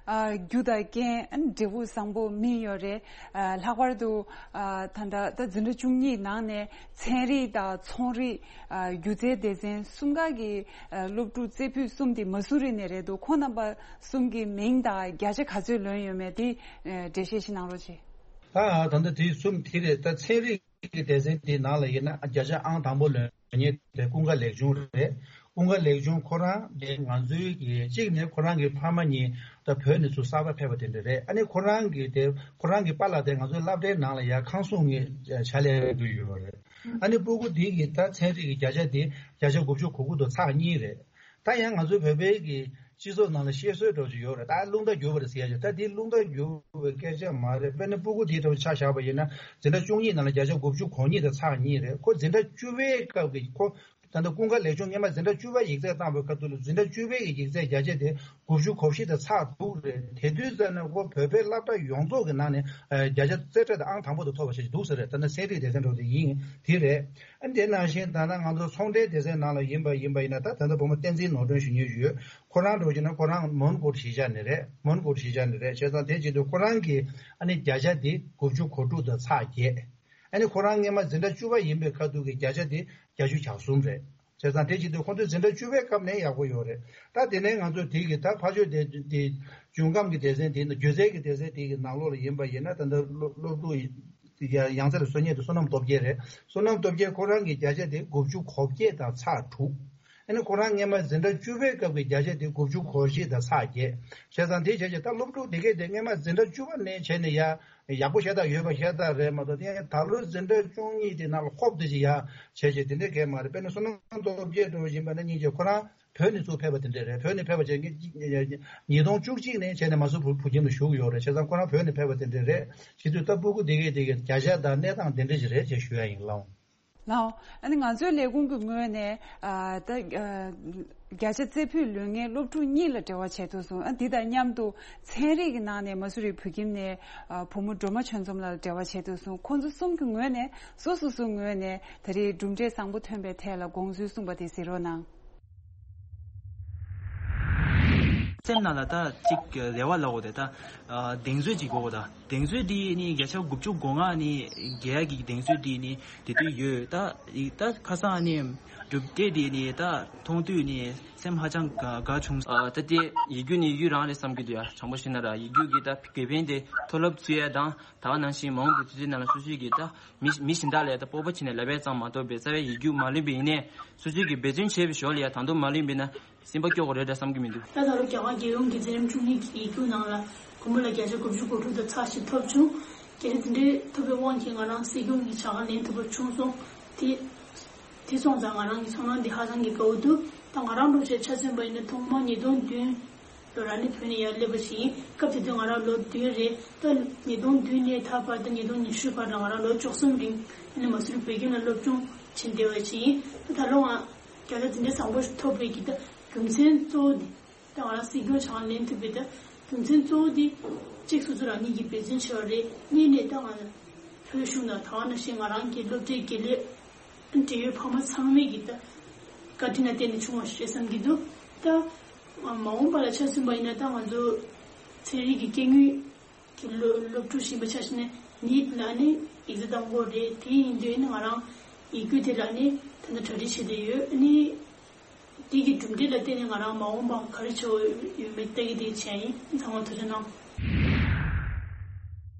ཨ། རྒྱུ་དང་རྐྱེན་ཨ་ནི་འབྲས་བུ་བཟང་པོ་སྨིན་ཡོད་རེད། ཨ། ལྷག་པར་དུ་ཨ། ད་ལྟ་ད་འཛིན་གྲྭ་བཅུ་གཉིས་ནང་ནས་ཚན་རིག་དང་ཚོང་རིག་ཨ། སྒྱུ་རྩལ་སྡེ་ཚན་གསུམ་ཀ་གི་ཨ། སློབ་ཕྲུག་རྩེ་ཕུད་གསུམ་དེ་མ་སུ་རི་ནས་རེད་འདུག་ཁོང་རྣམ་པ་གསུམ་གྱི་མིང་དང་བརྒྱ་ཆ་ག་ཚོད་ལོན་ཡོད་མེད་དེ་ཨ། འགྲེལ་བཤད་ཞིག་གནང་རོགས་གྱིས། ད་ད་ལྟ་དེ་གསུམ་དེ་རེད། ད་ཚན་རིག་གི་སྡེ་ཚན་དེའི་ནང་ལ་ཡིན་ན་བརྒྱ་ཆ་ཨང་དང་པོ་ལོན་མཁན་དེ་ཀུན་དགའ་ལེགས་ཆུང་རེད། ཀུན་དགའ་ལེགས་ཆུང་ཁོ་རང་དེ་ང་ཚོའི་གི་གཅིག་ནས་ཁོ་རང་གི་ཕ་མ་གཉིས་ད་བོད་ནས་ཚུར་གསར་པ་ཕེབས་པ་དེ་འདྲ་རེད། ཨ་ནི་ཁོ་རང་གི་དེ་ཁོ་རང་གི་པཱ་ལགས་དེ་ང་ཚོའི་སློབ་གྲྭའི་ནང་ལ་ཡར་ཁང་སྲུང་གི་བྱ་ལས་ཀྱི་ཡོད་རེད། ཨ་ནི་སྤུ་གུ་དེ་གི་ད་ཚན་རིག་གི་བརྒྱ་ཆ་དེ་བརྒྱ་ཆ་དགུ་བཅུ་གོ་དགུ་དང་ཚེག་གཉིས་རེད། ད་ཡང་ང་ཚོའི་བོད་པའི་གི་སྤྱི་ཚོགས་ནང་ལ་བཤད་སྲོལ་འདྲ་ཅིག་ཡོད་རེད། ད་རླུང་རྟ་རྒྱུག་པ་རེད་ཟེར་ཡ་ཅིག་ད་དེ་རླུང་རྟ་རྒྱུག་པའི་སྐད་ཆ་མ་རེད། དཔེར་ན་སྤུ་གུ་དེའི་ཐོག་ཆ་བཞག་པ་ཡིན་ན་འཛིན་གྲྭ་བཅུ་གཉིས་ནང་ལ་བརྒྱ་ཆ་དགུ་བཅུ་གོ་གཉིས་དང་ཚེག་གཉིས་རེད། ཁོ་འཛིན་གྲྭ་བཅུ་པའི་སྐབས་ཀྱི་ཁོ་ད་ལྟ་ཀུན་དགའ་ལེགས་ཆུང་སྔོན་མ་འཛིན་གྲྭ་བཅུ་པ་ཡིག་ཚད་བཏང་བའི་སྐབས་དུ་ལ་འཛིན་གྲྭ་བཅུ་པའི་གི་ཡིག་ཚད་བརྒྱ་ཆ་དེ་དགུ་བཅུ་གོ་བཞི་དང་ཚེག་དྲུག་རེད། དེ་དུས་ཙམ་ནས་ཁོ་བོད་པའི་སློབ་གྲྭ་ཡོངས་རྫོགས་ཀྱི་ནང་ནས་བརྒྱ་ཆ་རྩེ་གྲས་དང་ཨང་དང་པོ་དེ་ཐོབ་པ་ཞིག་འདུག་ཟེར་རེད། ད་ནི་ཚན་རིག་སྡེ་ཚན་འགྲོ་དེ་ཡིན་དེ་རེད། ཨ་ནི་དེ་ནང་བཞིན་ད་ལྟ་ང་ཚོ་ཚོང་འབྲེལ་སྡེ་ཚན་ནང་ལ་ཡིན་པ་ཡིན་པ་ཡིན་ན་ད་ད་ལྟ་བུ་མོ་བསྟན་འཛིན་ནོར་སྒྲོན་ཞུ་མཁན་ཞུ་ཡོད། ཁོ་རང་འགྲོ་གི་ན་ཁོ་རང་མོན་གྷོ་གཞིས་ཆགས་ནས་རེད། མོན་གྷོ་གཞིས་ཆགས་ནས་རེད། བྱས་ཙང་དེ་བྱེད་དུས་ཁོ་རང་གི་ཨ་ནི་བརྒྱ་ཆ་དེ་དགུ་བཅུ་གོ་དྲུག་དང་ཚེག་བརྒྱད། ཨ་ནི་ཁོ་རང་སྔོན་མ་འཛིན་གྲྭ་བཅུ་པ་ཡིན་པའི་ཁ་ཐུག་གི་བརྒྱ་ཆ་དེ་བརྒྱད་ཅུ་གྱ་གསུམ་རེད། བྱས་ཙང་དེ་བྱེད་དུས་ཁོང་ཚོའི་འཛིན་གྲྭ་བཅུ་པའི་སྐབས་ནས་ཡག་པོ་ཡོད་རེད། ད་དེ་ནས་ང་ཚོ་དེ་གི་ད་ཕ་ཆོས་དེ་དེ་འབྱུང་ཁམས་ཀྱི་སྡེ་ཚན་དེ་སྒྱུ་རྩལ་གྱི་སྡེ་ཚན་དེ་གི་ནང་ལོགས་ལ་ཡིན་པ་ཡིན་ན་ད་ལྟ་སློབ་སློབ་ཕྲུག་ཡང་རྩེ་ལ་གསོལ་མཁན་དེ་བསོད་ནམས་སྟོབས་རྒྱལ་རེད། བསོད་ནམས་སྟོབས་རྒྱལ་ཁོ་རང་གི་བརྒྱ་ཆ་དེ་དགུ་བཅུ་གོ་བརྒྱད་དང་ཚེག་དྲུག་ཨ་ནི་ཁོ་རང་སྔས་མ་འཛིན་གྲྭ་བཅུ་པའི་སྐབས་ཀྱི་བརྒྱ་ཆ་དེ་དགུ་བཅུ་གོ་བཞི་དང་ཚེག་བརྒྱད། བྱས་ཙང་དེ་བྱས་ཙང་ད་སློབ་ཕྲུག་དེ་གས་དེ་སྔས་མ་འཛིན་གྲྭ་བཅུ་པ་ནས་བྱས་ནས་ཡ་ཡག་པོ་ཤ་སྟག་ཡོད་པ་ཤ་སྟག་རེད་མ་གཏོགས། དེ་ད་ལོ་འཛིན་གྲྭ་བཅུ་གཉིས་དེ་ནང་ལ་ཧོབ་དེ་ཅིག་ཡ་བྱས་བྱས་དེ་འདྲའི་གས་མ་རེད། དཔེར་ན་བསོད་ནམས་སྟོབས་རྒྱལ་འདྲ་བོ་ཡིན་པ་ན་སྙིང་རྗེ་ཁོ་རང་བོད་ནས་ཚུར་ཕེབས་པ་དེ་འདྲ་རེད། བོད་ནས་ཕེབས་པ་བྱས་ཉིས་སྟོང་བཅུ་གཅིག་ནས་བྱས་ནས་མ་སུ་བུ་བུ་ཁྱིམ་ལ་བཞུགས་ཡོད་རེད། བྱས་ཙང་ཁོ་རང་བོད་ནས་ཕེབས་པ་དེ་འདྲ་རེད། བྱེད་དུས་ད་སྤུ་གུ་དེ་གས་དེ་གས་བརྒྱ་ཆ་དང་གནས་སྟངས་དེ་འདྲ་ཞིག་རེད་ཅེས་ཞུ་ཡ་ཡིན། ལགས། ལགས། ཨ་ནི་ང་ཚོའི་ལས་ཁུངས་ཀྱི་ངོས་ནས་ཨ་ད་ཨ་བརྒྱ་ཆ་རྩེ་ཕུད་ལོན་མཁན་སློབ་ཕྲུག་གཉིས་ལ་འབྲེལ་བ་བྱས་ཐུབ་སོང་། ཨ་འདི་དང་མཉམ་དུ་ཚན་རིག་གི་ནང་ནས་མ་སུ་རི་བོད་ཁྱིམ་ནས་ཨ་བུ་མོ་སྒྲོལ་མ་ཆོས་འཛོམས་ལ་འབྲེལ་བ་བྱས་ཐུབ་སོང་། ཁོང་ཚོ་གསུམ་གྱི་ངོས་ནས་སོ་སོ་སོའི་ངོས་ནས་ད་རེས་གྲུབ་འབྲས་བཟང་པོ་ཐོན་པའི་ཐད་ལ་དགོངས་ཚུལ་གསུངས་པ་དེ་གཟིགས་རོགས་གནང་། སེམས་ནང་ལ་ད་ཅིག་རེ་བ་ལབ་དགོས་ཏེ་ད་གདེང་ཚོད་ཅིག་དགོས་གོ། ད་གདེང་ཚོད་འདི་ནི་བརྒྱ་ཆ་དགུ་བཅུ་གོ་ལྔ་ནི་རྒྱལ་ཡག་གི་གདེང་ཚོད་འདི་ནི་དེ་དུས་ཡོད། ད་ད་ཁ་སང་ནི་གྲུབ་འབྲས་འདི་ནི་ད་མཐོང་དུས་ནི་སེམས་ཧ་ཅང་དགའ་དགའ་བྱུང་། ད་དེ་ཡིག་རྒྱུགས་ནི་ཡིག་རྒྱུགས་རང་རེད་བསམ་གྱི་འདུག་ཡ། དྲང་པོ་བཤད་ན་ར་ཡིག་རྒྱུགས་ཀྱི་ད་དགེ་ཕན་དེ་མཐོ་སློབ་བཙུགས་ཡ་དང་། ད་ག་ནང་བཞིན་མ་འོངས་པའི་དུས་ཚོད་ནང་ལ་སོ་སོའི་གི་ད་མི་མི་གཞན་དག་ལ་ད་སྤོབས་པ་བྱས་ནས་ལབ་ཡས་ཙམ་མ་གཏོགས་པའི་རྩ་བའི་ཡིག་རྒྱུགས་མ་ལོན་པ་ཡིན་ནའི་སོ་སོའི་གི་འབད་བརྩོན་བྱས་པའི་ཞོར་ལ་ཡ་ད་དུང་མ་ལོན་པ་ཡིན་ན་སེམས་པ་སྐྱོ་གི་རེད་འདྲ་བསམ་གི་མི་འདུག་ད་ད་ལོ་རྒྱ་གར་རྒྱལ་ཡོངས་ཀྱི་འཛིན་རིམ་བཅུ་གཉིས་ཀྱི་ཡིག་རྒྱུགས་ནང་ལ་བུ་མོ་ལ་བརྒྱ་ཆ་དགུ་བཅུ་གོ་དྲུག་དང་ཚེག་བཞི་ཐོབ་བྱུང་། གལ་སྲིད་དེ་འདྲའི་ཐོབ་པའི་དབང་གིས་ང་རང་སྲིད་སྐྱོང་གི་བྱ་དགའ་ལེན་ཐུབ་པ་བྱུང་སོང་། དེ་དེ་སོང་ཙང་ང་རང་གི་ཚོར་སྣང་འདི་ཧ་ཅང་གི་དགའ་བོ་འདུག་ད་ང་རང་འདྲ་བྱས་ཆ་མཚོན་པ་ཡིན་ན་ཐོག་མར་ཉིས་སྟོང་བདུན་ལོ་ར་ནི་བོད་ནས་ཡར་སླེབས་པ་ཞིག་ཡིན། སྐབས་དེ་དུས་ང་རང་ལོ་བདུན་རེད། ད་ཉིས་སྟོང་བདུན་ནས་ད་བར་དུ་ཉིས་སྟོང་ཉི་ཤུ་བར་ལ་ང་རང་ལོ་བཅུ་གསུམ་རིང་ཨ་ནི་མ་སུ་རི་བོད་ཁྱིམ་ལ་སློབ་སྦྱོང་བྱེད་བསྡད་པ་ཞིག་ཡིན། ད་ད་ལོ་ང་རྒྱལ་ལ་དེ་འདྲའི་བཟང་པོ་ཞིག་ཐོབ་པའི་གི་ད་རྒྱུ་མཚན་གཙོ་བོ་དེ་ད་ང་རང་སྲིད་སྐྱོང་བྱ་བ་ལེན་ཐུབ་པའི་ད་རྒྱུ་མཚན་གཙོ་བོ་དེ་གཅིག་སོ་སོ་རང་ཉིད་ཀྱི་འབད་བརྩོན་བྱས་པ་རེད། གཉིས་ནས་ད་ང་བོད་གཞུང་དང་ད་ག་ནང་བཞིན་ང་རང་གི་སློབ་གྲྭའི་དགེ་ལས་འབྲེལ་ཡོད་ཕ་མ་ཚང་མས་ཀྱི་ད་བཀའ་དྲིན་ལ་བརྟེན་ནས་བྱུང་བ་ཞིག་རེད་བསམ་གྱི་འདུག་ད་མ་འོངས་པ་ལ་ཆ་མཚོན་པ་ཡིན་ན་ད་ང་ཚོ་ཚན་རིག་གི་སྐྱེ་དངོས་ཀྱི་སློབ་སློབ་ཕྲུག་ཞིག་ཡིན་པའི་ཆ་བཞག་ན་ནིཊ་ལ་ནི་ཡིག་ཚད་གཏོང་དགོས་རེད། དེ་ཡིན་དུས་ནི་ང་རང་ཡིག་རྒྱུགས་དེ་ལ་ནི་ད་ལྟ་གྲ་སྒྲིག་བྱེད་བསྡད་ཡོད། ནི་དེ་གི་གྲུབ་འབྲས་ལ་བརྟེན་ནས་ང་རང་མ་འོངས་པ་ག་རེ་བྱེད་དགོས་ཡོད་མེད་ལྟ་གི་བསྡད་བྱས་ཡིན། ཚང་མ་ཐུགས་རྗེ་གནང་།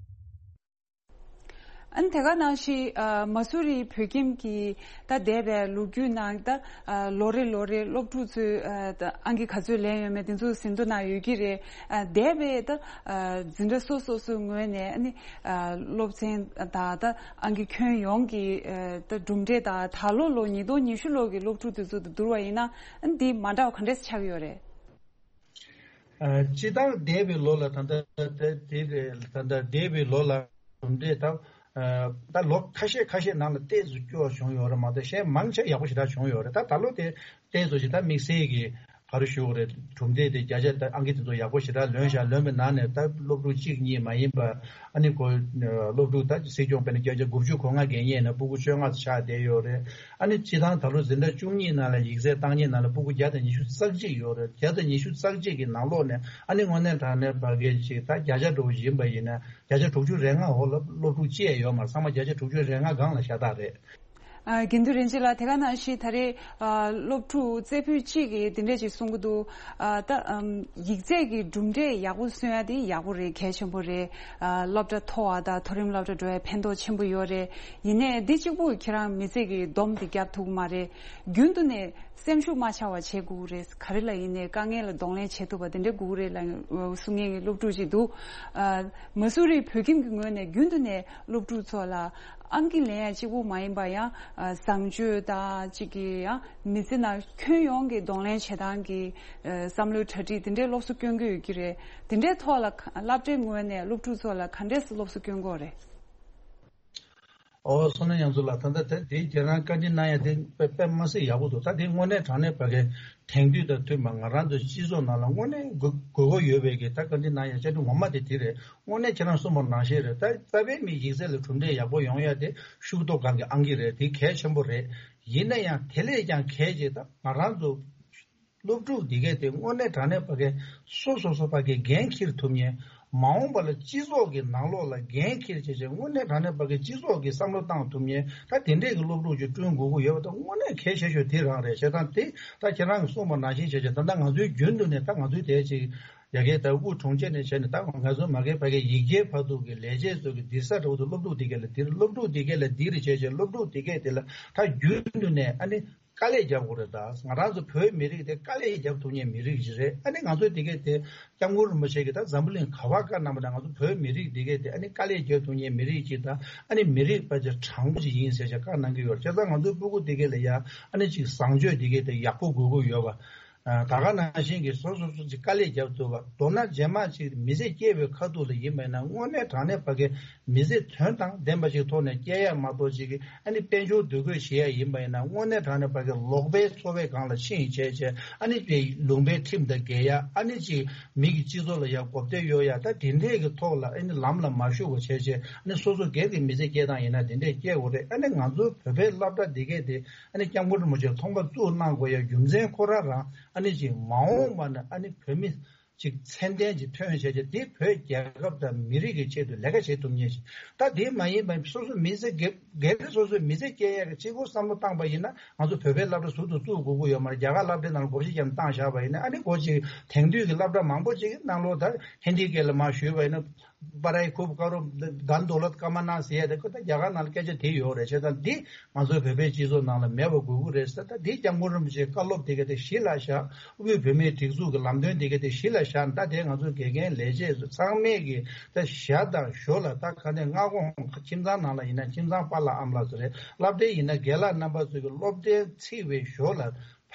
ཨ་ནི་དེ་ག་ནང་བཞིན་ཨ་མ་སུ་རི་བོད་ཁྱིམ་གྱི་ད་འདས་པའི་ལོ་རྒྱུས་ནང་ད་ཨ་ལོ་རེ་ལོ་རེ་སློབ་ཕྲུག་ཚོས་ཨ་ད་ཨང་ཀི་ག་ཚོད་ལེན་ཡོད་མེད་དེ་ཚོ་ཟིན་ཐོ་ནང་ཡོད་ཀྱི་རེད། ཨ་འདས་པའི་ད་ཨ་འཛིན་གྲྭ་སོ་སོ་སོའི་ངོས་ནས་ཨ་ནི་ཨ་སློབ་ཚན་དང་ད་ཨང་ཀི་ཁྱོན་ཡོངས་ཀྱི་ཨ་ད་གྲུབ་འབྲས་དང་ད་ལོ་ལོ་ཉིས་སྟོང་ཉི་ཤུ་ལོ་གི་སློབ་ཕྲུག་དེ་ཚོ་དང་བསྡུར་བ་ཡིན་ན་ཨ་ནི་འདི་མ་འདྲ་བ་ག་འདྲས་ཆགས་ཡོད་རེད། ཨ་སྤྱིར་བཏང་འདས་པའི་ལོ་ལ་ད་ལྟ་དེ་དེ་རེད། ད་ལྟ་འདས་པའི་ལོ་ལ་གྲུབ་འབྲས་དང་ཨ་ད་ལོ་ཁ་ཤས་ཁ་ཤས་ནང་ལ་ཏོག་ཙམ་སྐྱོ་བ་བྱུང་ཡོད་རེད་མ་གཏོགས་གཞན་མང་ཆེ་ཡག་པོ་ཞེ་དྲག་བྱུང་ཡོད་རེད། ད་ད་ལོ་དེ་ཏོག་ཙམ་ཞིག་ད་དམིགས་བསལ་གྱི་ག་རེ་ཞུ་དགོས་རེད། གྲུབ་འབྲས་དེ་བརྒྱ་ཆ་ད་ཨང་ཀི་དེ་ཚོ་ཡག་པོ་ཞེ་དྲག་ལོན་ཤག་ལོན་པའི་ནང་ནས་ད་སློབ་ཕྲུག་གཅིག་གཉིས་མ་ཡིན་པ་ཨ་ནི་ཁོ་སློབ་ཕྲུག་ད་སྲིད་སྐྱོང་དཔེར་ན་བརྒྱ་ཆ་དགུ་བཅུ་གོ་ལྔ་འགན་ཉེས་ནས་སྤུ་གུ་བཅོ་ལྔ་ཆགས་བསྡད་ཡོད་རེད། ཨ་ནི་སྤྱིར་བཏང་ད་ལོ་འཛིན་གྲྭ་བཅུ་གཉིས་ནང་ལ་ཡིག་ཚད་བཏང་མཁན་ནང་ལ་སྤུ་གུ་བརྒྱ་དང་ཉི་ཤུ་རྩ་གཅིག་ཡོད་རེད། བརྒྱ་དང་ཉི་ཤུ་རྩ་གཅིག་གི་ནང་ལོགས་ནས་ཨ་ནི་དངོས་གནས་དྲང་གནས་ཕ་གི་ཅིག་ད་བརྒྱ་ཆ་འགྲོ་བཞིན་པ་ཡིན་ན་བརྒྱ་ཆ་དྲུག་ཅུ་རེ་ལྔ་འོག་ལ་སློབ་ཕྲུག་གཅིག་ཡོད་མ་རེད། ཚང་མ་བརྒྱ་ཆ་དྲུག་ཅུ་རེ་ལྔ་སྒང་ལ་ཤ་སྟག་རེད། ཨ་དགེ་འདུན་རིན་ཆེན་ལགས། དེ་ག་ནང་བཞིན་ད་རེས་ཨ་སློབ་ཕྲུག་རྩེ་ཕུད་གཅིག་གིས་འདི་འདྲས་ཅིག་གསུང་གི་འདུག་ཨ་ད་ཨམ་ཡིག་ཚད་ཀྱི་གྲུབ་འབྲས་ཡག་པོ་སོན་ཡ་དེ་ཡག་པོ་རེད། གལ་ཆེན་པོ་རེད། ཨ་སློབ་གྲྭ་མཐོ་བ་དང་མཐོ་རིམ་སློབ་གྲྭ་འགྲོ་ཡ་ཕན་ཐོགས་ཆེན་པོ་ཡོད་རེད། ཡིན་ནའི་འདི་གཅིག་པུ་ཁྱེད་རང་མི་ཚེ་གི་སྡོམ་དེ་བརྒྱབ་ཐུབ་ཀྱི་མ་རེད། རྒྱུན་དུ་ནས་སེམས་ཤུགས་མ་ཆག་པ་བྱེད་དགོས་ཀྱི་རེད། ག་རེ་ལ་ཡིན་ནའི་དཀའ་ངལ་ལ་གདོང་ལེན་བྱེད་ཐུབ་པ་དེ་འདྲ་དགོས་ཀྱི་རེད་ལབ་གསུང་མཁན་གྱི་སློབ་ཕྲུག་ཅིག་འདུག་ཨ་མ་སུ་རི་བོད་ཁྱིམ་གྱི་ངོས་ནས་རྒྱུན་དུ་ནས་སློབ་ཕྲུག་ཚོ་ལ་ཨང་ཀི་ལེན་ཡ་གཅིག་པུ་མ་ཡིན་པ་ཡང་ཨ་བཟང་སྤྱོད་དང་གཅིག་གི་ཡང་མི་ཚེ་ནང་ཁྱོན་ཡོངས་ཀྱི་གདོང་ལེན་བྱེད་སྟངས་ཀྱི་ཨ་བསམ་བློའི་གྲ་སྒྲིག་དེ་འདྲའི་སློབ་གསོ་སྐྱོན་གྱི་ཡོད་ཀྱི་རེད། དེ་འདྲའི་ཐོག་ལ་ག་སློབ་གྲྭའི་ངོས་ནས་སློབ་ཕྲུག་ཚོ་ལ་ག་འདྲས་སློབ་གསོ་སྐྱོན་དགོས་རེད། ཨོ་བསོད་ནམས་ཡང་ཚུལ་ལགས། ད་ལྟ་དེ་དེ་ཁྱེད་རང་བཀའ་འདྲི་གནང་ཡ་དེ་དཔེ་དཔེ་མ་སྲིད་ཡག་པོ་འདུག་ད་དེ་དངོས་གནས་དྲང་གནས་ཕ་གི་དེང་དུས་དང་མཐུན་པ་ང་རང་ཚོ་སྤྱི་ཚོགས་ནང་ལ་དངོས་གནས་དགོས་དགོས་མཁོ་ཡོད་པའི་གི་ད་བཀའ་འདྲི་གནང་ཡ་བཅའ་ཁྲིམས་ངོ་མ་དེ་དེ་རེད། དངོས་གནས་ཁྱེད་རང་གསུངས་པ་ནང་བཞིན་རེད། ད་རྩ་བའི་མི་ཡིག་ཚད་ལ་གྲུབ་འབྲས་ཡག་པོ་ཡོང་ཡ་དེ་ཤུགས་རྡོ་སྒང་གི་ཨང་ཀི་རེད། དེ་གལ་ཆེན་པོ་རེད། ཡིན་ན་ཡང་དེ་ལས་ཀྱང་གལ་ཆེ་ད་ང་རང་ཚོ་སློབ་ཕྲུག་འདི་གས་དེ་དངོས་གནས་དྲང་གནས་ཕ་གི་སོ་སོ་སོ་ཕ་གི་འགན་འཁྱེར་ཐུབ་མཁན། མ་འོངས་པ་ལ་སྤྱི་ཚོགས་ཀྱི་ནང་ལོགས་ལ་འགན་འཁྱེར་བྱས་བྱས་དངོས་གནས་དྲང་གནས་ཕ་གི་སྤྱི་ཚོགས་ཀྱི་བསམ་བློ་བཏང་ཐུབ་མཁན་ད་དེ་འདྲས་ཀྱི་སློབ་ཕྲུག་ཅིག་བསྐྲུན་དགོས་ཀྱི་ཡོད་པ་ད་དངོས་གནས་གལ་ཆེ་ཤོས་དེ་རང་རེད། བྱས་ཙང་དེ་ད་ཁྱེད་རང་གིས་གསུངས་པ་ནང་བཞིན་བྱས་བྱས་ད་ལྟ་ང་ཚོའི་རྒྱུན་དུ་ནས་ད་ང་ཚོའི་དེ་ཅིག་ རྒྱ་སྐད་ད་དབུས་གྲོང་ཁྱེར་ནས་བྱས་ནས་ད་ང་ཚོ་མ་གི་ཕ་གི་ཡིག་སྐྱེལ་བར་དུ་གི་ལས་བྱེད་ཚོ་གི་འདིར་ས་འགྲོ་དུ་སློབ་ཕྲུག་དེ་གས་ལ་འདིར་སློབ་ཕྲུག་དེ་གས་ལ་འདིར་བྱས་བྱས་སློབ་ཕྲུག་དེ་གས་དེ་ལ་ད་རྒྱུན་དུ་ནས་ཨ་ནི་དཀའ་ལས་རྒྱབ་དགོས་རེད། ད་ང་རང་ཚོ་བོད་མི་རིགས་དེ་དཀའ་ལས་རྒྱབ་ཐུབ་མཁན་མི་རིགས་ཤིག་རེད། ཨ་ནི་ང་ཚོ་དེ་གས་དེ་སྐྱབས་མགོན་རིན་པོ་ཆེ་གིས་ད་འཛམ་བུ་གླིང་ག་བ་ག་གནང་བ་ན་ང་ཚོ་བོད་མི་རིགས་དེ་གས་དེ་ཨ་ནི་དཀའ་ལས་རྒྱབ་ཐུབ་མཁན་མི་རིགས་ཅིག་དང་ཨ་ནི་མི་རིགས་ཕལ་ཆེར་དྲང་པོ་ཅིག་ཡིན་ཟེར་བྱས་བཀའ་གནང་གི་ཡོད་རེད། བྱས་ཙང་ང་ཚོའི་སྤུ་གུ་དེ་གས་ལ་ཡ་ཨ་ནི་ཅིག་བཟང་སྤྱོད་དེ་གས་དེ་ཡག་པོ་དགོས་ཀྱི་ཡོད་པ། ཨ་ད་ག་ནང་བཞིན་གྱི་སོ་སོ་སོ་ཅིག་དཀའ་ལས་རྒྱབ་ཐུབ་པ། མདོར་ན་རྗེས་མ་ཅིག་མི་ཚེ་སྐྱེལ་བའི་ཁ་ཐུག་ལ་ཡིན་པ་ཡིན་ན་དངོས་གནས་དྲང་གནས་ཕ་གི་མི་ཚེ་དོན་དང་ལྡན་པ་ཞིག་ཐོག་ནས་སྐྱེལ་ཡ་མ་གཏོགས་ཅིག་གི་ཨ་ནི་དཔལ་འབྱོར་འདུ་འགོད་བྱེད་ཡ་ཡིན་པ་ཡིན་ན་དངོས་གནས་དྲང་གནས་ཕ་གི་ལོག་པའི་འཚོ་བའི་སྒང་ལ་ཕྱིན་བྱས་བྱས་ཨ་ནི་དེ་ལུང་པའི་ཁྲིམས་དང་འགལ་ཡ། ཨ་ནི་ཅིག་མི་གི་སྤྱི་ཚོགས་ལ་ཡ་གོ་བརྡ་གཡོག་ཡ། ད་དེ་འདྲས་ཀྱི་ཐོག་ལ་ཨ་ནི་ལམ་ལ་མ་ཞུགས་པ་བྱས་བྱས་ཨ་ནི་སོ་སོ་སྒེར་གྱི་མི་ཚེ་སྐྱེལ་སྟངས་ཡིན་ན་དེ་འདྲས་སྐྱེལ་དགོས་རེད། ཨ་ནི་ང་ཚོའི་བོད་པའི་སློབ་གྲྭ་འདི་གས་དེ་ཨ་ནི་སྐྱབས་མགོན་རིན་པོ་ཆེས་ཚོང་པ་བཙུགས་གནང་དགོས་ཡ་རྒྱུ་མཚན་ཁོ་རང་རང་ཨ་ནི་ཅིག་མ་འོངས་པ་ན་ཨ་ནི་བོད་མི་ཅིག་ཚད་ལྡན་ཅིག་ཐོན་བྱས་བྱས་དེ་བོད་རྒྱལ་ཁབ་དང་མི་རིགས་ཀྱི་ཆེད་དུ་ལས་ཀ་བྱེད་ཐུབ་མཁན་ཞིག་ད་དེ་མ་ཡིན་པ་སོ་སོ་མི་ཚེ་སྒེར་སྒེར་སོ་སོའི་མི་ཚེ་སྐྱེལ་ཡ་གི་གཅིག་པོ་བསམ་བློ་བཏང་པ་ཡིན་ན་ང་ཚོ་བོད་པའི་སློབ་གྲྭ་ཟུར་དུ་བཙུགས་དགོས་ཀྱི་ཡོད་མ་རེད། རྒྱ་གར་སློབ་གྲྭའི་ནང་ལ་སྒོར་གཞས་ཀྱང་བཏང་བཞག་པ་ཡིན་ན་ཨ་ནི་སྒོར་གཅིག་དེང་དུས་ཀྱི་སློབ་གྲྭ་མང་པོ་ཅིག་གི་ནང་ལོགས་ད་ཧིན་དི་སྐད་ལ་མར་ཞུས་པ་ཡིན་ན། པ་རའི་ཁུབ་ཀ་རོ་དན་དོ་ལོད་ཀ་མ་ན་ཟེར་ཡ་དེ་ཁོ་ད་རྒྱ་གར་ནང་ལ་སྐད་ཆ་དེ་ཡོད་རེད། བྱས་ཙང་འདི་ང་ཚོའི་བོད་པའི་སྤྱི་ཚོགས་ནང་ལ་མེད་པ་དགོས་ཀྱི་རེད་ཟེར། ད་འདི་སྐྱབས་མགོན་རིན་པོ་ཆེའི་བཀའ་སློབ་དེ་ག་དེ་གཞི་ལ་བཞག་དབུས་བོད་མིའི་སྒྲིག་འཛུགས་ཀྱི་ལམ་སྟོན་དེ་ག་དེ་གཞི་ལ་བཞག་ད་དེ་ང་ཚོའི་དགེ་རྒན་ལས་བྱེད་ཚོ་ཚང་མས་ཀྱི་ད་ཞྭ་དང་ཞོ་ལ་ད་ག་ནས་སྔ་དགོང་ཁྱིམ་ཚང་ནང་ལ་ཡིན་ན་ཁྱིམ་ཚང་པཱ་ལགས་ཨ་མ་ལགས་ཚོ་རེད། སློབ་གྲྭའི་ཡིན་ན་རྒན་ལགས་རྣམ་པ་ཚོ་གི་སློབ་གྲྭའི་ཚིག་པའི་ཞོ་ལ།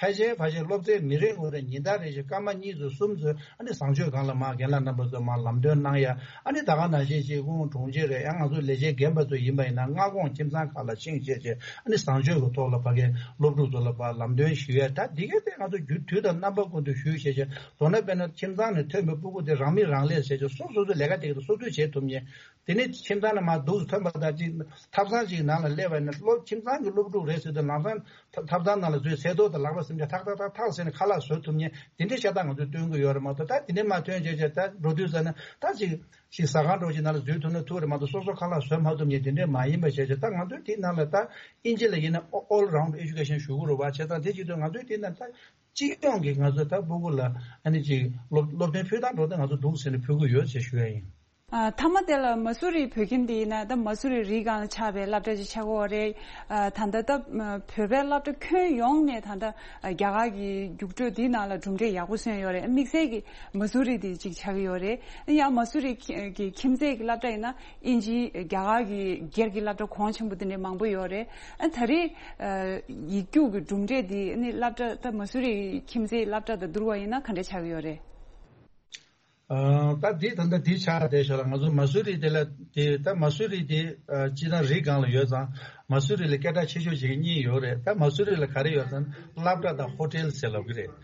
ཕལ་ཆེར་ཕལ་ཆེར་སློབ་ཚན་མི་རེ་ངོ་རེ་ཉིན་ལྟར་རེ་བཞིན་སྐར་མ་གཉིས་ཚོ་གསུམ་ཚོ་ཨ་ནི་བཟང་སྤྱོད་སྒང་ལ་མར་རྒན་ལགས་རྣམ་པ་ཚོ་མར་ལམ་སྟོན་གནང་ཡ། ཨ་ནི་ད་ག་ནང་བཞིན་ཅིག་དབུས་གྲོང་ཁྱེར་རེད་ཡང་ང་ཚོ་ལས་བྱེད་རྒན་པ་ཚོ་ཡིན་པ་ཡིན་ན་སྔ་དགོང་ཁྱིམ་ཚང་ཁག་ལ་ཕྱིན་བྱས་བྱས་ཨ་ནི་བཟང་སྤྱོད་ཀྱི་ཐོག་ལ་ཕ་གའི་སློབ་ཕྲུག་ཚོ་ལ་ཕར་ལམ་སྟོན་ཞུ་ཡ། ད་འདི་གའི་ཐད་ང་ཚོ་རྒྱུན་དུས་དང་རྣམ་པ་ཀུན་ཏུ་ཞུས་བྱས་བྱས་མདོར་ན་དཔེར་ན་ཁྱིམ་ཚང་ནས་ཐོན་པའི་སྤུ་གུ་དེ་རང་མི་རང་ལས་བྱས་བྱས་སོ་སོ་སོའི་ལས་ཀ་དེ་ག་དེ་སོ་སོས་བྱེད་ཐུབ་མཁན། དེ་ནས་ཁྱིམ་ཚང་ནས་མར་འདུག་ཐོན་པ་དང་གཅིག་ཐབ་ཚང་གཅིག་ནང་ལ་སླེབས་པ་ཡིན་ན་སློབ་ཁྱིམ་ཚང་གི་སློབ་ཕྲུག་རེད་ཟེར་དུས་ལམ་སང་ཐ་ཐབ་ཚང་ནང་ལ་འཛུལ་ཚེ་ཐོག་དང་ལག་པ་སེམས་ཅན་ཐག་ཐག་ཐག་ཐག་ཟེར་ནས་ཁ་ལག་བཟོ་ཐུབ་མཁན་དེ་འདྲའི་ཤ་སྟག་ང་ཚོས་སྟོན་གྱི་ཡོད་རེད་མ་གཏོགས། ད་དེ་འདྲའི་མ་ཐོན་བྱས་བྱས་ད་འགྲོ་དུས་ཙ་ན་ད་ཅིག་ཅིག་ཟ་ཁང་འདྲ་ཅིག་ནང་ལ་འཛུལ་ཐུབ་ན་ཐུབ་རེད་མ་གཏོགས་སོ་སོ་ཁ་ལག་བཟོ་མ་ཐུབ་མཁན་དེ་འདྲའི་མ་ཡིན་པ་བྱས་བྱས་ད་ང་ཚོས་དེ་ནང་ལ་ད་ཨིན་ཇི་ལ་ཡིན་ན་all round education ཞུ་གི་རེད་བ། བྱས་ཙང་དེ་བྱེད་དུས་ང་ཚོས་དེ་ནང་ད་སྤྱི་ཡོངས་ཀྱི་ང་ཚོས་ད་སྤུ་གུ་ལ་ཨ་ནི་ཅིག་སློབ་སློབ་སྟོན་ཕུལ་སྟངས་འདྲ་དེ་ང་ཚོ་འདུག་ཟེར་ནས་ཕུལ་གི་ཡོད་ཅེས་ཞུ་ཡ་ཡིན། ཨ་མཐའ་མ་དེ་ལ་མ་སུ་རི་བོད་ཁྱིམ་དེ་ཡིན་ན་ད་མ་སུ་རི་རི་སྒང་ལ་ཆགས་པའི་སློབ་གྲྭ་ཅིག་ཆགས་ཀྱི་ཡོད་རེད། ཨ་ད་ལྟ་ད་བོད་པའི་སློབ་གྲྭ་ཁྱོན་ཡོངས་ནས་ད་ལྟ་རྒྱ་གར་གྱི་རྒྱུགས་སྤྲོད་དེའི་ནང་ལ་གྲུབ་འབྲས་ཡག་པོ་སོན་ཡོད་རེད། དམིགས་བསལ་གྱི་མ་སུ་རི་དེ་ཅིག་ཆགས་ཀྱི་ཡོད་རེད། ཡང་མ་སུ་རི་གི་ཁྱིམ་མཚེས་ཀྱི་སློབ་གྲྭ་ཡིན་ན་ཨིན་ཇི་རྒྱ་གར་གྱི་སྒེར་གྱི་སློབ་གྲྭ་གོང་ཆེན་པོ་དེ་འདྲ་མང་པོ་ཡོད་རེད། ཨ་ད་རེས་ཡིག་རྒྱུགས་ཀྱི་གྲུབ་འབྲས་དེ་ནི་སློབ་གྲྭ་ད་མ་སུ་རི་ཁྱིམ་མཚེས་སློབ་གྲྭ་དང་བསྡུར་བ་ཡིན་ན་ག་འདྲ་ཆགས་ཀྱི་ཡོད་རེད། ཨ་ད་འདི་ད་ལྟ་འདི་ཆགས་བསྡད་ཤག་ལ། ང་ཚོ་མ་སུ་རི་དེ་ལ་དེ་ད་མ་སུ་རི་དེ་ཨ་སྤྱིར་བཏང་རི་སྒང་ལ་ཡོད་ཙང་མ་སུ་རི་ལ་སྐད་གྲགས་ཆེ་ཤོས་བྱེད་མཁན་གཉིས་ཡོད་རེད། ད་མ་སུ་རི་ལ་ག་རེ་ཡོད་ཙང་སློབ་གྲྭ་དང་ཧོ་ཊེལ་ཟེར་ལབ་ཀྱི་རེད།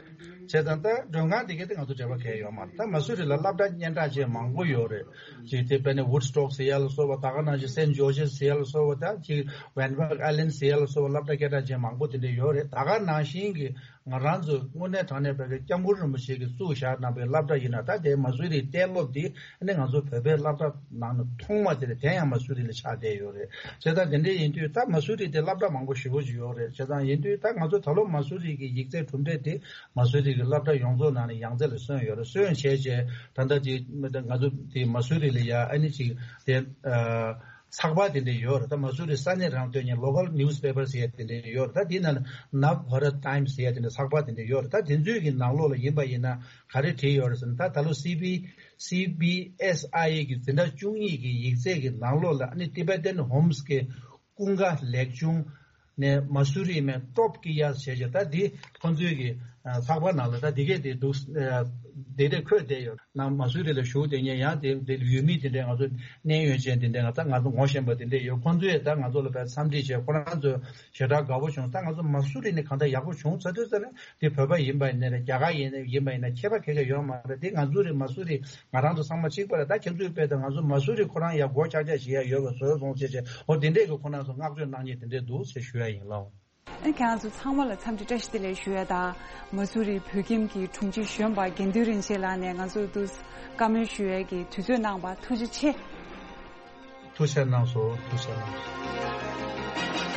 བྱས་ཙང་ད་མགྲོན་ཁང་དེ་གའི་དེ་ང་ཚོ་འབྲེལ་བ་གང་ཡང་ཡོད་མ་རེད། ད་མ་སུ་རི་ལ་སློབ་གྲྭ་སྙན་གྲགས་ཅན་མང་པོ་ཡོད་རེད། ཅིག་དེ་དཔེར་ན་Woodstock་ཟེར་ཡ་ལ་སོགས་པ། ད་ག་ནང་བཞིན་Saint George's་ཟེར་ཡ་ལ་སོགས་པ། ད་ཅིག་Van Buren Island་ཟེར་ཡ་ལ་སོགས་པ་སློབ་གྲྭ་སྐད་གྲགས་ཅན་མང་པོ་དེ་འདྲ་ཡོད་རེད། ད་ག་ནང་བཞིན་གྱི་ང་རང་ཚོ་དངོས་གནས་དྲང་གནས་བོད་ཀྱི་སྐྱབས་མགོན་རིན་པོ་ཆེ་གིས་བཙུགས་བཞག་གནང་པའི་སློབ་གྲྭ་ཡིན་ན་ད་དེ་མ་སུ་རིའི་གཏན་སློབ་འདི་ཨ་ནི་ང་ཚོ་བོད་པའི་སློབ་གྲྭ་ནང་ནས་ཐོག་མ་དེ་རེད། དེ་ཡང་མ་སུ་རི་ལ་ཆགས་བསྡད་ཡོད་རེད། བྱས་ཙང་དེ་འདྲ་ཡིན་དུས་ད་མ་སུ་རི་དེ་སློབ་གྲྭ་མང་པོ་ཞེ་པོ་ཅིག་ཡོད་རེད། བྱས་ཙང་ཡིན་དུས་ད་ང་ཚོ་ད་ལོ་མ་སུ་རི་གི་ཡིག་ཚད་གྲུབ་འབྲས་དེ་མ་སུ་རི་གི་སློབ་གྲྭ་ཡོངས་རྫོགས་ནང་ནས་ཡང་རྩེ་ལ་སོན་ཡོད་རེད། སོན་བྱས་རྗེས་ད་ལྟ་དེ་ང་ཚོ་དེ་མ་སུ་རི་ལ་ཡ་ཨ་ནི་ཅིག་དེ་ཨ། ཚགས་པར་དེ་འདྲ་ཡོད་རེད། ད་མ་སུ་རི་ས་གནས་རང་སྟོན་མཁན་local newspaper་ཟེར་ཡ་དེ་འདྲ་ཡོད་རེད། ད་དེ་ནང་Navbharat Times་ཟེར་ཡ་དེ་འདྲ་ཚགས་པར་དེ་འདྲ་ཡོད་རེད། ད་དེ་ཚོའི་གི་ནང་ལོགས་ལ་ཡིན་པ་ཡིན་ན་ག་རེ་བྲིས་ཡོད་རེད་ཟེར་ན། ད་ད་ལོ་སི་བི་སི་བི་ཨེས་ཨའི་གི་འཛིན་གྲྭ་བཅུ་གཉིས་ཀྱི་ཡིག་ཚད་ཀྱི་ནང་ལོགས་ལ་ཨ་ནི་Tibetan Homes་གི་ཀུན་དགའ་ལེགས་ཆུང་ནས་མ་སུ་རི་མའི་སྟོབས་ཀྱི་ཡ་ཟེར་བྱས། ད་འདི་ཁོང་ཚོའི་གི་ཚགས་པར་ནང་ལ་ད་འདི་གས་དེ་འདུག་དེ་འདྲ་འཁོད་བསྡད་ཡོད། ནང་མ་སུ་རི་ལ་བཞུགས་བསྡད་མཁན་ཡང་དེ་དེ་ཡུལ་མི་དེ་འདྲས་ང་ཚོ་གནས་ཡོད་ཅན་དེ་འདྲས་ང་ཚོ་ང་ཚོ་ངོ་ཤེས་པ་དེ་འདྲས་ཡོད། ཁོང་ཚོས་ད་ང་ཚོ་ལ་དཔེ་འཚམས་འདྲི་བྱས། ཁོ་རང་ཚོ་ཞེ་དྲག་དགའ་པོ་བྱུང་། ད་ང་ཚོ་མ་སུ་རི་ནས་གང་ལྟར་ཡག་པོ་བྱུང་ཚར་དུས་ཙ་ན་དེ་བོད་པ་ཡིན་པ་ཡིན་ནའི་རེད། རྒྱ་གར་ཡིན་ཡིན་པ་ཡིན་ན་ཁྱད་པར་ག་ག་ཡོད་མ་རེད། དེ་ང་ཚོ་རེད། མ་སུ་རི་ང་རང་ཚོ་ཚང་མ་གཅིག་པ་རེད། ད་ཁྱེད་ཚོའི་དཔེ་ད་ང་ཚོ་མ་སུ་རི་ཁོ་རང་ཡག་སྒོ་ཆག་ཆག་བྱེད་ཡ་ཡོད་པ་བཟོས་སོང་ཟེར་བྱས། འོ་དེ་འདྲས་ཀྱི་ཁོ་རང་ཚོ་བསྔགས་བརྗོད་གནང་མཁན་དེ་འདྲས་འདུག་ཟེར་ཞུ་ཡ་ཡིན་ལགས། ཨ་ཁྱེད་རང་ཚོ་ཚང་མ་ལ་འཚམས་འདྲི་བཀྲ་ཤིས་བདེ་ལེགས་ཞུ་ཡ་དང་། མ་སུ་རི་བོད་ཁྱིམ་གྱི་དྲུང་ཆེ་གཞོན་པ་དགེ་འདུན་རིན་ཆེན་ལགས་ནས་ང་ཚོ་འདུག་བཀའ་མོལ་ཞུ་ཡ་གི་དུས་ཚོད་གནང་བ་ཐུགས་རྗེ་ཆེ། ཐུགས་རྗེ་གནང་སོང་། ཐུགས་རྗེ་གནང་སོང་།